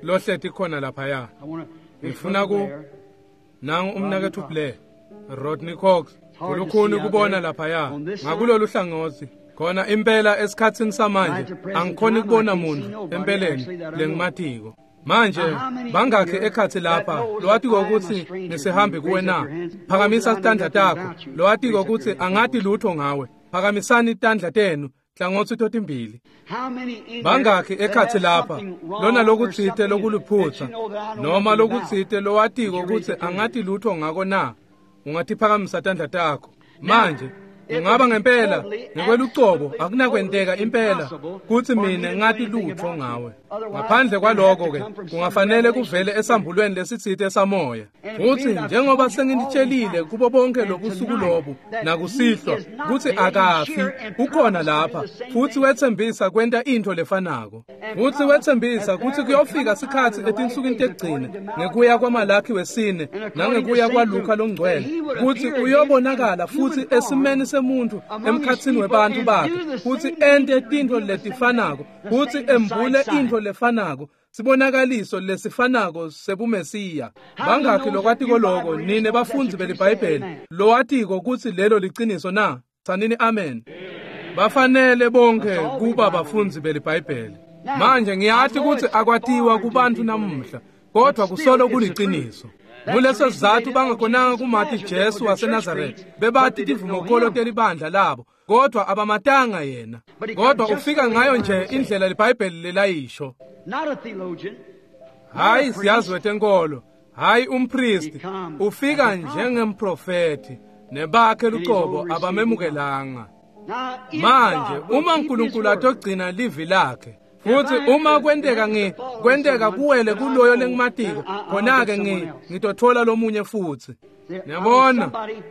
lohleti khona laphaya. Ngifuna ku nangu umnaketfu Blair, Rodney Cox, kulukhuni kubona laphaya ngakulolu hlangothi. Khona impela esikhatsini samanje angikhoni kubona muntu empeleni lengimatiko. Manje bangakhi ekhatsi lapha lowatiko ukuthi ngisihambi kuwe na? Phakamisa tandla takho. Lowatiko ukuthi angati lutho ngawe, phakamisani tandla tenu hlangothi totimbili. Bangakhi ekhatsi lapha lona lokutsite lokuluphutsa noma lokutsite lowatiko ukuthi angati lutho ngako na? Ungatiphakamisa tandla takho. Manje ungaba ngempela ngekwelucobo akunakwenteka impela kutsi mina ngati lutho ngawe. Ngaphandle kwaloko ke kungafanele kuvele esambulweni lesitsite samoya. Futhi njengoba senginitshelile kubo bonke lobusuku lobu nakusihlwa kutsi akafi, ukhona lapha futhi wetsembisa kwenta intfo lefanako. Futhi wetsembisa kutsi kuyofika sikhatsi etinsukwini tekugcina ngekuya kwaMalakhi wesine nangekuya kwaLuka longcwele kutsi uyobonakala futhi esimeni semuntu emkhatsini webantfu bakhe kutsi ente tintfo letifanako, kutsi embule intfo lefanako, sibonakaliso lesifanako sebumesiya. Bangakhi lokwatiko loko nine bafundzi beliBhayibheli lowatiko kutsi lelo liciniso na? Tsanini amen. Bafanele bonke kuba bafundzi beliBhayibheli. Manje ngiyati kutsi akwatiwa kubantu namuhla, kodwa kusolo kuliciniso. Nguleso sizatfu bangakhonanga kumati Jesu waseNazaretha. Bebati tivumokolo telibandla labo, kodwa abamatanga yena. Kodwa ufika ngayo nje indlela liBhayibheli lelayisho. Hayi siyazi wetenkolo, hayi umpristi, ufika njengemprofethi, nebakhe lucobo abamemukelanga. Manje uma uNkulunkulu atogcina livi lakhe Futhi uma kwenteka kwenteka kuwele kuloyo lengimatiko, khona-ke ngitothola lomunye futhi. Niyabona,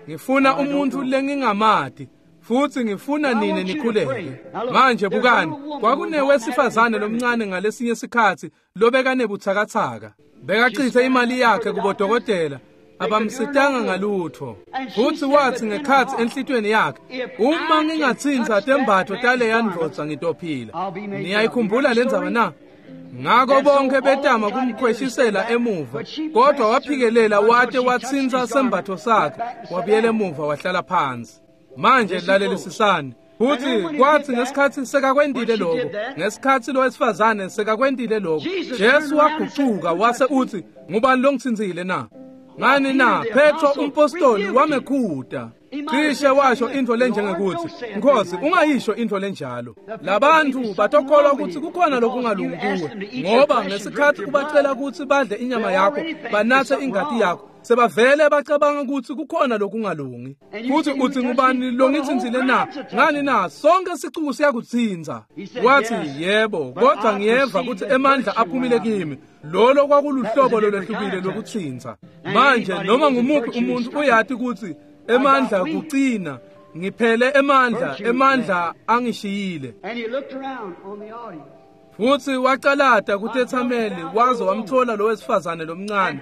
ngifuna umuntu lengingamati. Futhi ngifuna nine nikhuleke. Manje bukani, kwakunewesifazane lomncane ngalesinye sikhathi lobekanebuthakathaka. Bekachithe imali yakhe kubodokotela, abamsitanga ngalutho. Futhi wathi ngekhathi enhlitweni yakhe, uma ngingatsintsa tembatfo taleya ndvodza ngitophila. Niyayikhumbula le ndzaba na? Ngako bonke betama kumkhweshisela emuva, kodwa waphikelela wate watsintsa sembatfo sakhe, wabuyela emuva wahlala phansi. Manje lalelisisani. Futhi kwathi ngesikhathi sekakwentile lokho, ngesikhathi lo wesifazane sekakwentile lokho, Jesu wagucuka wase uthi, ngubani longitsintsile na? Ngani na? Petro umpostoli wamekhuta. Cishe washo into lenjengekuthi, Nkosi, ungayisho into lenjalo. Labantu batokholwa ukuthi kukhona lokungalungi kuwe, ngoba ngesikhathi ubacela ukuthi badle inyama yakho, banathe ingati yakho, sebavele bacabanga ukuthi kukhona lokungalungi. Futhi uthi ngubani longitsintsile na? Ngani na? Sonke sicuku siyakutsintsa. Wathi, yebo, kodwa ngiyeva ukuthi emandla aphumile kimi. Lolo kwakuluhlobo lolwehlukile lokutsintsa. Manje noma ngumuphi umuntu uyati ukuthi emandla kucina, ngiphele emandla, emandla angishiyile. Futhi wacalata kutethameli waze wamthola lo wesifazane lomncane,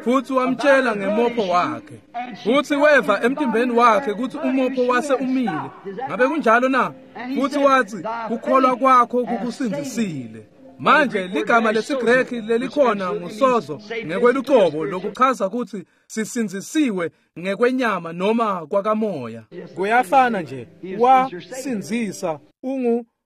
futhi wamtshela ngemopho wakhe. Futhi weva emtimbeni wakhe ukuthi umopho wase umile. Ngabe kunjalo na? Futhi wathi, kukholwa kwakho kukusindzisile. Manje ligama lesiGreki lelikhona ngusozo ngekwelucobo lokuchaza ukuthi sisindzisiwe ngekwenyama noma kwakamoya. Kuyafana nje, wasindzisa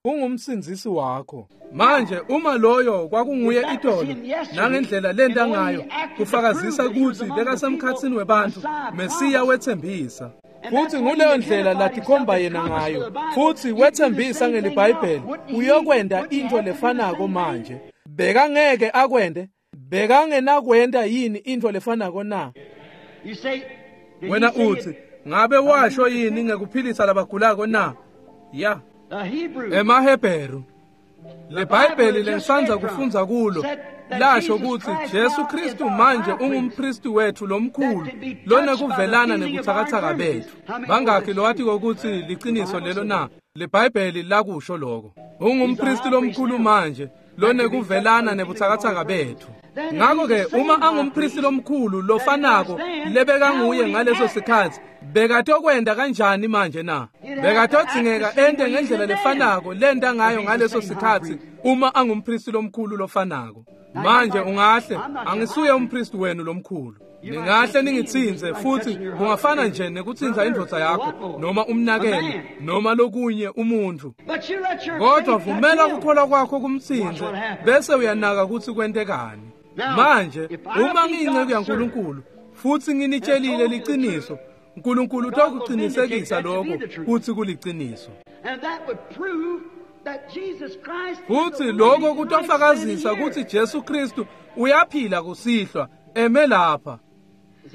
ungumsindzisi wakho. Manje uma loyo kwakunguye itolo nangendlela lenta ngayo kufakazisa ukuthi bekasemkhatsini webantu, Mesiya wethembisa. Futhi nguleyo ndlela latikhomba yena ngayo. Futhi wethembisa ngeliBhayibheli uyokwenda into lefanako manje. Bekangeke akwende, bekangenakwenda yini into lefanako na? Wena uthi, ngabe washo yini ngekuphilisa labagulako na? Ya. EmaHebheru, leBhayibheli lengisanza kufunza kulo lasho ukuthi Jesu Kristu manje ungumpristi wethu lomkhulu lonekuvelana nebuthakathaka bethu. Bangakhi lowathi ukuthi liqiniso lelo na? LeBhayibheli lakusho lokho. Ungumpristi lomkhulu manje lonekuvelana nebuthakathaka bethu. Ngakho-ke uma angumpristi lomkhulu lofanako lebekanguye ngaleso sikhathi, bekatokwenda kanjani manje na? Bekatodzingeka ente ngendlela lefanako lenta ngayo ngaleso sikhathi uma angumpristi lomkhulu lofanako. Manje ungahle, angisuye umpristi wenu lomkhulu. Ningahle ningitsinze futhi kungafana nje nekutsintsa indvodza yakho noma umnakenu noma lokunye umuntu. Kodwa vumela kukholwa kwakho kumtsinze bese uyanaka ukuthi kwentekani. Manje uma ngiyinceku yaNkulunkulu futhi nginitshelile liciniso, uNkulunkulu utokuqinisekisa lokho kuthi kuliciniso. Futhi lokho kutofakazisa ukuthi Jesu Kristu uyaphila kusihlwa eme lapha.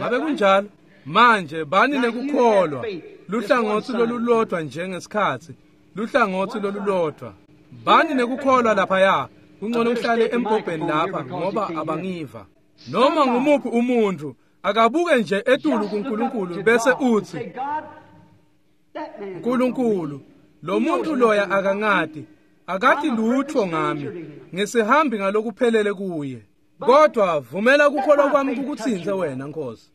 Ngabe kunjalo? Manje bani nekukholwa, luhlangothi lolulodwa njengesikhathi, luhlangothi lolulodwa. Bani nekukholwa laphaya, kungcono uhlale embhobheni lapha ngoba abangiva. Noma ngumuphi umuntu akabuke nje etulu kuNkulunkulu bese uthi, Nkulunkulu, lo muntu loya akangati, akati lutho ngami, ngisihambi ngalokuphelele kuye. Kodwa vumela kukholwa kwami kukutsinze wena Nkosi.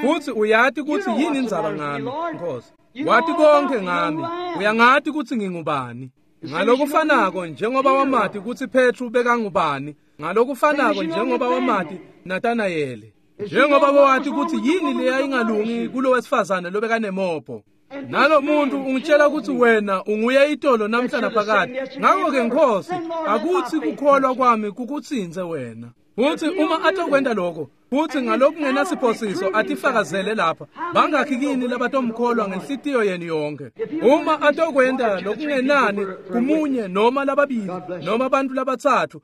Futhi uyati ukuthi yini indzaba ngami Nkosi. Wati konke ngami, uyangati ukuthi ngingubani. Ngalokufanako njengoba wamati ukuthi Petru bekangubani, ngalokufanako njengoba wamati Natanayeli. Njengoba wati ukuthi yini leyayingalungi kulo wesifazane lobekanemopho. Nalo muntu ungitshela ukuthi wena unguye itolo namhla naphakade. Ngakho-ke Nkosi, akuthi kukholwa kwami kukutsinze wena. Futhi uma atokwenta lokho, futhi ngalokungenasiphosiso atifakazele lapha, bangakhi kini labatomkholwa ngenhlitiyo yenu yonke. Uma atokwenta lokungenani kumunye noma lababili noma abantu labathathu,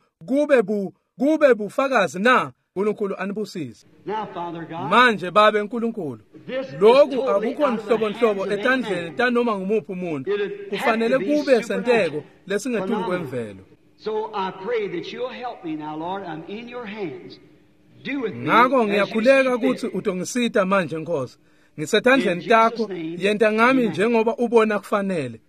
kube bufakazi na? uNkulunkulu anibusise. Manje babe uNkulunkulu, lokhu akukho nhlobo etandleni tanoma ngumuphi umuntu. Kufanele kube senteko lesingetulu kwemvelo. Ngako ngiyakhuleka kutsi utongisita manje Nkosi. Ngisetandleni takho, yenta ngami njengoba ubona kufanele.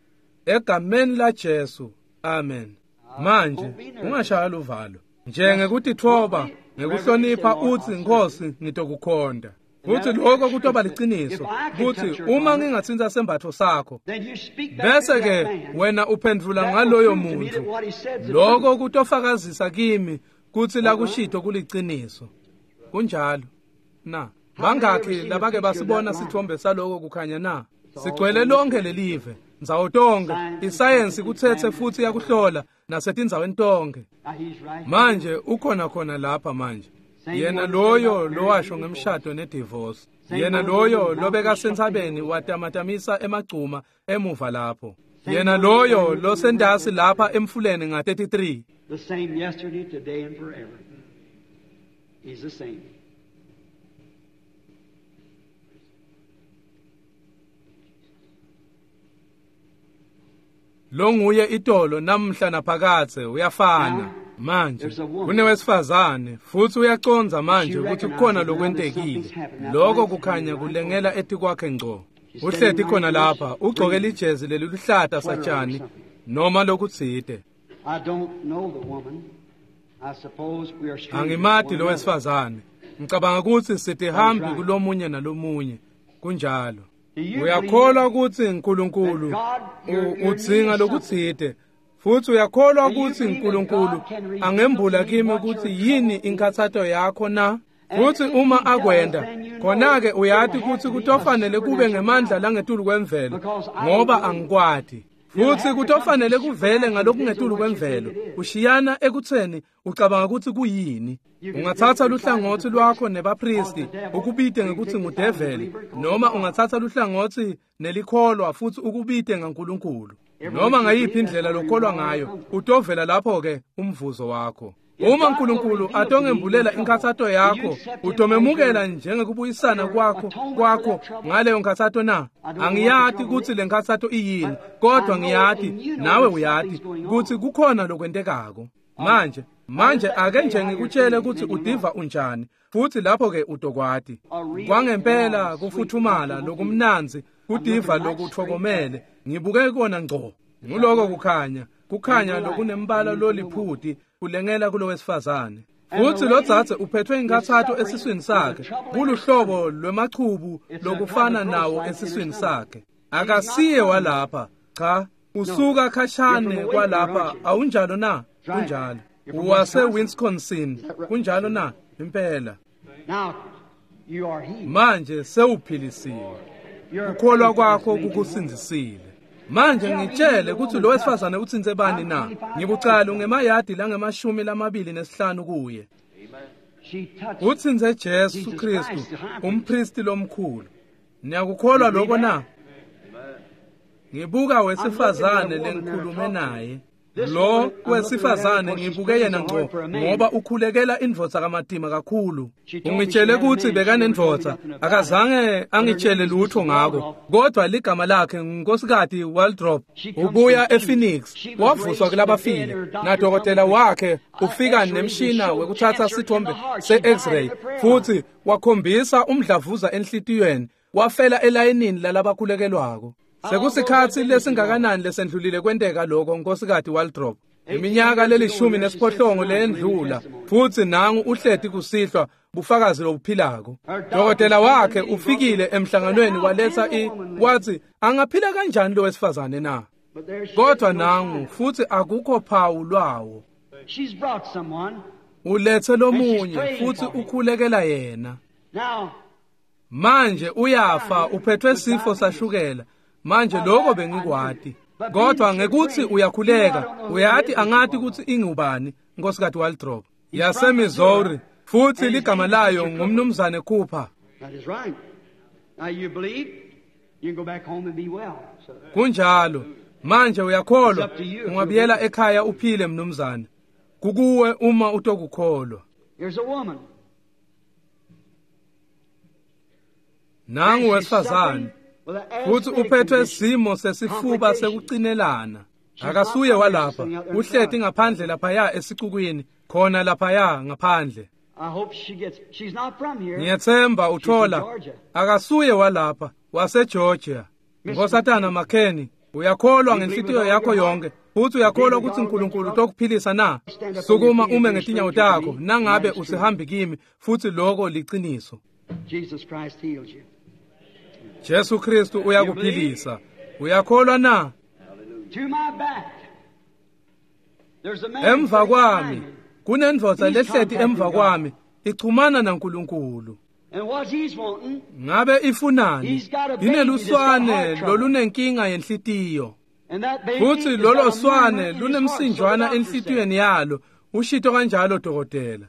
Egameni la Jesu. Amen. Manje ungashaya luvalo. Njengekutitfoba, ngekuhlonipha utsi Nkosi ngitokukhonta. Futhi lokho kutoba liciniso kutsi uma ngingatsinta sembatfo sakho bese ke wena uphendvula ngaloyo muntu, lokho kutofakazisa kimi kutsi lakushito kuliciniso. Kunjalo na? Bangakhi labake basibona sithombe saloko kukhanya na? Sigcwele lonke lelive ndzawo tonke, isayensi kutsetse futsi yakuhlola nasetindzaweni tonke. Manje ukhona khona lapha manje. Yena loyo lowasho ngemshado nedivorce, yena loyo lobekasentsabeni watamatamisa emagcuma emuva lapho, yena loyo losendasi lapha emfuleni nga-33. The same yesterday, today, and forever. He's the same. Longuye itolo namhla naphakathe uyafana. Manje kunewesifazane futhi uyaconza manje ukuthi kukhona lokwentekile. Lokho kukhanya kulengela etikwakhe ngco. Uhleti khona lapha ugcoke lijezi leliluhlata satshani noma lokutsite. Angimati lo wesifazane. Ngicabanga ukuthi sitihambi kulomunye nalomunye. Kunjalo. Uyakholwa ukuthi uNkulunkulu udzinga lokutsite, futhi uyakholwa ukuthi uNkulunkulu angembula kimi ukuthi yini inkathato yakho na? Futhi uma akwenda, khona-ke uyati ukuthi kutofanele kube ngemandla langetulu kwemvelo, ngoba angikwati. Futhi kutofanele kuvele ngalokungetulu kwemvelo, ushiyana ekutheni ucabanga ukuthi kuyini. Ungathatha luhlangothi lwakho nebapristi ukubite ngekuthi ngudeveli, noma ungathatha luhlangothi nelikholwa futhi ukubite ngaNkulunkulu. Noma ngayiphi indlela lokholwa ngayo, utovela lapho-ke umvuzo wakho. Uma uNkulunkulu atongembulela inkathato yakho, utomemukela njengekubuyisana kwakho ngaleyo nkathato na? Angiyati kutsi le nkathato iyini, kodwa ngiyati nawe uyati kutsi kukhona lokwentekako. Manje ake nje ngikutshele kutsi udiva unjani, futhi lapho-ke utokwati. Kwangempela kufuthumala lokumnandzi, kudiva lokutfokomele, ngibuke kona ngco. Nguloko kukhanya, kukhanya lokunembala loliphuti kulengela kulowesifazane. Futhi lo dzadze uphethwe inkathato esiswini sakhe, kuluhlobo lwemachubu lokufana nawo esiswini sakhe. Akasiye walapha, cha, usuka khashane kwalapha, awunjalo na? Kunjalo. Uwase Wisconsin, kunjalo na? Impela. Manje sewuphilisiwe. Ukholwa kwakho kukusindzisile. Manje ngitshele ukuthi lo wesifazane utsintse bani na? Ngikucala ngemayadi langemashumi lamabili nesihlanu kuye. Utsintse Jesu Kristu, umpristi lomkhulu. Niyakukholwa lokho na? Ngibuka wesifazane lengikhulume naye. Lo wesifazane ngibuke yena ngco ngoba ukhulekela indvodza kamatima kakhulu. Ungitshele ukuthi bekanendvodza, akazange angitshele lutho ngako, kodwa ligama lakhe nguNkosikati Waldrop. Ubuya ePhoenix, wavuswa kulabafile, nadokotela wakhe ufika nemshina wekuthatha sithombe se-X-ray, futhi wakhombisa umdlavuza enhlitiyweni, wafela elayinini lalabakhulekelwako. Sekusikhatsi lesingakanani lesendlulile kwenteka lokho, Nkosikati Waldrop? Iminyaka lelishumi nesiphohlongo leyendlula, futhi nangu uhleti kusihlwa bufakazi lobuphilako. Dokotela wakhe ufikile emhlanganweni waletha wathi angaphila kanjani lo wesifazane na? Kodwa nangu futhi akukho phawu lwawo. Ulethe lomunye futhi ukhulekela yena. Manje uyafa, uphethwe sifo sashukela. Manje lokho bengikwati, kodwa ngekuthi uyakhuleka, uyati angati ukuthi ingubani, Nkosikati Waldrop yaseMissouri, futhi ligama layo ngumnumzane Cooper. Kunjalo. Manje uyakholwa, ungabuyela ekhaya uphile mnumzane. Kukuwe uma utokukholwa. Nangu wesifazane futhi uphethwe simo sesifuba sekucinelana. Akasuye walapha, uhleti ngaphandle laphaya esicukwini, khona laphaya ngaphandle. Ngiyethemba uthola akasuye walapha, waseGeorgia. Nkosatana McKenny, uyakholwa ngenhlitiyo yakho yonke futhi uyakholwa ukuthi uNkulunkulu utokuphilisa na? Sukuma ume ngetinyawo takho nangabe usihambi kimi, futhi lokho liqiniso. Jesu Kristu uyakuphilisa. Uyakholwa na? Emva kwami kunendvodza lehleti emva kwami ichumana naNkulunkulu. Ngabe ifunani? Ineluswane lolunenkinga yenhlitiyo. Futhi lolo swane lunemsinjwana enhlitiyweni yalo, ushito kanjalo dokotela.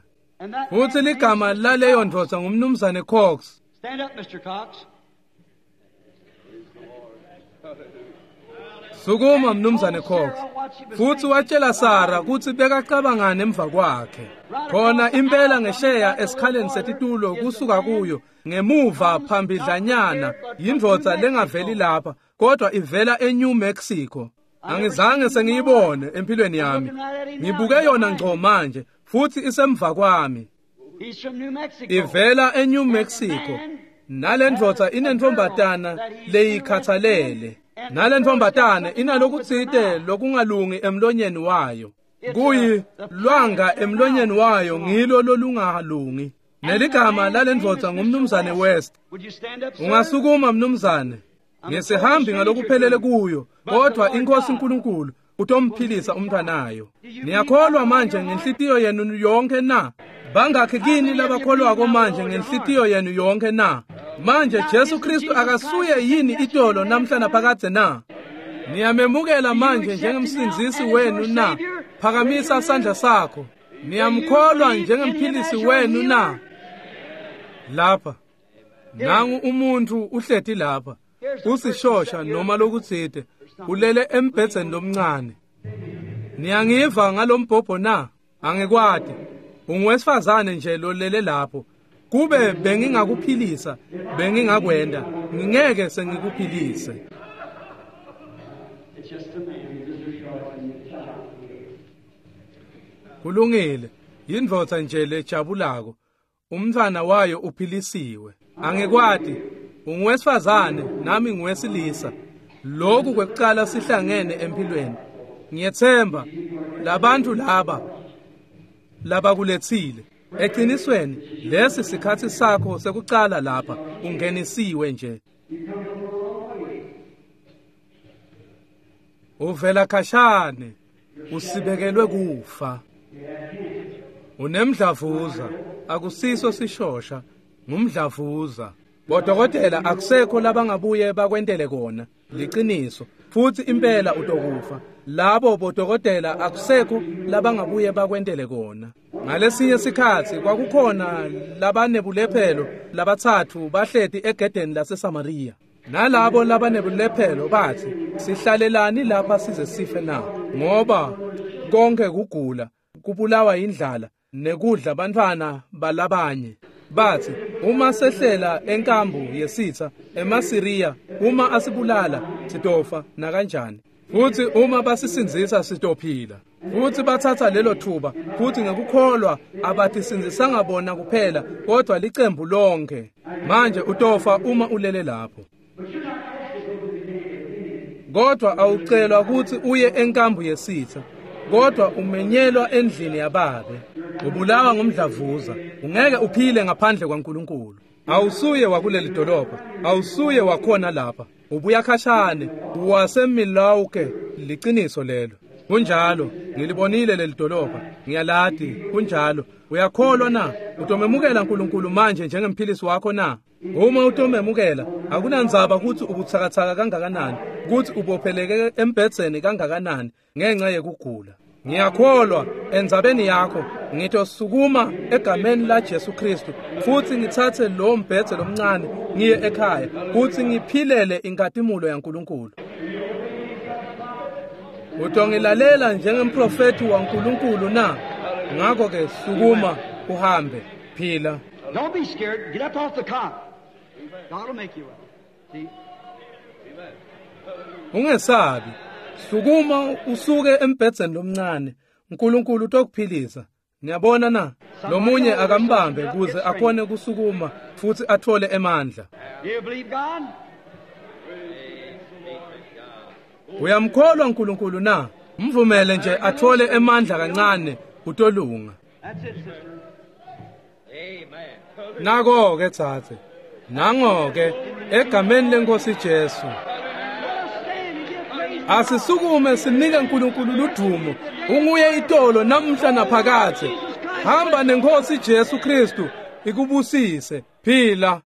Futhi ligama laleyo ndvodza ngumnumzane Cox. Stand up, Mr. Cox. Sukuma mnumzane Cox. Futhi watshela Sarah kutsi bekacabangane emva kwakhe. Khona impela ngesheya esikhaleni setitulo kusuka kuyo ngemuva phambidlanyana yindvodza lengaveli lapha kodwa ivela eNew Mexico. Angizange sengiyibone empilweni yami. Ngibuke yona ngco manje futhi isemva kwami. Ivela eNew Mexico. Nalendvodza inentombatana leyikhathalele. Nalentfombatane inalokutsite lokungalungi emlonyeni wayo. Kuyi lwanga emlonyeni wayo ngilo lolungalungi. Neligama lalendvodza ngumnumzane West. Ungasukuma mnumzane. Ngesihambi ngalokuphelele kuyo, kodwa inkosi uNkulunkulu utomphilisa umntwanayo. Niyakholwa manje ngenhlitiyo yenu yonke na? Bangakhi kini labakholwako manje ngenhlitiyo yenu yonke na? Manje Jesu Kristu akasuye yini itolo namhla naphakadze na? Niyamemukela manje njengemsindzisi wenu na? Phakamisa sandla sakho. Niyamkholwa njengemphilisi wenu na? Lapha nangu umuntu uhleti lapha, usishosha noma lokutsite, ulele embhedzeni lomncane. Niyangiva ngalombhobho na? Angikwati. Unguwesifazane nje lolele lapho. Kube bengingakuphilisa, bengingakwenda. Ngingeke sengikuphilise. Kulungile. Yindvodza nje lejabulako. Umntfwana wayo uphilisiwe. Angikwati. Unguwesifazane nami nguwesilisa. Lokhu kwekucala sihlangene empilweni. Ngiyethemba labantu laba labakulethile. Eqinisweni lesi sikhathi sakho sekucala lapha, ungenisiwe nje. Uvela khashane, usibekelwe kufa. Unemdlavuza, akusiso sishosha, ngumdlavuza. Bodokotela akusekho labangabuye bakwentele kona, liqiniso. Futhi impela utokufa. Labo bodokotela akusekho labangabuye bakwentele kona. Ngalesinye sikhathi kwakukhona labanebulephelo labathathu bahleti egedeni laseSamaria. Nalabo labanebulephelo bathi, sihlalelani lapha size sife na? Ngoba konke kugula, kubulawa indlala, nekudla bantfwana balabanye. Bathi, uma sehlela enkambu yesitha emaSiriya, uma asibulala sitofa nakanjani. Futhi uma basisindzisa sitophila. Futhi bathatha lelo thuba, futhi ngekukholwa abathisindzisanga bona kuphela, kodwa licembu lonke. Manje utofa uma ulele lapho. Kodwa awucelwa ukuthi uye enkambu yesitha, kodwa umenyelwa endlini yababe. Ubulawa ngumdlavuza, ungeke uphile ngaphandle kwaNkulunkulu. Awusuye wakuleli dolobha, awusuye wakhona lapha. Ubuya khashane, waseMilwaukee, liqiniso lelo. Kunjalo, ngilibonile leli dolobha, ngiyalati, kunjalo. Uyakholwa na? Utomemukela uNkulunkulu manje njengemphilisi wakho na? Uma utomemukela, akunandzaba ukuthi ubuthakathaka kangakanani, ukuthi ubopheleke embhedzeni kangakanani ngenxa yekugula. Ngiyakholwa endzabeni yakho, ngitosukuma egameni la Jesu Kristu futhi ngithathe lo mbhedze lomncane ngiye ekhaya futhi ngiphilele inkatimulo yaNkulunkulu. Utongilalela njengemprofeti waNkulunkulu na? Ngakho ke sukuma uhambe, phila. Don't be scared. Get up off the cot. God will make you well. See? Ungesabi. Sukuma usuke embhedzeni lomncane. uNkulunkulu utokuphilisa. Niyabona na? Lomunye akambambe kuze akhone kusukuma futhi athole emandla. Do you believe God? Uyamkholwa uNkulunkulu na? Mvumele nje athole emandla kancane utolunga. That's it, sister. Nako ke tsatse. Nango ke egameni lenkosi Jesu. Let us stand and give praise. Asisukume sinike uNkulunkulu ludumo. Unguye itolo namhla naphakathe. Hamba nenkosi Jesu Kristu ikubusise. Phila.